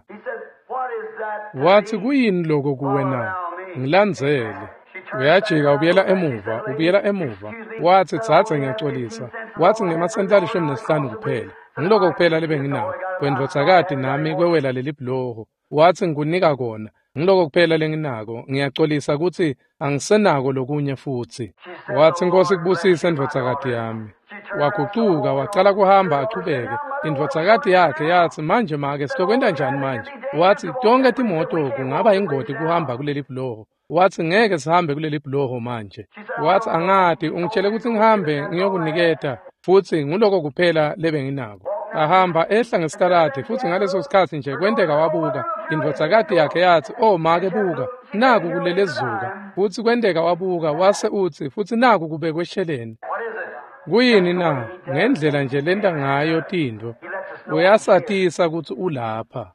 Watsi kuyini loko kuwe na? Ngilandzele. Uyajika ubuyela emuva ubuyela emuva watsi dzadze ngiyacolisa watsi ngemasenti lalishumi nesihlanu kuphela ngiloko kuphela lebenginako kwendvodzakati nami kwewela leli bhuloho watsi ngikunika kona ngiloko kuphela lenginako ngiyacolisa kutsi angisenako lokunye futsi. Watsi Nkosi kubusise ndvodzakati yami. Wagucuka wacala kuhamba achubeke. Indvodzakati yakhe yatsi manje make sitokwenta njani manje? Watsi tonke timoto kungaba ingoti kuhamba kuleli bhuloho. Watsi ngeke sihambe kuleli bhuloho manje. Watsi angati ungitshele kutsi ngihambe ngiyokuniketa futsi nguloko kuphela lebenginako. Ahamba ehla ngesitaladi futsi ngaleso sikhatsi nje kwenteka wabuka indvodzakati yakhe yatsi oh make buka naku kulelezuka futsi kwenteka wabuka wase utsi futsi naku kubekwe esheleni. Kuyini na? Ngendlela nje lenta ngayo tintfo uyasatisa kutsi ulapha.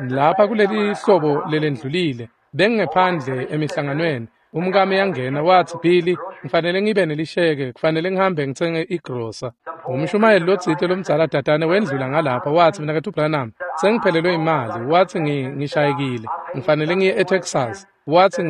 Lapha kuleli hlobo lelendlulile bengingephandle emihlanganweni umkami yangena watsi Billy ngifanele ngibe nelisheke kufanele ngihambe ngitsenge igrosa. Umshumayeli lotsite lomdzala tatane wendlula ngalapha watsi mina kethu Branham sengiphelelwe imali watsi ngishayekile ngifanele ngiye eTexas watsi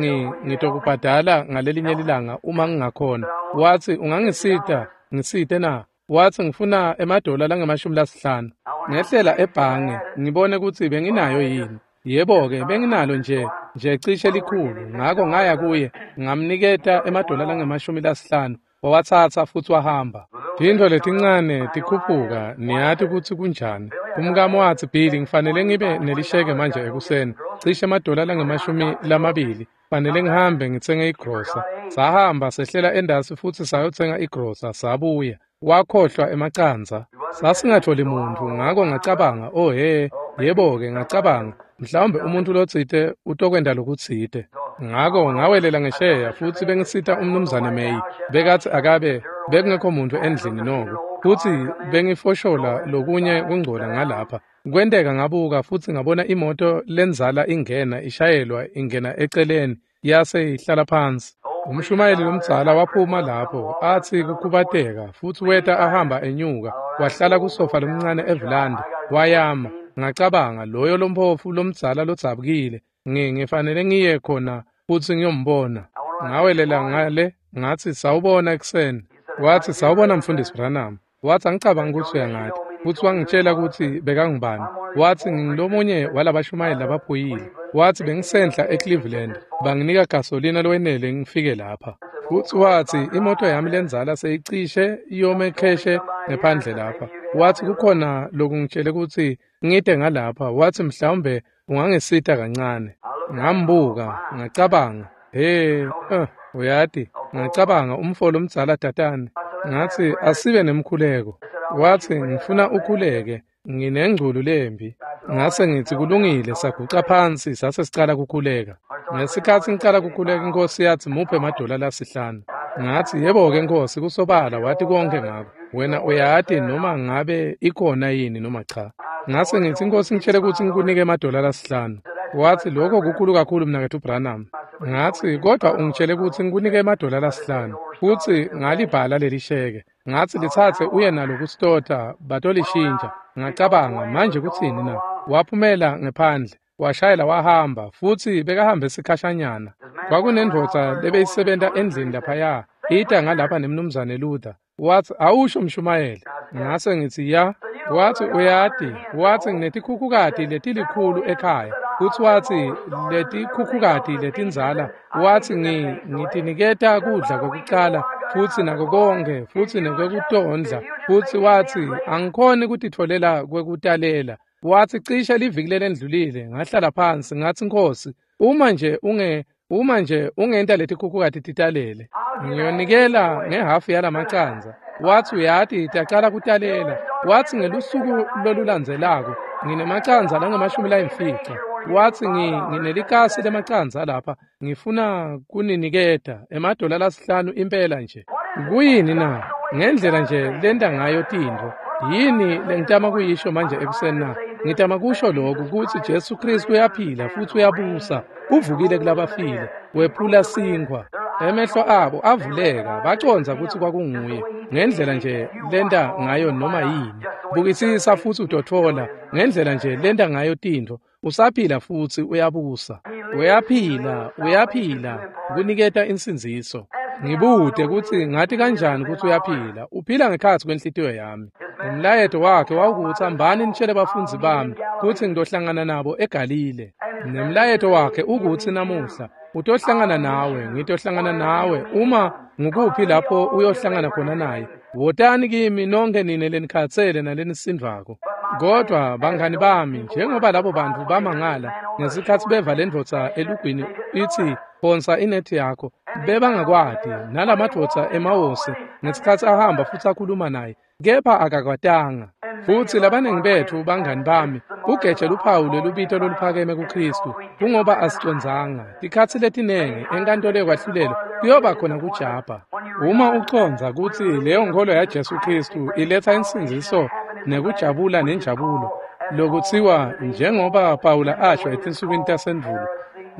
ngitokubhadala ngalelinye lilanga uma ngingakhona watsi ungangisita ngisite na? Watsi ngifuna emadola langemashumi lasihlanu. Ngehlela ebhange ngibone kutsi benginayo yini. Yebo-ke benginalo nje nje cishe likhulu ngako ngaya kuye ngamniketa emadola langemashumi lasihlanu wawatsatsa futsi wahamba. Tintfo letincane tikhuphuka niyati kutsi kunjani. Umkami watsi Billy ngifanele ngibe nelisheke manje ekuseni cishe emadola langemashumi lamabili fanele ngihambe ngitsenge igrosa. Sahamba sehlela endasi futsi sayotsenga igrosa sabuya. Wakhohlwa emacandza. Sasingatholi muntfu ngako ngacabanga oh he yebo-ke ngacabanga mhlawumbe umuntu lotsite utokwenta lokutsite. Ngako ngawelela ngesheya futsi bengisita umnumzane May bekatsi akabe bekungekho muntu endlini noko futsi bengifoshola lokunye kungcola ngalapha. Kwenteka ngabuka futsi ngabona imoto lenzala ingena ishayelwa ingena eceleni yase ihlala phansi. Umshumayeli lomdzala waphuma lapho atsi kukhubateka futsi weta ahamba enyuka wahlala kusofa lomncane evulandi wayama. Ngacabanga loyo lomphofu lomdzala lodzabukile ngifanele ngiye khona futsi ngiyombona. Ngawelela ngale ngatsi sawubona ekuseni. Watsi sawubona mfundisi Branham. Watsi angicabanga kutsi uyangati futsi wangitshela kutsi bekangubani. Watsi ngingulomunye walabashumayeli labaphuyile. Watsi bengisenhla eCleveland banginika gasolina lowenele ngifike lapha. Futsi watsi imoto yami lenzala seyicishe iyome kheshe ngephandle lapha. Watsi kukhona lokungitshele kutsi ngite ngalapha. Watsi mhlawumbe ungangisita kancane. Ngambuka ngacabanga he uh, uyati ngacabanga umfo lomdzala tatane. Ngatsi asibe nemkhuleko. Watsi ngifuna ukhuleke nginengculu lembi. Ngase ngitsi kulungile saguca phansi sase sicala kukhuleka. Ngesikhatsi ngicala kukhuleka inkosi yatsi muphe emadola lasihlanu. Ngatsi yebo-ke Nkosi kusobala wati konke ngako. Wena uyati noma ngabe ikhona yini noma cha. Ngase ngitsi Inkosi ngitshele kutsi ngikunike emadola lasihlanu. Watsi lokho kukhulu kakhulu mnaketfu Branham. Ngatsi kodwa ungitshele kutsi ngikunike emadola lasihlanu futsi ngalibhala leli sheke. Ngatsi litsatse uye nalo kusitota batolishintsha. Ngacabanga manje kutsini na? Waphumela ngephandle washayela wahamba futsi bekahambe sikhashanyana. Kwakunendvodza lebeyisebenta endlini laphaya ita ngalapha nemnumzane Luther. Watsi awusho mshumayeli. Ngase ngitsi ya. Watsi uyati. Watsi nginetikhukhukati letilikhulu ekhaya. Futsi watsi letikhukhukati letindzala watsi ngitiniketa kudla kwekucala futsi nako konkhe, futsi nekwekutondla. Futsi watsi, angikhoni kutitfolela kwekutalela. Watsi cishe liviki lelendlulile, ngahlala phansi, ngatsi Nkhosi, uma nje unge uma nje ungenta letikhukhukati titalele, ngiyonikela ngehhafu yalamacandza. Watsi uyati tacala kutalela. Watsi ngelusuku lolulandzelako nginemacandza langamashumi layimfica. Watsi nginelikasi lemacandza lapha, ngifuna kuniniketa emadola lasihlanu impela nje. Kuyini na? Ngendlela nje lenta ngayo tintfo. Yini lengitama kuyisho manje ekuseni na? Ngitama kusho lokhu kutsi Jesu Kristu uyaphila futsi uyabusa, uvukile kulabafile, wephula sinkhwa. Emehlo abo avuleka, bacondza kutsi kwakunguye. Ngendlela nje lenta ngayo noma yini. Bukisisa futsi utotfola ngendlela nje lenta ngayo tintfo. Usaphila futsi uyabusa. Uyaphila, uyaphila, kuniketa insindziso. Ngibute kutsi ngati kanjani kutsi uyaphila. Uphila ngekhatsi kwenhlitiyo yami. Umlayeto wakhe wawukutsi hambani nitshele bafundzi bami kutsi ngitohlangana nabo eGalile. Nemlayeto wakhe ukutsi namuhla utohlangana nawe, ngitohlangana nawe. Uma ngukuphi lapho uyohlangana khona naye, wotani kimi nonke nine lenikhatsele nalenisindvako. Kodwa bangani bami, njengoba labo bantfu bamangala ngesikhatsi beva lendvodza elugwini itsi phonsa inethi yakho, bebangakwati nalamadvodza emawosi ngesikhatsi ahamba futsi akhuluma naye, kepha akakwatanga. Futsi labaningi betfu bangani bami ugeje luphawu lwelubito loluphakeme kuKristu, kungoba asicondzanga. Tikhatsi letinengi enkantolo yekwahlulelwa kuyoba khona kujabha. Uma ucondza kutsi leyo nkholo yaJesu Kristu iletsa insindziso nekujabula nenjabulo, lokutsiwa njengoba Pawula asho etinsukwini tasendvulo,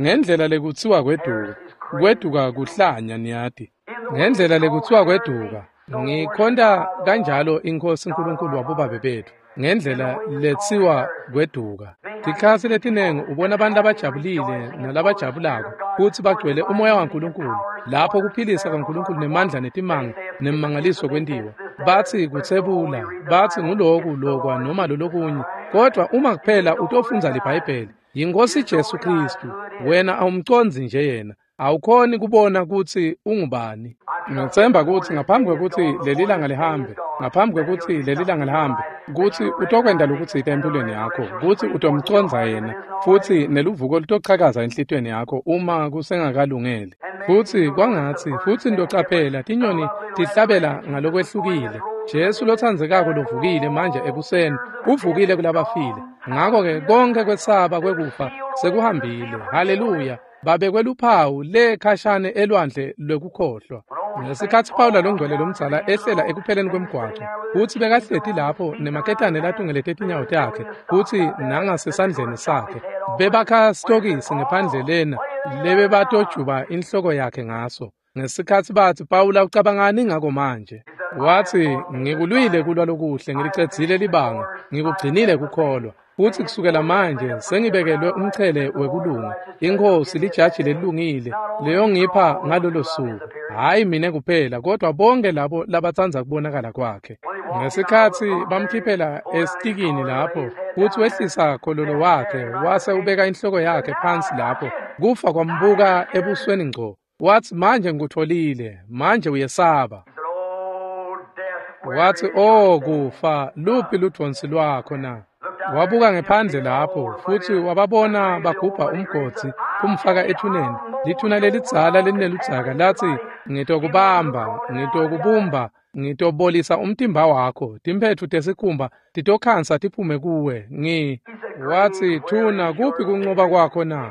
ngendlela lekutsiwa kweduka, kweduka kuhlanya niyati. Ngendlela lekutsiwa kweduka, ngikhonta kanjalo iNkhosi uNkulunkulu wabobabe betfu, ngendlela letsiwa kweduka. Tikhatsi letinengi ubona abantu labajabulile nalabajabulako futsi bagcwele umoya waNkulunkulu, lapho kuphilisa kwaNkulunkulu nemandla netimanga nemmangaliso kwentiwa. Batsi kutsebula, batsi nguloku lokwa noma lolokunye, kodwa uma kuphela utofundza liBhayibheli, yiNkhosi Jesu Kristu, wena awumcondzi nje yena. Awukhoni kubona kutsi ungubani. Ngitsemba kutsi ngaphambi kwekutsi leli langa lihambe, ngaphambi kwekutsi leli langa lihambe, kutsi utokwenta lokutsite empilweni yakho, kutsi utomcondza yena, futsi neluvuko lutochakaza enhlitiyweni yakho uma kusengakalungeli. Futsi kwangatsi, futsi nitocaphela tinyoni tihlabela ngalokwehlukile. Jesu lotsandzekako lovukile manje ekuseni, uvukile kulabafile. Ngako-ke konke kwesaba kwekufa sekuhambile. Haleluya. Babekwe luphawu le khashane elwandle lwekukhohlwa. Ngesikhatsi Pawula longcwele lomdzala ehlela ekupheleni kwemgwaco, futsi bekahleti lapho nemaketane latungelete tinyawo takhe, futsi nangasesandleni sakhe bebakha sitokisi ngephandle lena lebebatojuba inhloko yakhe ngaso. Ngesikhatsi batsi, Pawula ucabangani ngako manje? Watsi, ngikulwile kulwa lokuhle, ngilicedzile libanga, ngikugcinile kukholwa. Futsi kusukela manje sengibekelwe umchele wekulunga. INkhosi lijaji lelungile leyongipha ngalolo suku. Hhayi mine kuphela, kodwa bonke labo labatsandza kubonakala kwakhe. Ngesikhatsi bamkhiphela esitikini lapho, futsi wehlisa khololo wakhe, wase ubeka inhloko yakhe phansi lapho. Kufa kwambuka ebusweni ngco. Watsi, manje ngikutfolile, manje uyesaba. Watsi, oh kufa, luphi ludvonsi lwakho na? Wabuka ngephandle lapho, futsi wababona bagubha umgodzi kumfaka ethuneni. Lithuna lelidzala lelineludzaka latsi, ngitokubamba, ngitokubumba, ngitobolisa umtimba wakho, timphetfu tesikhumba titokhansa tiphume kuwe. Ngi watsi, thuna, kuphi kuncoba kwakho na?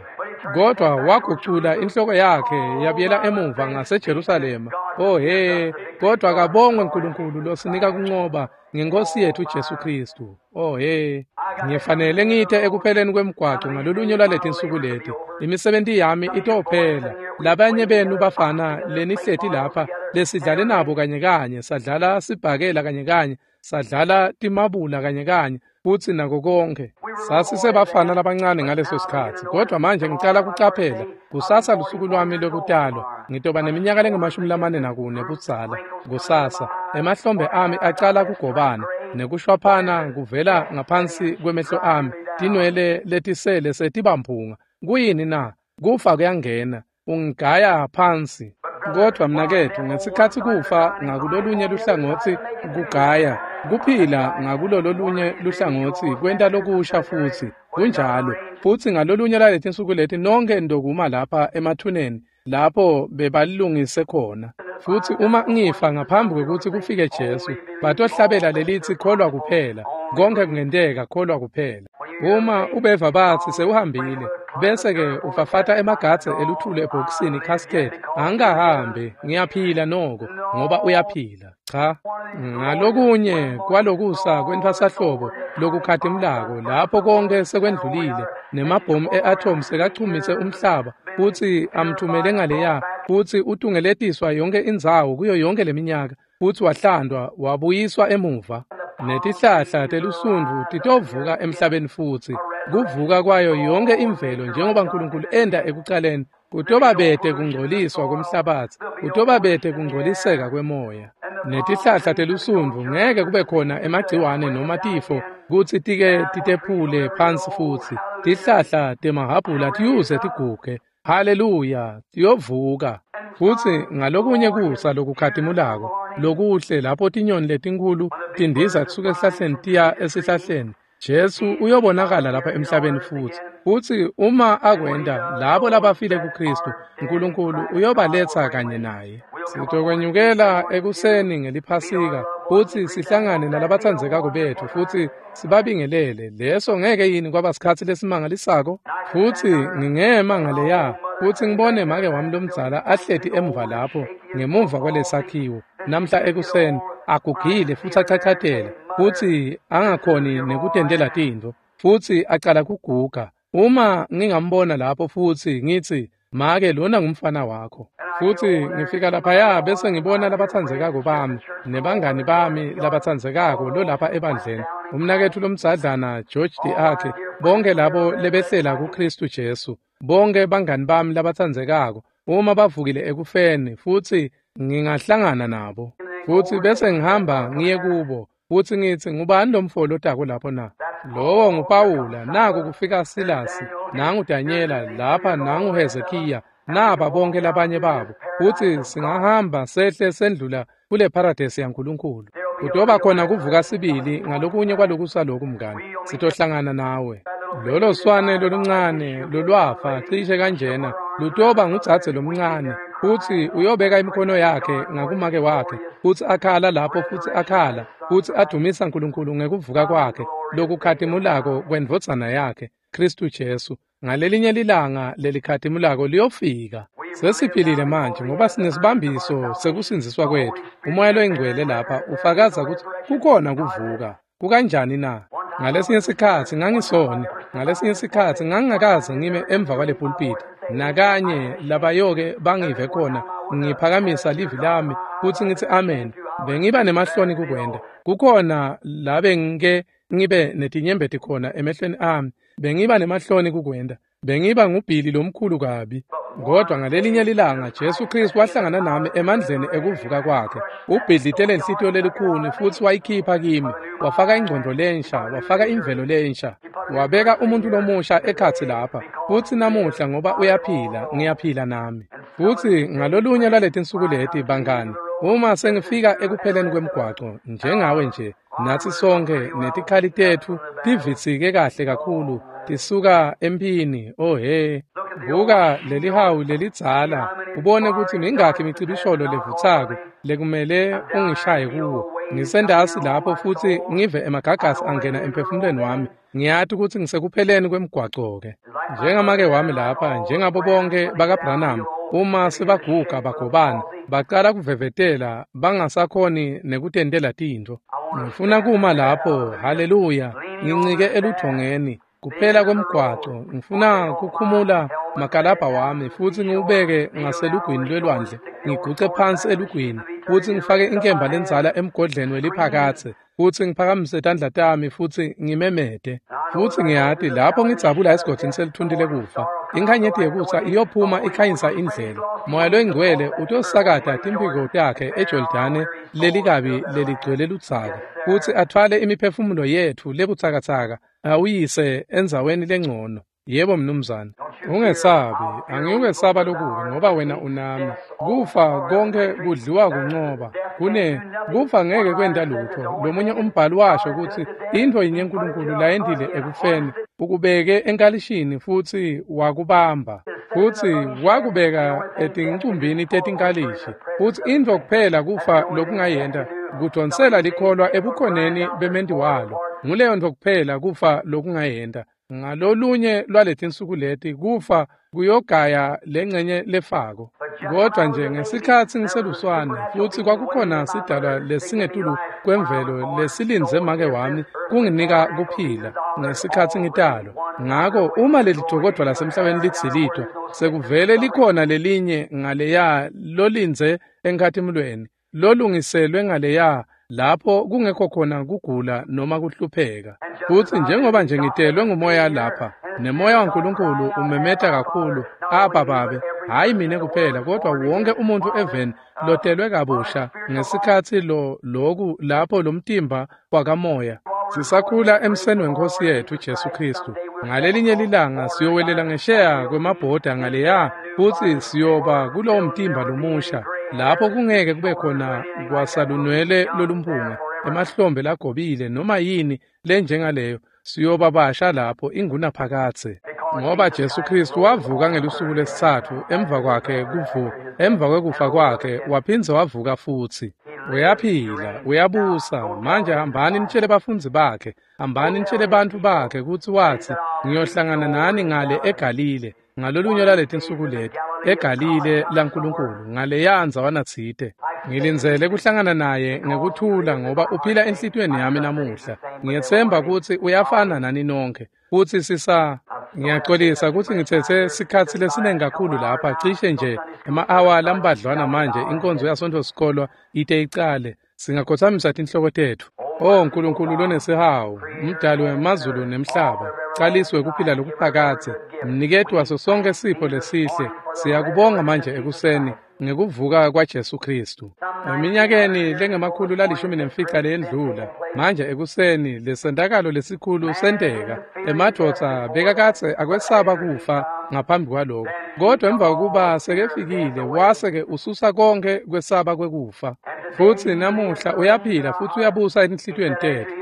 Kodwa wagucula inhloko yakhe yabuyela emuva ngaseJerusalema. Oh he, kodwa kabongwe uNkulunkulu losinika kuncoba ngeNkosi yethu Jesu Kristu. Oh he, ngifanele ngite ekupheleni kwemgwaco ngalolunye lwaletinsuku leti. Imisebenti yami itophela. Labanye benu bafana lenihleti lapha lesidlale nabo kanye kanye, sadlala sibhakela kanye kanye, sadlala timabula kanye kanye, futsi nako konke. Sasisebafana labancane ngaleso sikhatsi, kodwa manje ngicala kucaphela. Kusasa lusuku lwami lwekutalwa, ngitoba neminyaka lengamashumi lamane nakune budzala. Kusasa emahlombe ami acala kugobana nekushwaphana kuvela ngaphansi kwemehlo ami, tinwele letisele setibamphunga. Kuyini na? Kufa kuyangena, ungigaya phansi. Kodwa mnaketfu, ngesikhatsi kufa ngakulolunye luhlangotsi kugaya, kuphila ngakulololunye luhlangotsi kwenta lokusha futsi. Kunjalo. Futsi ngalolunye laletinsuku leti nonkhe nitokuma lapha emathuneni lapho bebalungise khona. Futsi uma ngifa ngaphambi kwekutsi kufike Jesu, batohlabela lelitsi kholwa kuphela. Konke kungenteka, kholwa kuphela. Uma ubeva batsi sewuhambile, bese-ke ufafata emagadze eluthuli ebhokisini casket, angikahambi, ngiyaphila noko, ngoba uyaphila. Cha, ngalokunye kwalokusa kwentfwasahlobo lokukhatimulako, lapho konke sekwendlulile, nemabhomu e-atom sekachumise umhlaba, futsi amthumele ngaleya, futsi utungeletiswa yonke indzawo kuyo yonke leminyaka, futsi wahlandwa, wabuyiswa emuva. Netihlahla telusundvu titovuka emhlabeni futsi, kuvuka kwayo yonke imvelo njengoba Nkulunkulu enta ekucaleni, kutobabete kungcoliswa komhlabatsi, kutobabete kungcoliseka kwemoya. Netihlahla telusundvu ngeke kube khona emagciwane noma tifo kutsi tike titephule phansi futsi. Tihlahla temahhabhula tiyuze tiguge. Haleluya, tiyovuka. Futsi ngalokunye kusa lokukhatimulako, lokuhle lapho tinyoni letinkhulu tindiza kusuka esihlahleni tiya esihlahleni, Jesu uyobonakala lapha emhlabeni futsi. Futsi uma akwenta, labo labafile kuKristu, Nkulunkulu uyobaletsa kanye naye. Sitokwenyukela ekuseni ngeliphasika, futsi sihlangane nalabatsandzekako betfu futsi sibabingelele. Leso ngeke yini kwaba sikhatsi lesimangalisako? Futsi ngingema ngaleya, futsi ngibone make wami lomdzala ahleti emuva lapho, ngemuva kwalesakhiwo, namhla ekuseni, agugile futsi achachatela, futsi angakhoni nekutentela tintfo, futsi acala kuguga. Uma ngingambona lapho futsi ngitsi, make lona ngumfana wakho. Futsi ngifika laphaya bese ngibona labatsandzekako bami, nebangani bami labatsandzekako lolapha ebandleni, umnaketfu lomdzadlana George D'Arc, bonke labo lebehlela kuKristu Jesu, bonke bangani bami labatsandzekako, uma bavukile ekufeni, futsi ngingahlangana nabo. Futsi bese ngihamba ngiye kubo, futsi ngitsi, ngubani lomfo lotako lapho na? Lowo nguPawula, naku kufika Silasi, nangu Danyela, lapha nangu Hezekiya, naba bonke labanye babo. Futsi singahamba sehle sendlula kule paradesi yaNkulunkulu. Kutoba khona kuvuka sibili ngalokunye kwalokusa loku mngani. Sitohlangana nawe. Lolo swane loluncane lolwafa cishe kanjena lutoba ngudzadze lomncane, futsi uyobeka imikhono yakhe ngakumake wakhe, futsi akhala lapho futsi akhala, futsi adumisa Nkulunkulu ngekuvuka kwakhe lokukhatimulako kwendvodzana yakhe, Kristu Jesu. Ngalelinye lilanga lelikhatimulako liyofika. Sesiphilile manje ngoba sinesibambiso sekusindziswa kwetfu. Umoya loyingcwele lapha ufakaza kutsi kukhona kuvuka. Kukanjani na? Ngalesinye sikhatsi ngangisoni, ngalesinye sikhatsi ngangingakaze ngime emva kwale pulpit. Nakanye labayoke bangive khona ngiphakamisa livi lami futsi ngitsi amen. Bengiba nemahloni kukwenta. Kukhona la bengike ngibe netinyembeti khona emehlweni ami. Bengiba nemahloni kukwenta. Bengiba ngubhili lomkhulu kabi. Kodwa ngalelinye lilanga Jesu Kristu wahlangana nami emandleni ekuvuka kwakhe. Ubhidlitele inhlitiyo lelikhuni futsi wayikhipha kimi. Wafaka ingcondvo lensha, wafaka imvelo lensha. Wabeka umuntu lomusha ekhatsi lapha. Futsi namuhla ngoba uyaphila, ngiyaphila nami. Futsi ngalolunye lwaletinsuku leti bangani, uma sengifika ekupheleni kwemgwaco njengawe nje, natsi sonke netikhali tetfu tivitsike kahle kakhulu, tisuka emphini. Oh he, buka lelihawu lelidzala, ubone kutsi mingakhi imicibisholo levutsako lekumele ungishaye kuwo. Ngisendasi lapho futsi ngive emagagasi angena emphefumulweni wami. Ngiyati kutsi ngisekupheleni kwemgwaco-ke. Njengamake wami lapha, njengabo bonke bakaBranham, uma sebaguga bagobana, bacala kuvevetela bangasakhoni nekutentela tintfo. Ngifuna kuma lapho, haleluya, ngincike eludvongeni, kuphela kwemgwaco. Ngifuna kukhumula makalabha wami futsi ngiwubeke ngaselugwini lwelwandle, ngiguce phansi elugwini, futsi ngifake inkemba lendzala emgodleni weliphakatse, futsi ngiphakamise tandla tami futsi ngimemete. Futsi ngiyati lapho ngidzabula esigodini selithunti lekufa, inkhanyeti yekusa iyophuma ikhanyisa indlela. Moya loyingcwele utosakata timphiko takhe eJordane lelikabi leligcwele ludzaka, futsi atfwale imiphefumulo yetfu lebutsakatsaka awuyise endzaweni lengcono. Yebo mnumzane. Ungesabi, angiyukwesaba lokubi ngoba wena unami. Kufa konke kudliwa kuncoba. Kune kufa ngeke kwenta lutho. Lomunye umbhalo washo ukuthi intfo yinye uNkulunkulu layentile ekufeni ukubeke enkalishini futsi wakubamba. Futsi wakubeka etincumbini tetinkalishi. Futsi intfo kuphela kufa lokungayenta kudonsela likholwa ebukhoneni bementi walo. Nguleyo ntfo kuphela kufa lokungayenta. Ngalolunye lwaletinsuku leti kufa kuyogaya lengcenye lefako. Kodwa nje ngesikhatsi ngiseluswane futsi kwakukhona sidalwa lesingetulu kwemvelo lesilindze make wami kunginika kuphila ngesikhatsi ngitalwa. Ngako uma lelijokodvwa lasemhlabeni lidzilitwa sekuvele likhona lelinye ngaleya lolindze enkhatimulweni lolungiselwe ngaleya lapho kungekho khona kugula noma kuhlupheka. Futsi njengoba nje ngitelwe ngumoya lapha nemoya waNkulunkulu umemeta kakhulu Abba Babe, hayi mina kuphela kodwa wonke umuntu eveni lotelwe kabusha ngesikhatsi lo loku lapho lomtimba wakamoya. Sisakhula emseni wenkosi yethu Jesu Kristu. Ngalelinye lilanga siyowelela ngesheya kwemabhoda ngaleya futsi siyoba kulowo mtimba lomusha lapho kungeke kube khona kwasalunwele lolumphunga emahlombe lagobile noma yini lenjengaleyo. Siyoba basha lapho ingunaphakadze ngoba Jesu Kristu wavuka ngelusuku lesitsatfu emva kwakhe kuvuka emva kwekufa kwakhe waphindze wavuka futsi. Uyaphila, uyabusa. Manje hambani nitshele bafundzi bakhe, hambani nitshele bantfu bakhe kutsi watsi ngiyohlangana nani ngale eGalile ngalolunye lwaletinsuku leti eGalile laNkulunkulu ngaleya ndzawana tsite. Ngilindzele kuhlangana naye ngekuthula ngoba uphila enhlitiyweni yami namuhla. Ngiyetsemba kutsi uyafana nani nonkhe. Futsi sisa ngiyaxolisa kutsi ngitsetse sikhatsi lesiningi kakhulu lapha cishe nje ema-awa lambadlwana manje inkonzo yaSontfo sikolwa ite icale. Singakhothamisa tinhloko tetfu. O Nkulunkulu lonesihawu, umdali wemazulu nemhlaba, caliswe kuphila lokuphakadze, mniketi waso sonke sipho lesihle, siyakubonga manje ekuseni ngekuvuka kwaJesu Kristu. Eminyakeni lengemakhulu lalishumi nemfica leyendlula, manje ekuseni lesentakalo lesikhulu senteka. Emadvodza bekakadze akwesaba kufa ngaphambi kwaloko, kodwa emva kokuba sekefikile wase-ke ususa konke kwesaba kwekufa. Futsi namuhla uyaphila futsi uyabusa etinhlitiyweni tetfu.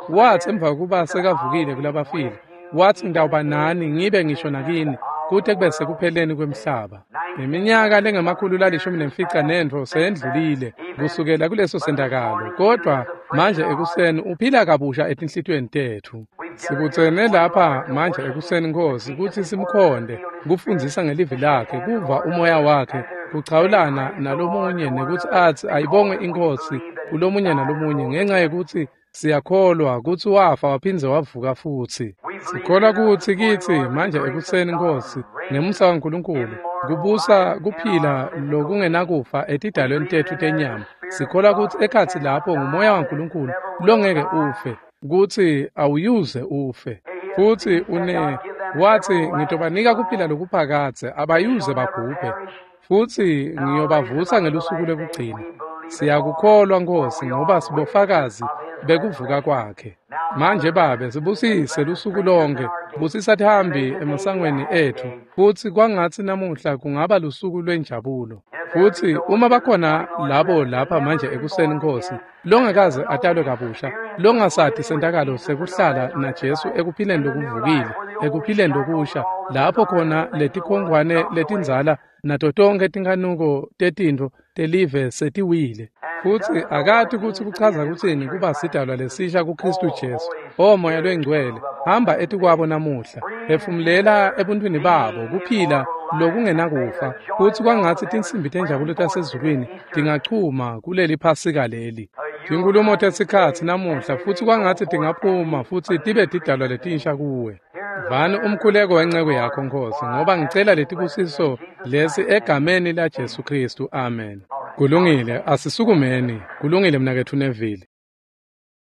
Watsi emva kokuba sekavukile kulabafile, watsi ngitawuba nani ngibe ngisho nakini kute kube sekupheleni kwemhlaba. Iminyaka lengemakhulu lalishumi nemfica nentfo seyendlulile kusukela kuleso sentakalo, kodwa manje ekuseni uphila kabusha etinhlitiyweni tetfu. Sibutsene lapha manje ekuseni Nkosi kutsi simkhonde, kufundzisa ngelivi lakhe, kuva umoya wakhe, kuchawulana nalomunye nekutsi atsi ayibongwe iNkhosi kulomunye nalomunye ngenxa yekutsi siyakholwa kutsi wafa waphindze wavuka futsi. Sikholwa kutsi kitsi manje ekuseni Nkosi ngemusa waNkulunkulu kubusa kuphila lokungenakufa etidalweni tetfu tenyama. Sikholwa kutsi ekhatsi lapho ngumoya waNkulunkulu longeke ufe, kutsi awuyuze ufe. Futsi une watsi ngitobanika kuphila lokuphakadze abayuze babhubhe futsi ngiyobavusa ngelusuku lwekugcina. Siyakukholwa Nkosi ngoba sibofakazi bekuvuka kwakhe. Manje Babe sibusise lusuku lonke, busisa tihambi emasangweni etfu, futsi kwangatsi namuhla kungaba lusuku lwenjabulo. Futsi uma bakhona labo lapha manje ekuseni Nkosi longakaze atalwe kabusha, longasati sentakalo sekuhlala naJesu ekuphileni lokuvukile, ekuphileni lokusha, lapho khona letikhongwane letindzala nato tonkhe tinkanuko tetintfo telive setiwile. Futsi akati kutsi kuchaza kutsini kuba sidalwa lesisha kuKristu Jesu. O Moya loNgcwele, hamba etikwabo namuhla, phefumulela ebuntwini babo kuphila lokungenakufa, futsi kwangatsi tinsimbi tenjabulo tasezulwini tingachuma kuleli Phasika leli. Tinkhulumo tesikhatsi namuhla futsi kwangatsi tingaphuma futsi tibe tidalwa letinsha kuwe. Vani umkhuleko wenceku yakho Nkosi, ngoba ngicela letibusiso lesi egameni laJesu Kristu. Amen. Kulungile, asisukumeni. Kulungile mnaketfu Neville.